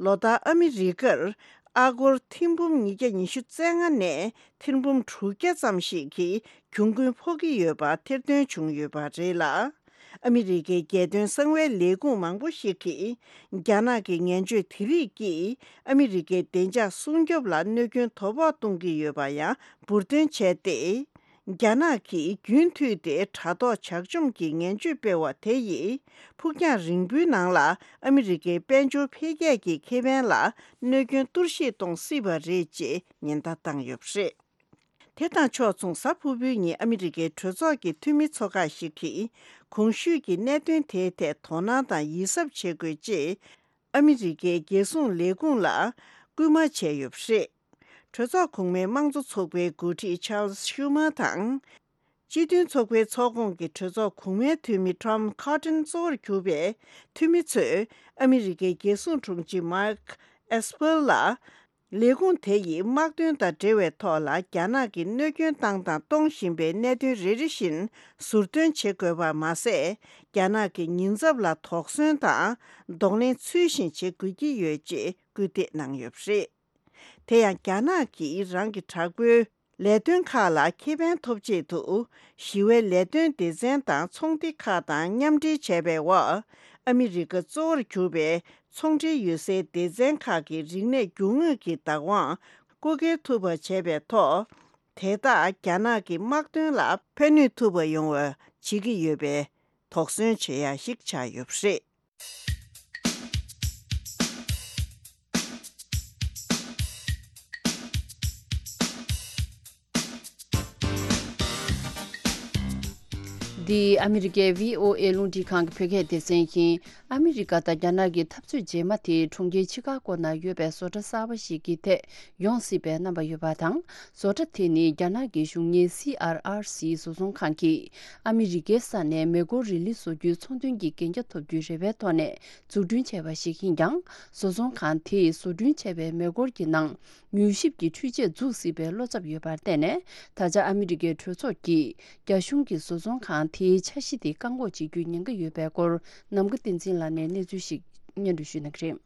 ལོ་ལྟར་ཨ་མི་རི་ཀར་ཨ་སྒོར་ཐེར་འབུམ་ཉིས་བརྒྱ་ཉི་ཤུ་རྩ་ལྔ་ནས་ཐེར་འབུམ་དྲུག་བརྒྱ་ཙམ་ཞིག་གི་གྱོང་གུན་ཕོག་གི་ཡོད་པ་ཐེར་འདོན་བྱུང་ཡོད་པ་རེད་ལ། ཨ་མི་རི་ཀའི་རྒྱལ་དོན་གསང་བའི་ལས་ཁུངས་མང་པོ་ཞིག་གིས། རྒྱ་ནག་གི་ངན་སྤྱོད་དེ་རིགས་ཀྱིས་ཨ་མི་རི་ཀའི་བདེ་འཇགས་སྲུང་སྐྱོབ་ལ་གནོད་སྐྱོན་དོ་ཕོག་གཏོང་གི་ཡོད་པ་ཡང་འབུར་འདོན་བྱས་ཏེ། རྒྱ་ནག་གིས་རྒྱུན་མཐུད་དེ་དྲ་ཐོག་ཇག་བཅོམ་གྱི་ངན་སྤྱོད་སྤེལ་བ་དེ་ཡིས། ཕུགས་རྒྱང་རིང་པོའི་ནང་ལ་ཨ་མི་རི་ཀའི་དཔལ་འབྱོར་འཕེལ་རྒྱས་ཀྱི་ཁེ་ཕན་ལ་གནོད་སྐྱོན་གཏོར་བཤིག་གཏོང་སྲིད་པ་རེད་ཅེས་ཉེན་བརྡ་བཏང་ཡོད་པ་རེད། དེ་དང་ཕྱོགས་མཚུངས། གཟའ་ཕུར་བུའི་ཉིན་ཨ་མི་རི་ཀའི་གྲོས་ཚོགས་ཀྱི་འཐུས་མི་ཚོ་ཁག་ཞིག་གིས། གོང་ཞུས་ཀྱི་གནད་དོན་དེའི་ཐད་དོ་སྣང་དང་ཡིད་གཟབ་བྱེད་དགོས་ཅེས། ཨ་མི་རི་ཀའི་རྒྱལ་སྲུང་ལས་ཁུངས་ལ་སྐུལ་མ་བྱས་ཡོད་པ་རེད། གྲོས་ཚོགས་གོང་མའི་དམངས་གཙོ་ཚོགས་པའི་འགོ་ཁྲིད་Charles Schumer དང་། སྤྱི་མཐུན་ཚོགས་པའི་ཚོགས་ཁོངས་ཀྱི་གྲོས་ཚོགས་གོང་མའི་འཐུས་མི་Tom Cotton གཙོ་བོར་གྱུར་པའི་འཐུས་མི་ཚོས་ཨ་མི་རི་ཀའི་རྒྱལ་སྲུང་དྲུང་ཆེ་Mark Esper ལ། ལས་ཁུངས་དེ་ཡིས་དམག་དོན་དང་འབྲེལ་བའི་ཐོག་ལ་རྒྱ་ནག་གིས་གནོད་སྐྱོན་བཏང་དང་གཏོང་བཞིན་པའི་གནད་དོན་རེ་རེ་བཞིན་ཟུར་འདོན་བྱེད་དགོས་པ་མ་ཟད། རྒྱ་ནག་གི་ཉེན་ཚབས་ལ་དོགས་ཟོན་དང་གདོང་ལེན་ཚུལ་བཞིན་བྱེད་དགོས་ཀྱི་ཡོད་ཅེས་སྐུལ་འདེད་གནང་ཡོད་པ་རེད། དེ་ཡང་རྒྱ་ནག་གིས་རང་གི་དྲག་པོའི་ལས་དོན་ཁག་ལ་ཁེ་ཕན་ཐོབ་ཆེད་དུ། ཞི་བའི་ལས་དོན་སྡེ་ཚན་དང་ཚོང་སྡེ་ཁག་དང་མཉམ་འབྲེལ་བྱས་པའི་འོག་ཨ་མི་རི་ཀ་གཙོ་བོར་གྱུར་པའི་ཚོང་འབྲེལ་ཡོད་སའི་སྡེ་ཚན་ཁག་གི་རིག་གནས་རྒྱུ་དངོས་ཀྱི་བདག་དབང་བཀོལ་སྤྱོད་ཐུབ་པ་བྱས་པའི་ཐོག་དེ་དག་རྒྱ་ནག་གི་དམག་དོན་ལ་ཕན་ནུས་ཐུབ་པ་ཡོང་བ་བྱེད་ཀྱི་ཡོད་པའི་དོགས་ཟོན་བྱེད་ཡ་ཞིག་ཆགས་ཡོད་པ་རེད། འདི་ཨ་མི་རི་ཀའི་བྷི་ཨོ་ཨེ་རླུང་འཕྲིན་ཁང་གི་བོད་སྐད་སྡེ་ཚན་ཡིན། ཨ་མི་རི་ཀ་དང་རྒྱ་ནག་གི་འཐབ་རྩོད་རྗེས་མ་དེ་གྲོང་ཁྱེར་ཆི་ཀ་ཀོ་ནང་ཡོད་པའི་བཟོ་གྲྭ་གསར་པ་ཞིག་གི་ཐད་ཡོང་སྲིད་པའི་རྣམ་པ་ཡོད་པ་དང་། བཟོ་གྲྭ་དེ་ནི་རྒྱ་ནག་གི་གཞུང་གཉེར་སི་ཨར་ཨར་སི་བཟོ་ཚོང་ཁང་གིས་ཨ་མི་རི་ཀའི་ས་ནས་མེ་འཁོར་རི་ལི་བཟོ་རྒྱུའི་ཚོང་དོན་གྱི་གན་རྒྱ་ཐོབ་རྒྱུའི་རེ་བའི་ཐོག་ནས་འཛུགས་སྐྲུན་བྱས་པ་ཞིག་ཡིན་ཀྱང་། བཟོ་ཚོང་ཁང་དེས་བཟོ་སྐྲུན་བྱས་པའི་མེ་འཁོར་གྱི་ནང་མྱུལ་ཞིབ་ཀྱི་འཕྲུལ་ཆས་འཛུགས་སྲིད་པའི་བློ་འཚབ་ཡོད་པར་བརྟེན་ནས། ད་ཆ་ཨ་མི་རི་ཀའི་གྲོས་ཚོགས་ཀྱིས་རྒྱ་གཞུང་གིས་བཟོ་ཚོང་ཁང་དེའི་འཆར་གཞི་དེ་བཀག་འགོག་བྱེད་རྒྱུའི་ཉེན་ཁ་ཡོད་པའི་སྐོར། ནམ་མཁའ་བསྟན་འཛིན་ལགས་ནས་གནས་ཚུལ་ཞིག་སྙན་སྒྲོན་ཞུ་གནང་གི་རེད།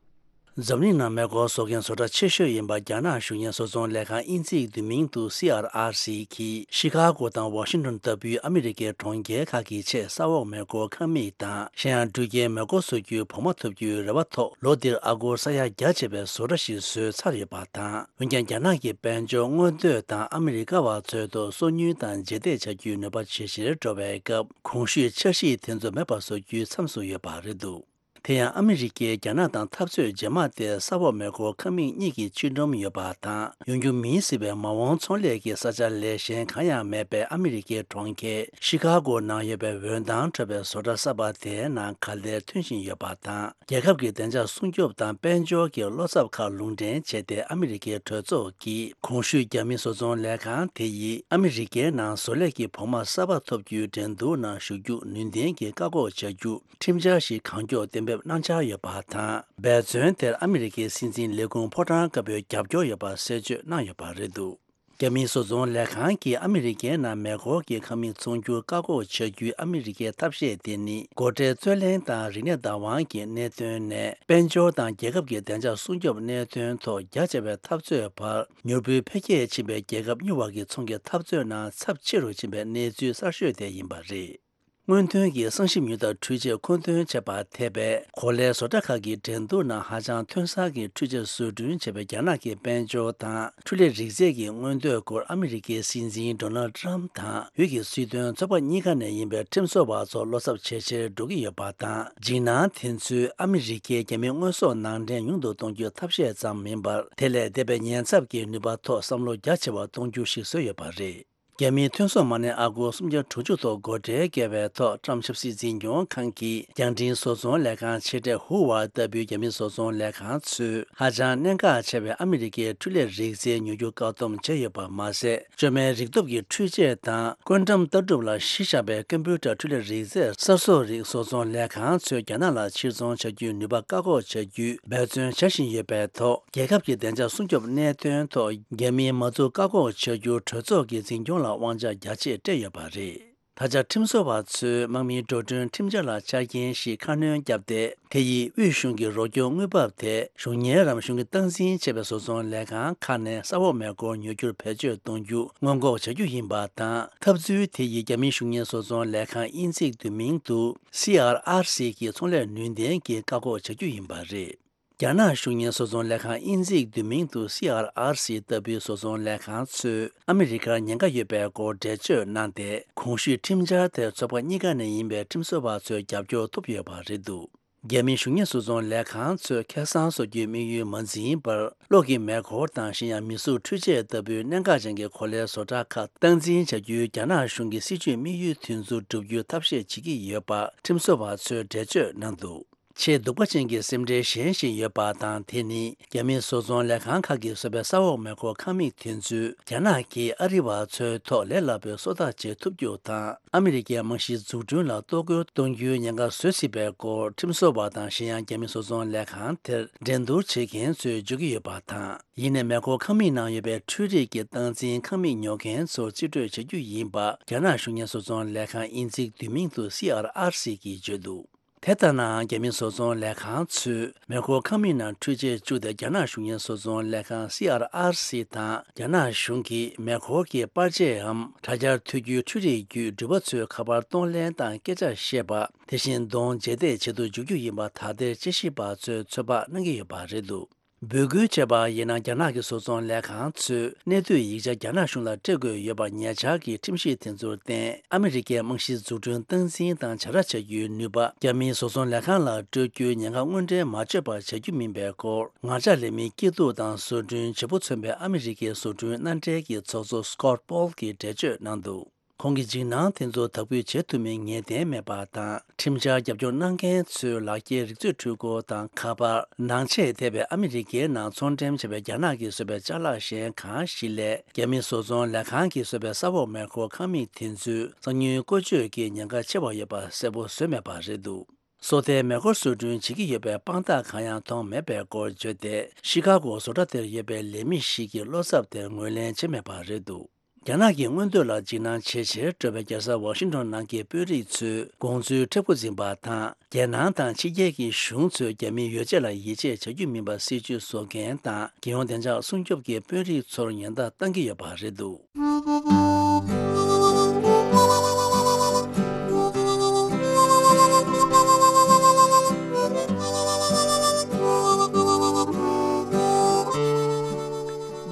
འཛམ་གླིང་ནང་མེ་འཁོར་བཟོ་མཁན་བཟོ་གྲྭ་ཆེ་ཤོས་ཡིན་པ་རྒྱ་ནག་གཞུང་གཉེར་བཟོ་ཚོང་ལས་ཁང་དབྱིན་ཇིའི་བསྡུས་མིང་དུ་སི་ཨར་ཨར་སི་གིས་ཤི་ཀ་གོ་དང་ཝ་ཤིང་ཏོན་ལྟ་བུའི་ཨ་མི་རི་ཀའི་གྲོང་ཁྱེར་ཁག་གི་ཆེད་ས་འོག་མེ་འཁོར་ཁང་མིག་དང་གཞན་ཡང་འགྲུལ་སྐྱེལ་མེ་འཁོར་བཟོ་རྒྱུའི་བོགས་མ་ཐོབ་རྒྱུའི་རེ་བ་ཐོག་ལོ་འདིར་ཨ་སྒོར་ས་ཡ་བརྒྱ་བྱས་པའི་བཟོ་གྲྭ་ཞིག་བཟོས་ཚར་ཡོད་པ་དང་། འོན་ཀྱང་རྒྱ་ནག་གི་དཔལ་འབྱོར་སྔོན་གཏོད་དང་ཨ་མི་རི་ཀ་བ་ཚོའི་ཐོག་སོ་ཉུལ་དང་རྗེས་འདེད་བྱ་རྒྱུའི་ནུས་པ་ཇེ་ཆེར་འགྲོ་བའི་སྐབས། གོང་ཞུས་འཆར་གཞི་དེ་ཚོ་མེད་པར་བཟོ་རྒྱུའི་མཚམས་སུ་ཡོད་པ་རེད་འདུག་དེ་ཡང་ཨ་མི་རི་ཀས་རྒྱ་ནག་དང་འཐབ་རྩོད་རྗེས་མ་དེ་ས་འོག་མེ་འཁོར་ཁང་མིག་གཉིས་ཀྱི་ཆིག་སྒྲོམ་ཡོད་པ་དང་ཡོང་རྒྱུ་མིན་སྲིད་པའི་མ་འོངས་ཚོང་ལས་ཀྱི་ས་ཆ་ལས་གཞན་གང་ཡང་མེད་པའི་ཨ་མི་རི་ཀའི་གྲོང་ཁྱེར་ཤི་ཀ་གོ་ནང་ཡོད་པའི་འོད་མདངས་འཕྲོ་བའི་བཟོ་གྲྭ་གསར་པ་དེའི་ནང་ག་ལེར་ཐོན་བཞིན་ཡོད་པ་དང་། རྒྱལ་ཁབ་ཀྱི་བདེ་འཇགས་སྲུང་སྐྱོབ་དང་དཔལ་འབྱོར་གྱི་བློ་འཚབ་ཁག་ལུང་འདྲེན་བྱས་ཏེ་ཨ་མི་རི་ཀའི་གྲོས་ཚོགས་ཀྱིས་གོང་ཞུས་རྒྱ་མི་བཟོ་ཚོང་ལས་ཁང་དེ་ཡིས་ཨ་མི་རི་ཀའི་ནང་བཟོ་ལས་ཀྱི་བོགས་མ་གསར་པ་ཐོབ་རྒྱུའི་འགྲན་བསྡུར་ནང་ཞུགས་རྒྱུ་ནུས་ལྡན་གྱིས་བཀག་འགོག་བྱ་རྒྱུ། ཁྲིམས་འཆར་ཞིག་གང་མགྱོགས་གཏན་འབེབས་གནང་འཆར་ཡོད་པ་དང་། འབད་བརྩོན་དེར་ཨ་མི་རི་ཀའི་སྲིད་འཛིན་ལས་ཁུངས་ཕོ་བྲང་དཀར་པོའི་རྒྱབ་སྐྱོར་ཡོད་པ་གསལ་བརྗོད་གནང་ཡོད་པ་རེད་འདུག་རྒྱ་མིའི་བཟོ་ཚོང་ལས་ཁང་གིས་ཨ་མི་རི་ཀའི་ནང་མེ་འཁོར་གྱི་ཁང་མིག་ཚོང་རྒྱུར་བཀག་འགོག་བྱ་རྒྱུའི་ཨ་མི་རི་ཀའི་ཐབས་ཤེས་དེ་ནི། སྒོ་ཁྲལ་རྩོད་གླེང་དང་རིག་གནས་བདག་དབང་གི་གནད་དོན་ནས། དཔལ་འབྱོར་དང་རྒྱལ་ཁབ་ཀྱི་བདེ་འཇགས་སྲུང་སྐྱོབ་གནད་དོན་ཐོག་རྒྱ་ཆེ་བའི་འཐབ་རྩོད་བར། མྱུར་པོའི་འཕེལ་རྒྱས་ཕྱིན་པའི་རྒྱལ་ཁབ་གཉིས་བར་གྱི་ཚོང་གི་འཐབ་རྩོད་ནང་ཚབས་ཆེ་རུ་ཕྱིན་པའི་གནས་ཚུལ་གསར་ཤོས་དེ་ཡིན་པ་རེད། སྔོན་ཐོན་གྱི་གསང་ཞིབ་དངུལ་དང་འཕྲུལ་ཆས་མཁོ་འདོན་བྱས་པ་ཐེ་བའི་གོ་ལའི་བཟོ་གྲྭ་ཁག་གི་འགྲན་བསྡུར་ནང་ཧ་ཅང་ཐོན་གསར་གྱི་འཕྲུལ་ཆས་བཟོ་སྐྲུན་བྱས་པའི་རྒྱ་ནག་གི་དཔལ་འབྱོར་དང་འཕྲུལ་ལས་རིག་རྩལ་གྱི་མངོན་འདོད་སྐོར་ཨ་མི་རི་ཀའི་སྲིད་འཛིན་ཌོ་ནལ་ཌི་ཊརམ་ཕི་དང་ཡུལ་གྱི་སྲིད་དོན་ཚོགས་པ་གཉིས་ཀ་ནས་ཡིན་པའི་ཁྲིམས་བཟོ་བ་ཚོ་བློ་འཚབ་ཇེ་ཆེར་འགྲོ་གི་ཡོད་པ་དང་། འཇིགས་སྣང་དེ་ཚོས་ཨ་མི་རི་ཀའི་རྒྱ་མི་དངོས་ཟོག་ནང་འདྲེན་ཉུང་དུ་གཏོང་རྒྱུའི་ཐབས་ཤེས་ཙམ་མིན་པར། དེ་ལས་འདས་པའི་ཉེན་ཚབས་ཀྱི་ནུས་པ་ཐོག་བསམ་བློ་རྒྱ་ཆེ་བ་གཏོང་རྒྱུ་ཞིག་བཟོས་ཡོད་པ་རེད། རྒྱ་མིའི་ཐོན་ཟོག་མ་གནས་ཨ་སྒོར་སུམ་བརྒྱ་དྲུག་ཅུ་ཐོག་སྒོ་ཁྲལ་བཀལ་བའི་ཐོག་ཊམ་ཆབ་སྲིད་འཛིན་སྐྱོང་ཁང་གིས་རྒྱང་འཕྲིན་བཟོ་ཚོང་ལས་ཁང་ཆེ་གྲས་ཧུ་ཝའེ་ལྟ་བུའི་རྒྱ་མིའི་བཟོ་ཚོང་ལས་ཁང་ཚོས་ཧ་ཅང་གནད་འགག་ཆེ་བའི་ཨ་མི་རི་ཀའི་འཕྲུལ་ལས་རིག་རྩལ་ཉོ་རྒྱུ་བཀག་སྡོམ་བྱས་ཡོད་པ་མ་ཟད། བཅོས་མའི་རིག་སྟོབས་ཀྱི་འཕྲུལ་ཆས་དང་ཀུན་ཊམ་ལྟ་གྲུབ་ལ་གཞི་བཞག་པའི་ཀམ་པུ་ཊར་འཕྲུལ་ལས་རིག་རྩལ་གསར་བཟོ་རིགས་བཟོ་ཚོང་ལས་ཁང་ཚོས་རྒྱ་ནག་ལ་ཕྱིར་ཚོང་བྱ་རྒྱུའི་ནུས་པ་བཀག་འགོག་བྱ་རྒྱུའི་འབད་བརྩོན་བྱ་བཞིན་ཡོད་པའི་ཐོག་རྒྱལ་ཁབ་ཀྱི་བདེ་འཇགས་སྲུང་སྐྱོབ་གནད་དོན་ཐོག་རྒྱ་མིའི་མ་འཛུགས་བཀག་འགོག་བྱ་རྒྱུར་གྲོས་ཚོགས་ཀྱི་འཛིན་སྐྱོང་ལ་དབང་ཆ་རྒྱ་ཆེ་སྤྲད་ཡོད་པ་རེད། ད་ཆ་ཁྲིམས་བཟོ་བ་ཚོས་དམག་མིའི་འགྲོ་གྲོན་ཁྲིམས་འཆར་ལ་ཆ་རྐྱེན་ཞིག་ཁ་སྣོན་བརྒྱབ་སྟེ། དེ་ཡིས་དབུས་གཞུང་གི་རོགས་སྐྱོར་དངུལ་འབབ་དེ་གཞུང་གཉེར་རམ་གཞུང་གིས་སྟངས་འཛིན་བྱས་པའི་བཟོ་ཚོང་ལས་ཁང་ཁག་ནས་ས་འོག་མེ་འཁོར་ཉོ་རྒྱུར་བེད་སྤྱོད་གཏོང་རྒྱུ་སྔོན་འགོག་བྱ་རྒྱུ་ཡིན་པ་དང་། ཐབས་ཚུལ་དེ་ཡིས་རྒྱ་མིའི་གཞུང་གཉེར་བཟོ་ཚོང་ལས་ཁང་དབྱིན་ཇིའི་བསྡུས་མིང་དུ་སི་ཨར་ཨར་སི་གི་ཚོང་ལས་ནུས་ལྡན་གྱིས་བཀག་འགོག་བྱ་རྒྱུ་ཡིན་པ་རེད། རྒྱ་ནག་གཞུང་གཉེར་བཟོ་ཚོང་ལས་ཁང་དབྱིན་ཇིའི་བསྡུས་མིང་དུ་སི་ཨར་ཨར་སི་ལྟ་བུའི་བཟོ་ཚོང་ལས་ཁང་ཚོས་ཨ་མི་རི་ཀར་ཉེན་ཁ་ཡོད་པའི་སྐོར་འགྲེལ་བརྗོད་གནང་སྟེ། གོང་ཞུས་ཁྲིམས་འཆར་དེར་ཚོགས་པ་གཉིས་ཀ་ནས་ཡིན་པའི་ཁྲིམས་བཟོ་བ་ཚོའི་རྒྱབ་སྐྱོར་ཐོབ་ཡོད་པ་རེད་འདུག་རྒྱ་མིའི་གཞུང་གཉེར་བཟོ་ཚོང་ལས་ཁང་ཚོས་ཁེ་བཟང་བཟོ་རྒྱུའི་དམིགས་ཡུལ་མ་འཛིན་པར། གློག་གི་མེ་འཁོར་དང་གཞན་ཡང་མི་གཟུགས་འཕྲུལ་ཆས་ལྟ་བུའི་གནད་འགག་ཅན་གྱི་གོ་ལའི་བཟོ་གྲྭ་ཁག་སྟངས་འཛིན་བྱ་རྒྱུའི་རྒྱ་ནག་གཞུང་གི་སྲིད་ཇུས་དམིགས་ཡུལ་དེ་ཚོ་བསྒྲུབ་རྒྱུའི་ཐབས་ཤེས་བྱེད་ཀྱི་ཡོད་པ་ཁྲིམས་བཟོ་བ་ཚོས་འགྲེལ་བརྗོད་གནང་འདུག་ཆེས་སྡུག་པ་ཅན་གྱི་སེམས་ཁྲལ་གཞན་ཞིག་ཡོད་པ་དང་། དེ་ནི་རྒྱ་མིའི་བཟོ་ཚོང་ལས་ཁང་ཁག་གིས་བཟོས་པའི་ས་འོག་མེ་འཁོར་ཁང་མིག་དེ་ཚོས་རྒྱ་ནག་གིས་ཨ་རི་བ་ཚོའི་ཐོག་ལས་སླ་པོའི་སོ་ལྟ་བྱེད་ཐུབ་རྒྱུ་དང་། ཨ་མི་རི་ཀའི་རྨང་གཞིའི་འཛུགས་སྐྲུན་ལ་གཏོར་རྒོལ་གཏོང་རྒྱུའི་ཉེན་ཁ་བཟོ་སྲིད་པའི་སྐོར། ཁྲིམས་བཟོ་བ་དང་གཞན་ཡང་རྒྱ་མིའི་བཟོ་ཚོང་ལས་ཁང་དེར་འགྲན་བསྡུར་བྱེད་མཁན་ཚོས་བརྗོད་ཀྱི་ཡོད་པ་དང་། ཡིན་ནའི་མེ་འཁོར་ཁང་མིག་ནང་ཡོད་པའི་འཕྲུལ་རིག་གི་སྟངས་འཛིན་ཁང་མིག་ཉོ་མཁན་ཚོར་རྩིས་སྤྲོད་བྱ་རྒྱུ་ཡིན་པ། རྒྱ་ནག་གཞུང་གཉེར་བཟོ་ཚོང་ལས་ཁང་དབྱིན་ཚིག་བསྡུས་མིང་དུ་སི་ཨར་ཨར་སི་གིས་བརྗོད་འདུག་དེ་ལྟ་ནའང་། རྒྱ་མིའི་བཟོ་ཚོང་ལས་ཁང་ཚོས་མེ་འཁོར་ཁང་མིག་ནང་འཕྲུལ་ཆས་བཅུག་སྟེ། རྒྱ་ནག་གཞུང་གཉེར་བཟོ་ཚོང་ལས་ཁང་སི་ཨར་ཨར་སི་དང་། རྒྱ་ནག་གཞུང་གིས་མེ་འཁོར་གྱི་པར་ཆས་འམ་དྲ་རྒྱར་ཐོས་རྒྱུའི་འཕྲུལ་རིག་བརྒྱུད་འགྲུལ་པ་ཚོའི་ཁ་པར་གཏོང་ལེན་དང་སྐད་ཆ་བཤད་པ། དེ་བཞིན་གདོང་འབྱེད་བརྡར་བྱེད་དུ་འཇུག་རྒྱུ་ཡིན་པ། ད་ལྟའི་དཔྱད་ཞིབ་པ་ཚོས་ཚོད་དཔག་གནང་གི་ཡོད་པ་རེད་འདུག་འབོད་སྐུལ་བྱས་པ་ཡིན་ན། རྒྱ་ནག་གི་བཟོ་ཚོང་ལས་ཁང་ཚོས་གནད་བསྡུས་ཡིག་ཆ་རྒྱ་ནག་གཞུང་ལ་སྤྲད་དགོས་ཡོད་པ། ཉེ་ཆར་གྱི་ཁྲིམས་གཞི་དེ་ཚོར་བརྟེན། ཨ་མི་རི་ཀའི་རྨང་གཞིའི་འཛུགས་སྐྲུན་སྟངས་འཛིན་དང་བྱ་ར་བྱ་རྒྱུའི་ནུས་པ་རྒྱ་མིའི་བཟོ་ཚོང་ལས་ཁང་ལ་སྤྲོད་རྒྱུའི་ཉེན་ཁ་དངོས་འབྲེལ་མ་བརྗོད་པར་བྱ་རྒྱུ་མིན་པའི་སྐོར། ངར་ལྕགས་ལས་མིའི་སྐྱིད་སྡུག་དང་བཟོ་སྐྲུན་བྱེད་པོ་མཚོན་པའི་ཨ་མི་རི་ཀའི་བཟོ་སྐྲུན་མནའ་འབྲེལ་གྱི་ཚོགས་གཙོ་Scott Paul གྱིས་འགྲེལ་བརྗོད་གནང་འདུག་ཁོང་གིས་འཇིགས་སྣང་དེ་ཚོ་དག་འབུད་བྱེད་ཐུབ་མིན་ངེས་གཏན་མེད་པ་དང་། ཁྲིམས་འཆར་རྒྱབ་སྐྱོར་གནང་མཁན་ཚོའི་ལག་འཁྱེར་རིག་མཛོད་འཕྲུལ་འཁོར་དང་ཁ་པར། ནང་ཆས་ཐེ་བའི་ཨ་མི་རི་ཀའི་ནང་ཚོང་འགྲེམས་བྱས་པའི་རྒྱ་ནག་གིས་བཟོས་པའི་ཅ་ལག་གཞན་གང་ཞིག་ལས། རྒྱ་མིའི་བཟོ་ཚོང་ལས་ཁང་གིས་བཟོས་པའི་ས་འོག་མེ་འཁོར་ཁང་མིག་དེ་ཚོས་གསང་ཉུལ་བཀོལ་སྤྱོད་ཀྱི་ཉེན་ཁ་ཆེ་བ་ཡོད་པ་གསལ་པོ་བཟོས་མེད་པ་རེད་འདུག་སོ་ལྟའི་མེ་འཁོར་བཟོ་སྐྲུན་བྱེད་ཀྱི་ཡོད་པའི་དཔང་རྟགས་གང་ཡང་མཐོང་མེད་པའི་སྐོར་བརྗོད་དེ། ཤི་ཀ་གོ་བཟོ་གྲྭ་དེར་ཡོད་པའི་ལས་མི་ཞིག་གིས་བློ་འཚབ་དེར་ངོས་ལེན་བྱས་མེད་པ་རེད་འདུག་རྒྱ་ནག་གི་མངོན་འདོད་ལ་འཇིགས་སྣང་ཇེ་ཆེར་འགྲོ་བའི་རྒྱལ་ས་ཝ་ཤིང་ཏོན་ནང་གི་དཔོན་རིགས་ཚོས་དགོངས་ཚུལ་མཁྲེགས་པོ་འཛིན་པ་དང་། རྒྱལ་ནང་དང་ཕྱི་རྒྱལ་གྱི་གཞུང་ཚོས་རྒྱ་མིའི་ཡོ་བྱད་ལ་ཡིད་ཆེས་བྱ་རྒྱུ་མིན་པ་སྲིད་ཇུས་བཟོ་མཁན་དང་། རྒྱལ་ཡོངས་བདེ་འཇགས་སྲུང་སྐྱོབ་ཀྱི་དཔོན་རིགས་ཚོར་ཉེན་བརྡ་བཏང་གི་ཡོད་པ་རེད་འདུག་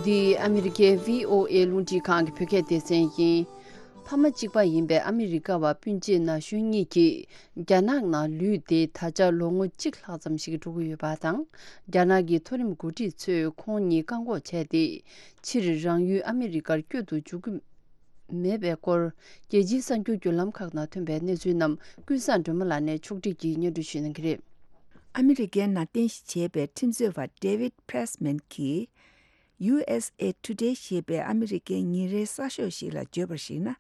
འདི་ཨ་མི་རི་ཀའི་བྷི་ཨོ་ཨེ་རླུང་འཕྲིན་ཁང་གི་བོད་སྐད་སྡེ་ཚན་ཡིན། ཕ་མ་གཅིག་པ་ཡིན་པའི་ཨ་མི་རི་ཀ་བ་སྤུན་མཆེད་ན་གཞོན་གཉིས་ཀྱིས་རྒྱ་ནག་ནང་ལུས་ཏེ་ད་ཆ་ལོ་ངོ་གཅིག་ལྷག་ཙམ་ཞིག་འགྲོ་གི་ཡོད་པ་དང་། རྒྱ་ནག་གི་མཐོ་རིམ་འགོ་ཁྲིད་ཚོས་ཁོང་གཉིས་བཀག་འགོག་བྱས་ཏེ། ཕྱིར་རང་ཡུལ་ཨ་མི་རི་ཀར་བསྐྱོད་དུ་འཇུག་གི་མེད་པའི་སྐོར། རྒྱལ་སྤྱིའི་གསར་འགྱུར་བརྒྱུད་ལམ་ཁག་ནང་ཐོན་པའི་གནས་ཚུལ་རྣམས་ཀུན་བཟང་སྒྲོལ་མ་ལགས་ནས་ཕྱོགས་སྒྲིག་གིས་སྙན་སྒྲོན་ཞུ་གནང་གི་རེད། ཨ་མི་རི་ཀའི་ནང་རྟེན་གཞི་བྱས་པའི་ཁྲིམས་རྩོད་པ་David Pressman གྱིས། ཡུ་ཨེས་ཨེ་ཊུ་ཌེ་ཞེས་པའི་ཨ་མི་རི་ཀའི་ཉིན་རེའི་གསར་ཤོག་ཞིག་ལ་བརྗོད་པར་གཞིགས་ན།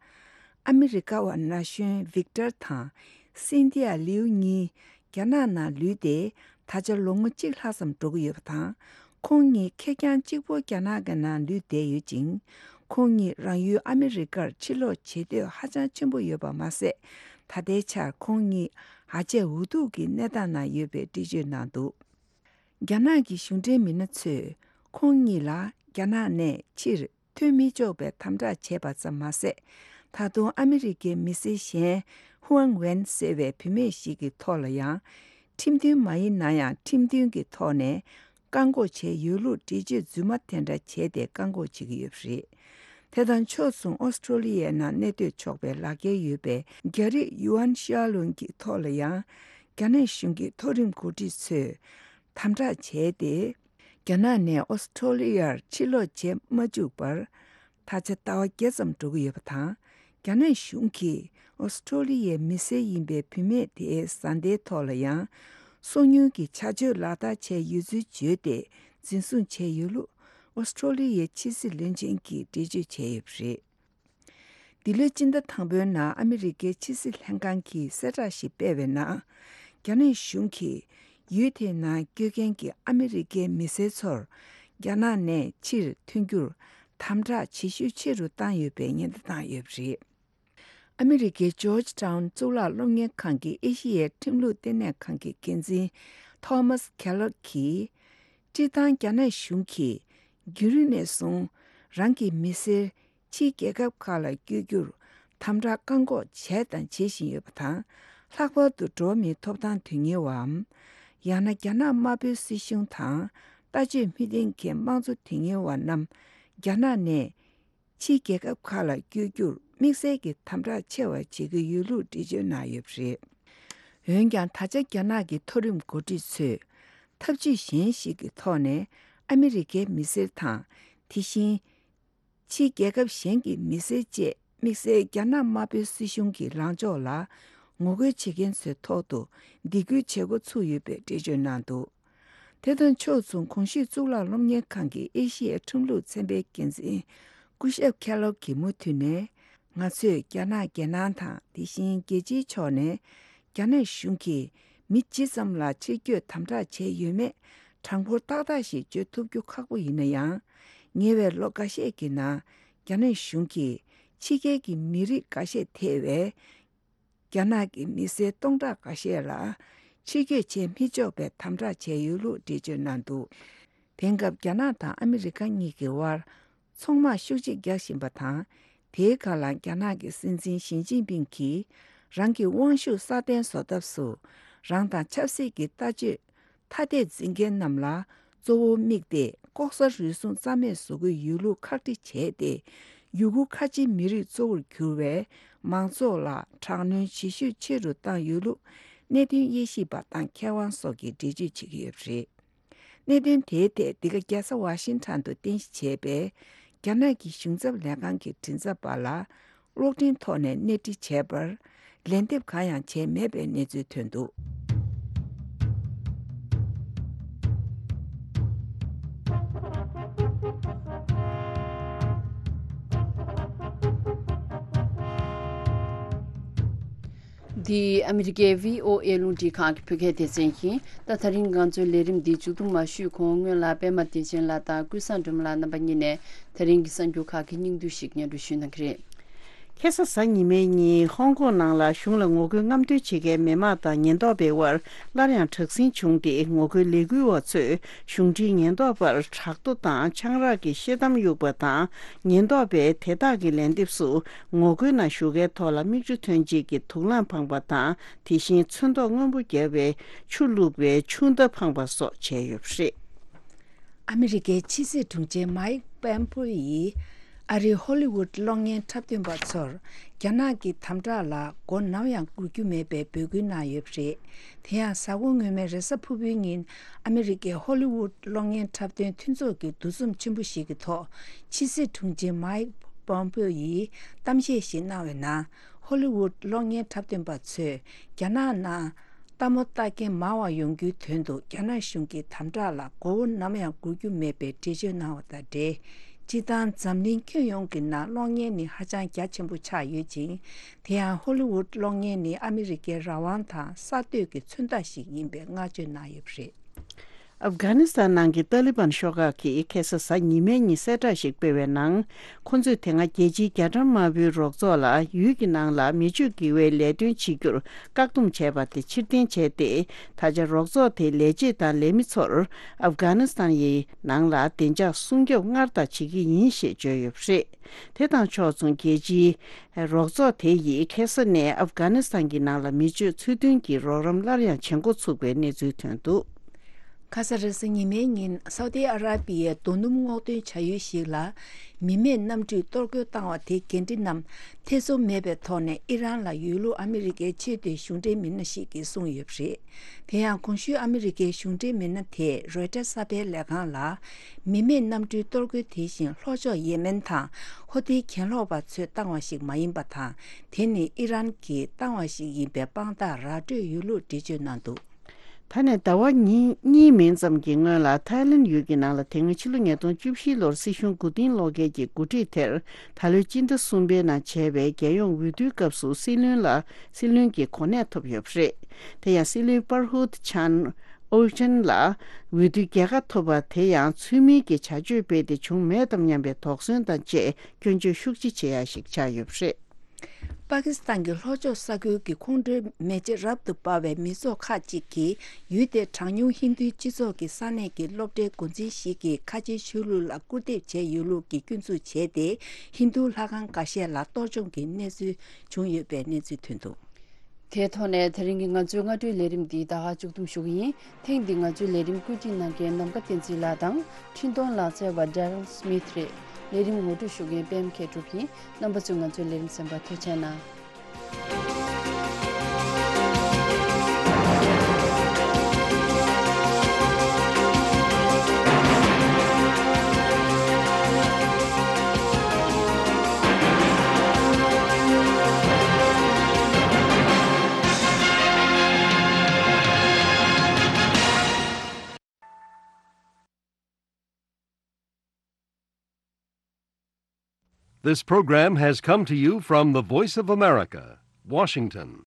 ཨ་མི་རི་ཀ་བ་ན་གཞོན་Victor དང་Cynthia Liu གཉིས་རྒྱ་ནག་ནང་ལུས་ཏེ་ད་ཆ་ལོ་ངོ་གཅིག་ལྷག་ཙམ་འགྲོ་གི་ཡོད་པ་དང་། ཁོང་གཉིས་ཁེར་རྐྱང་གཅིག་པོ་རྒྱ་ནག་གི་ནང་ལུས་བསྡད་ཡོད་ཅིང་། ཁོང་གཉིས་རང་ཡུལ་ཨ་མི་རི་ཀར་ཕྱིར་ལོག་བྱེད་འདོད་ཧ་ཅང་ཆེན་པོ་ཡོད་པ་མ་ཟད། ད་ལྟའི་ཆར་ཁོང་གཉིས་ཧ་ཅང་འུ་ཐུག་གི་གནས་སྟངས་ནང་ཡོད་པའི་འགྲེལ་བརྗོད་གནང་འདུག་རྒྱ་ནག་གི་གཞུང་འབྲེལ་མི་སྣ་ཚོས་ཁོང་གཉིས་ལ་རྒྱ་ནག་ནས་ཕྱིར་ཐོན་མི་ཆོག་པའི་དམ་དྲག་བྱས་པ་ཙམ་མ་ཟད། ད་དུང་ཨ་མི་རི་ཀའི་མི་སེར་གཞན་Huang Wen ཟེར་བའི་བུད་མེད་ཞིག་གི་ཐོག་ལ་ཡང་། ཁྲིམས་མཐུན་མ་ཡིན་ན་ཡང་ཁྲིམས་མཐུན་གྱི་ཐོག་ནས་བཀག་འགོག་བྱས་ཡོད་ལུགས་འགྲེལ་བརྗོད་རྫུན་མ་དེ་འདྲ་བྱས་ཏེ་བཀག་འགོག་བྱེད་ཀྱི་ཡོད་པ་རེད། དེ་དང་ཕྱོགས་མཚུངས་ཨོ་སི་ཀྲོ་ལི་ཡའི་ནང་གནས་སྡོད་ཆོག་པའི་ལག་འཁྱེར་ཡོད་པའི་རྒྱ་རིགས་Yuan Xiaolong གྱི་ཐོག་ལ་ཡང་། རྒྱ་ནག་གཞུང་གི་མཐོ་རིམ་འགོ་ཁྲིད་ཚོས་དམ་དྲག་བྱས་ཏེ། རྒྱ་ནག་ནས་ཨོ་སི་ཀྲོ་ལི་ཡར་ཕྱིར་ལོག་བྱེད་མ་བཅུག་པར། ད་ཆ་ཟླ་བ་བརྒྱད་ཙམ་འགྲོ་གི་ཡོད་པ་དང་། རྒྱ་ནག་གཞུང་གིས་ཨོ་སི་ཀྲོ་ལི་ཡའི་མི་སེར་ཡིན་པའི་བུད་མེད་དེའི་བཟའ་ཟླའི་ཐོག་ལ་ཡང་། སོ་ཉུལ་གྱི་བྱ་སྤྱོད་ལག་བསྟར་བྱས་ཡོད་ཚུལ་བརྗོད་དེ་འཛིན་བཟུང་བྱས་ཡོད་ལུགས་ཨོ་སི་ཀྲོ་ལི་ཡའི་ཕྱི་སྲིད་བློན་ཆེན་གྱིས་འགྲེལ་བརྗོད་བྱས་ཡོད་པ་རེད། འདི་ལོའི་སྤྱི་ཟླ་དང་པོའི་ནང་ཨ་མི་རི་ཀའི་ཕྱི་སྲིད་ལྷན་ཁང་གིས་གསལ་བསྒྲགས་ཤིག་སྤེལ་བའི་ནང་། རྒྱ་ནག་གཞུང་གིས་ཡུལ་དེའི་ནང་སྐྱོད་མཁན་གྱི་ཨ་མི་རི་ཀའི་མི་སེར་ཚོར་རྒྱ་ནག་ནས་ཕྱིར་ཐོན་རྒྱུར་དམ་དྲག་བྱེད་ཤུགས་ཆེ་རུ་བཏང་ཡོད་པའི་ཉེན་བརྡ་བཏང་ཡོད་པ་རེད། ཨ་མི་རི་ཀའི་ཇོརྗ་ཊའུན་གཙུག་ལག་སློབ་གཉེར་ཁང་གི་ཨེ་ཤི་ཡའི་ཁྲིམས་ལུགས་ལྟེ་གནས་ཁང་གི་འགན་འཛིན་Thomas Keller གྱིས། སྤྱིར་བཏང་རྒྱ་ནག་གཞུང་གིས་རྒྱུན་རིང་ནས་བཟུང་རང་གི་མི་སེར་ཕྱིའི་རྒྱལ་ཁབ་ཁག་ལ་བསྐྱོད་རྒྱུར་དམ་དྲག་བཀག་འགོག་བྱས་དང་བྱེད་བཞིན་ཡོད་པ་དང་། ལྷག་པར་དུ་འགྲོ་བ་མིའི་ཐོབ་ཐང་དོན་གཉེར་བའམ། ཡང་ན་རྒྱ་ནག་དམར་པོའི་སྲིད་གཞུང་དང་ལྟ་སྤྱོད་མི་མཐུན་མཁན་དམངས་གཙོ་དོན་གཉེར་བ་རྣམས་རྒྱ་ནག་ནས་ཕྱིའི་རྒྱལ་ཁབ་ཁག་ལ་བསྐྱོད་རྒྱུར་དམིགས་བསལ་གྱི་དམ་དྲག་ཆེ་བ་བྱེད་ཀྱི་ཡོད་ལུགས་འགྲེལ་བརྗོད་གནང་ཡོད་པ་རེད། འོན་ཀྱང་། ད་ཆ་རྒྱ་ནག་གི་མཐོ་རིམ་འགོ་ཁྲིད་ཚོས་ཐབས་ཇུས་གཞན་ཞིག་གི་ཐོག་ནས་ཨ་མི་རི་ཀའི་མི་སེར་དང་། དེ་བཞིན་ཕྱིའི་རྒྱལ་ཁབ་གཞན་གྱི་མི་སེར་བཅས་དམིགས་བསལ་རྒྱ་ནག་དམར་པོའི་སྲིད་གཞུང་གི་ལངས་ཕྱོགས་ལ། ངོ་རྒོལ་བྱེད་མཁན་ཚོའི་ཐོག་ཏུ་སྡིགས་སྐུལ་བྱེད་འགོ་ཚུགས་ཡོད་པའི་འགྲེལ་བརྗོད་གནང་འདུག་དེ་དང་ཕྱོགས་མཚུངས། གོང་ཞུས་གཙུག་ལག་སློབ་གཉེར་ཁང་གི་ཨེ་ཤི་ཡའི་ཁྲིམས་ལུགས་ཚན་པའི་འགན་འཛིན་སྐུ་ཞབས་ཁེ་ལོག་གིས་མུ་མཐུད་ནས། ང་ཚོས་རྒྱ་ནག་རྒྱལ་ནང་དང་། དེ་བཞིན་རྒྱལ་སྤྱིའི་ཕྱོགས་ནས་རྒྱ་ནག་གཞུང་གིས་མི་ཇི་ཙམ་ལ་ཕྱིར་སྐྱོད་དམ་དྲག་བྱས་ཡོད་མེད་གྲངས་འབོར་ཏག་ཏག་ཞིག་བརྗོད་ཐུབ་རྒྱུ་ཁག་པོ་ཡིན་ན་ཡང་། ཉེ་བའི་ལོ་འགའ་ཤས་ཀྱི་ནང་རྒྱ་ནག་གཞུང་གིས་ཕྱི་རྒྱལ་གྱི་མི་རིགས་འགའ་ཤས་ཐེ་བའི་རྒྱ་ནག་གི་མི་སེར་སྟོང་ཕྲག་འགའ་ཤས་ལ་ཕྱིར་སྐྱོད་བྱེད་མི་ཆོག་པའི་དམ་དྲག་བྱས་ཡོད་ལུགས་འགྲེལ་བརྗོད་གནང་འདུག་དེང་སྐབས་རྒྱ་ནག་དང་ཨ་མི་རི་ཀ་གཉིས་ཀྱི་དབར་ཚོང་དམག་ཤུགས་ཆེ་རྒྱག་བཞིན་པ་དང་། དེའི་སྒང་ལ་རྒྱ་ནག་གི་སྲིད་འཛིན་ཞི་ཅིན་ཕིང་གིས་རང་གི་དབང་ཤུགས་སྲ་བརྟན་བཟོ་ཐབས་སུ། རང་དང་ཆབ་སྲིད་ཀྱི་ལྟ་སྤྱོད་ཐ་དད་འཛིན་མཁན་རྣམས་ལ་གཙོ་བོ་དམིགས་ཏེ། ལྐོག་ཟ་རུལ་སུངས་རྩ་མེད་བཟོ་གི་ཡོད་ལུགས་ཁག་དཀྲི་བྱས་ཏེ། ཡུ་གུར་ཁ་ཆེ་མི་རིགས་གཙོ་བོར་གྱུར་བའི་མང་ཚོགས་ལ་དྲག་གནོན་ཇེ་ཤུགས་ཆེ་རུ་བཏང་ཡོད་ལུགས་གནད་དོན་དབྱེ་ཞིབ་པ་དང་མཁས་དབང་སོགས་ཀྱིས་འགྲེལ་བརྗོད་བྱེད་ཀྱི་ཡོད་པ་རེད། གནད་དོན་དེའི་ཐད་འདི་ག་རྒྱལ་ས་ཝ་ཤིང་ཊོན་དུ་རྟེན་གཞི་བྱས་པའི་རྒྱ་ནག་གི་གཞུང་ཚབ་ལས་ཁང་གི་མགྲིན་ཚབ་པ་ལ་གློག་འཕྲིན་ཐོག་ནས་གནས་འདྲི་བྱས་པར། ལན་འདེབས་གང་ཡང་བྱས་མེད་པའི་གནས་ཚུལ་ཐོན་འདུག་འདི་ཨ་མི་རི་ཀའི་བྷི་ཨོ་ཨེ་རླུང་འཕྲིན་ཁང་གི་བོད་སྐད་སྡེ་ཚན་ཡིན། ད་ད་རིང་ང་ཚོའི་ལས་རིམ་འདི་མཇུག་བསྡོམས་མ་ཞུས་གོང་སྔོན་ལ་པད་མ་བདེ་ཆེན་ལགས་དང་ཀུན་བཟང་སྒྲོལ་མ་ལགས་རྣམ་པ་གཉིས་ནས་ད་རིང་གི་གསར་འགྱུར་ཁག་གི་སྙིང་བསྡུས་ཤིག་སྙན་སྒྲོན་ཞུས་གནང་གི་རེད། ཁ་སང་གཟའ་ཉི་མའི་ཉིན་ཧོང་ཀོང་ནང་ལ་གཞུང་ལ་ངོ་རྒོལ་རྔམ་སྟོན་བྱེད་མཁན་མི་མང་དང་ཉེན་རྟོག་པའི་དབར་སླར་ཡང་དྲག་ཟིང་བྱུང་སྟེ། ངོ་རྒོལ་ལས་འགུལ་བ་ཚོས་གཞུང་འབྲེལ་ཉེན་རྟོག་པར་དྲག་རྡོ་དང་ཆང་རག་གི་ཤེལ་དམ་གཡུགས་པ་དང་། ཉེན་རྟོག་པས་དེ་དག་གི་ལན་འདེབས་སུ་ངོ་རྒོལ་ནང་ཞུགས་མཁན་ཐོག་ལ་མིག་ཆུ་ཐོན་བྱེད་ཀྱི་དུག་རླངས་འཕངས་པ་དང་། དེ་བཞིན་ཚོན་མདོག་སྔོན་པོ་བརྒྱབ་པའི་ཆུ་བླུགས་པའི་ཆུ་མདའ་འཕངས་པ་སོགས་བྱས་ཡོད་པ་རེད། ཨ་མི་རི་ཀའི་ཕྱི་སྲིད་དྲུང་ཆེ་མའིག་པོམ་པེའོ་ཡིས་ཨ་རིའི་ཧོ་ལི་ཝུད་གློག་བརྙན་འཁྲབ་སྟོན་པ་ཚོར་རྒྱ་ནག་གི་དམ་དྲག་ལ་མགོ་ནམ་ཡང་སྒུར་རྒྱུ་མེད་པའི་འབོད་སྐུལ་གནང་ཡོད་པ་རེད། དེ་ཡང་གཟའ་འཁོར་སྔོན་མའི་རེས་གཟའ་ཕུར་བུའི་ཉིན་ཨ་མི་རི་ཀའི་ཧོ་ལི་ཝུད་གློག་བརྙན་འཁྲབ་སྟོན་མཐུན་ཚོགས་ཀྱི་འདུ་འཛོམས་ཆེན་པོ་ཞིག་གི་ཐོག་ཕྱི་སྲིད་དྲུང་ཆེ་མའིག་པོམ་པེའོ་ཡིས་གཏམ་བཤད་ཞིག་གནང་བའི་ནང་། ཧོ་ལི་ཝུད་གློག་བརྙན་འཁྲབ་སྟོན་པ་ཚོས་རྒྱ་ནག་ནང་ལྟད་མོ་ལྟ་མཁན་མང་བ་ཡོང་རྒྱུའི་དོན་དུ་རྒྱ་ནག་གཞུང་གི་དམ་དྲག་ལ་མགོ་བོ་ནམ་ཡང་སྒུར་རྒྱུ་མེད་པའི་འགྲེལ་བརྗོད་གནང་བ་དང་འབྲེལ། སྤྱིར་བཏང་འཛམ་གླིང་ཁྱོན་ཡོངས་ཀྱི་ནང་གློག་བརྙན་ནི་ཧ་ཅང་རྒྱ་ཆེན་པོ་ཆགས་ཡོད་ཅིང་། དེ་ཡང་ཧོ་ལི་ཝུད་གློག་བརྙན་ནི་ཨ་མི་རི་ཀའི་རང་དབང་དང་གསར་གཏོད་ཀྱི་མཚོན་རྟགས་ཤིག་ཡིན་པའི་བསྔགས་བརྗོད་གནང་ཡོད་པ་རེད། ཨབ་གྷ་ནི་སི་ཐན་ནང་གི་ཏཱ་ལི་བན་ཤོག་ཁག་གིས་ཁ་སང་གཟའ་ཉི་མའི་ཉིན་གསལ་བསྒྲགས་ཤིག་སྤེལ་བའི་ནང་། ཁོ་ཚོས་དེ་སྔ་རྒྱལ་སྤྱིའི་རྒྱ་གྲམ་དམར་པོའི་རོགས་ཚོགས་ལ་ཡུལ་གྱི་ནང་ལ་མི་སྤྱོད་དགེ་བའི་ལས་དོན་བྱེད་རྒྱུར་བཀག་སྡོམ་བྱས་པ་དེ་ཕྱིར་འཐེན་བྱས་ཏེ། ད་ཆ་རོགས་ཚོགས་དེའི་ལས་བྱེད་དང་ལས་མི་ཚོར་ཨབ་གྷ་ནི་སི་ཐན་ཡི་ནང་ལ་བདེ་འཇགས་སྲུང་སྐྱོབ་སྔར་ལྟར་བྱེད་ཀྱི་ཡིན་ཞེས་བརྗོད་ཡོད་པ་རེད། དེ་དང་ཕྱོགས་མཚུངས། རྒྱལ་སྤྱིའི་རོགས་ཚོགས་དེ་ཡིས་ཁ་སང་ནས་ཨབ་གྷ་ནི་སི་ཐན་གྱི་ནང་ལ་མི་སྤྱོད་ཚུལ་མཐུན་གྱི་རོགས་རམ་སླར་ཡང་བྱེད་འགོ་ཚུགས་པའི་གནས་ཚུལ་ཐོན་འདུག་ཁ་སང་རེས་གཟའ་ཉི་མའི་ཉིན་སའུ་ཏི་ཨ་ར་པི་ཡའི་རྡོ་སྣུམ་སྔོག་འདོན་བྱ་ཡུལ་ཞིག་ལ་མི་མེད་གནམ་གྲུས་གཏོར་རྒོལ་བཏང་བ་དེའི་འགན་འཁྲི་རྣམས་ཐེ་ཚོམ་མེད་པའི་ཐོག་ནས་ཨི་རན་ལ་ཡོད་ལུགས་ཨ་མི་རི་ཀའི་ཆེས་མཐོའི་གཞུང་འབྲེལ་མི་སྣ་ཞིག་གིས་གསུངས་ཡོད་པ་རེད། དེ་ཡང་གོང་ཞུས་ཨ་མི་རི་ཀའི་གཞུང་འབྲེལ་མི་སྣ་དེས་རོའི་ཊར་གསར་སྤེལ་ལས་ཁང་ལ། མི་མེད་གནམ་གྲུའི་གཏོར་རྒོལ་དེ་བཞིན་ལྷོ་ཕྱོགས་ཡེ་མེན་དང་ཧོ་ཏི་གྱེན་ལོག་པ་ཚོས་བཏང་བ་ཞིག་མ་ཡིན་པ་དང་། དེ་ནི་ཨི་རན་གྱིས་བཏང་བ་ཞིག་ཡིན་པའི་དཔང་རྟགས་ར་སྤྲོད་ཡོད་ལུགས་འགྲེལ་བརྗོད་གནང་འདུག་ད་ནས་ཟླ་བ་གཉིས་གཉིས་མིན་ཙམ་གྱི་སྔོན་ལ་ཐའི་ལེན་ཡུལ་གྱི་ནང་ལ་དེ་སྔ་ཕྱི་ལོ་ཉིས་སྟོང་བཅུ་བཞི་ལོར་སྲིད་གཞུང་མགོ་རྟིང་སློག་མཁན་གྱི་འགོ་ཁྲིད་དེར་ད་ལོའི་སྤྱི་ཟླ་གསུམ་པའི་ནང་བྱས་པའི་རྒྱལ་ཡོངས་འོས་བསྡུའི་སྐབས་སུ་སྲིད་བློན་ལ་སྲིད་བློན་གྱི་གོ་གནས་ཐོབ་ཡོད་པ་རེད། དེ་ཡང་སྲིད་བློན་པར་ཧུད་ཆན་ཨོལ་ཅན་ལ་འོས་བསྡུའི་རྒྱལ་ཁ་ཐོབ་པ་དེ་ཡང་ཚུལ་མིན་གྱི་བྱ་སྤྱོད་སྤེལ་ཏེ་བྱུང་མེད་དམ་སྙམ་པའི་དོགས་ཟོན་དང་བཅས་སྐྱོན་བརྗོད་ཤུགས་ཆེ་བྱེད་ཡ་ཞིག་ཆགས་ཡོད་པ་རེད། པ་ཀི་སི་ཐན་གྱི་ལྷོ་ཕྱོགས་ས་ཁུལ་གྱི་ཁོང་ཁྲོའི་མེ་ལྕེ་རབ་ཏུ་འབར་བའི་མི་ཚོགས་ཁག་ཅིག་གིས་ཡུལ་དེའི་གྲངས་ཉུང་ཧིན་རྡུའི་སྤྱི་ཚོགས་ཀྱི་ས་གནས་ཀྱི་སློབ་གྲྭའི་འགོ་འཛིན་ཞིག་གིས་ཁ་ཆེའི་ཆོས་ལུགས་ལ་སྐུར་འདེབས་བྱས་ཡོད་ལུགས་ཀྱི་སྐྱོན་འཛུགས་བྱས་ཏེ། ཧིན་རྡུ་ལྷ་ཁང་འགའ་ཤས་ལ་གཏོར་བཅོམ་གྱི་གནས་ཚུལ་བྱུང་ཡོད་པའི་གནས་ཚུལ་ཐོན་འདུག་དེའི་ཐོག་ནས་དེ་རིང་གི་ང་ཚོའི་སྔ་དྲོའི་ལས་རིམ་འདི་ད་ག་མཇུག་བསྡོམས་ཞུ་གི་ཡིན། ཐེངས་འདིའི་ང་ཚོའི་ལས་རིམ་བཀོད་སྒྲིག་གནང་མཁན་ནམ་མཁའ་བསྟན་འཛིན་ལགས་དང་། འཕྲིན་གཏོང་ལག་རྩལ་བ་Daryl Smith རེད། ལས་རིམ་ངོ་སྤྲོད་ཞུ་མཁན་པད་མ་མཁས་གྲུབ་ཡིན། རྣམ་པ་ཚོས་ང་ཚོའི་ལས་རིམ་གསན་པར་ཐུགས་རྗེ་གནང་། This program has come to you from the Voice of America, Washington.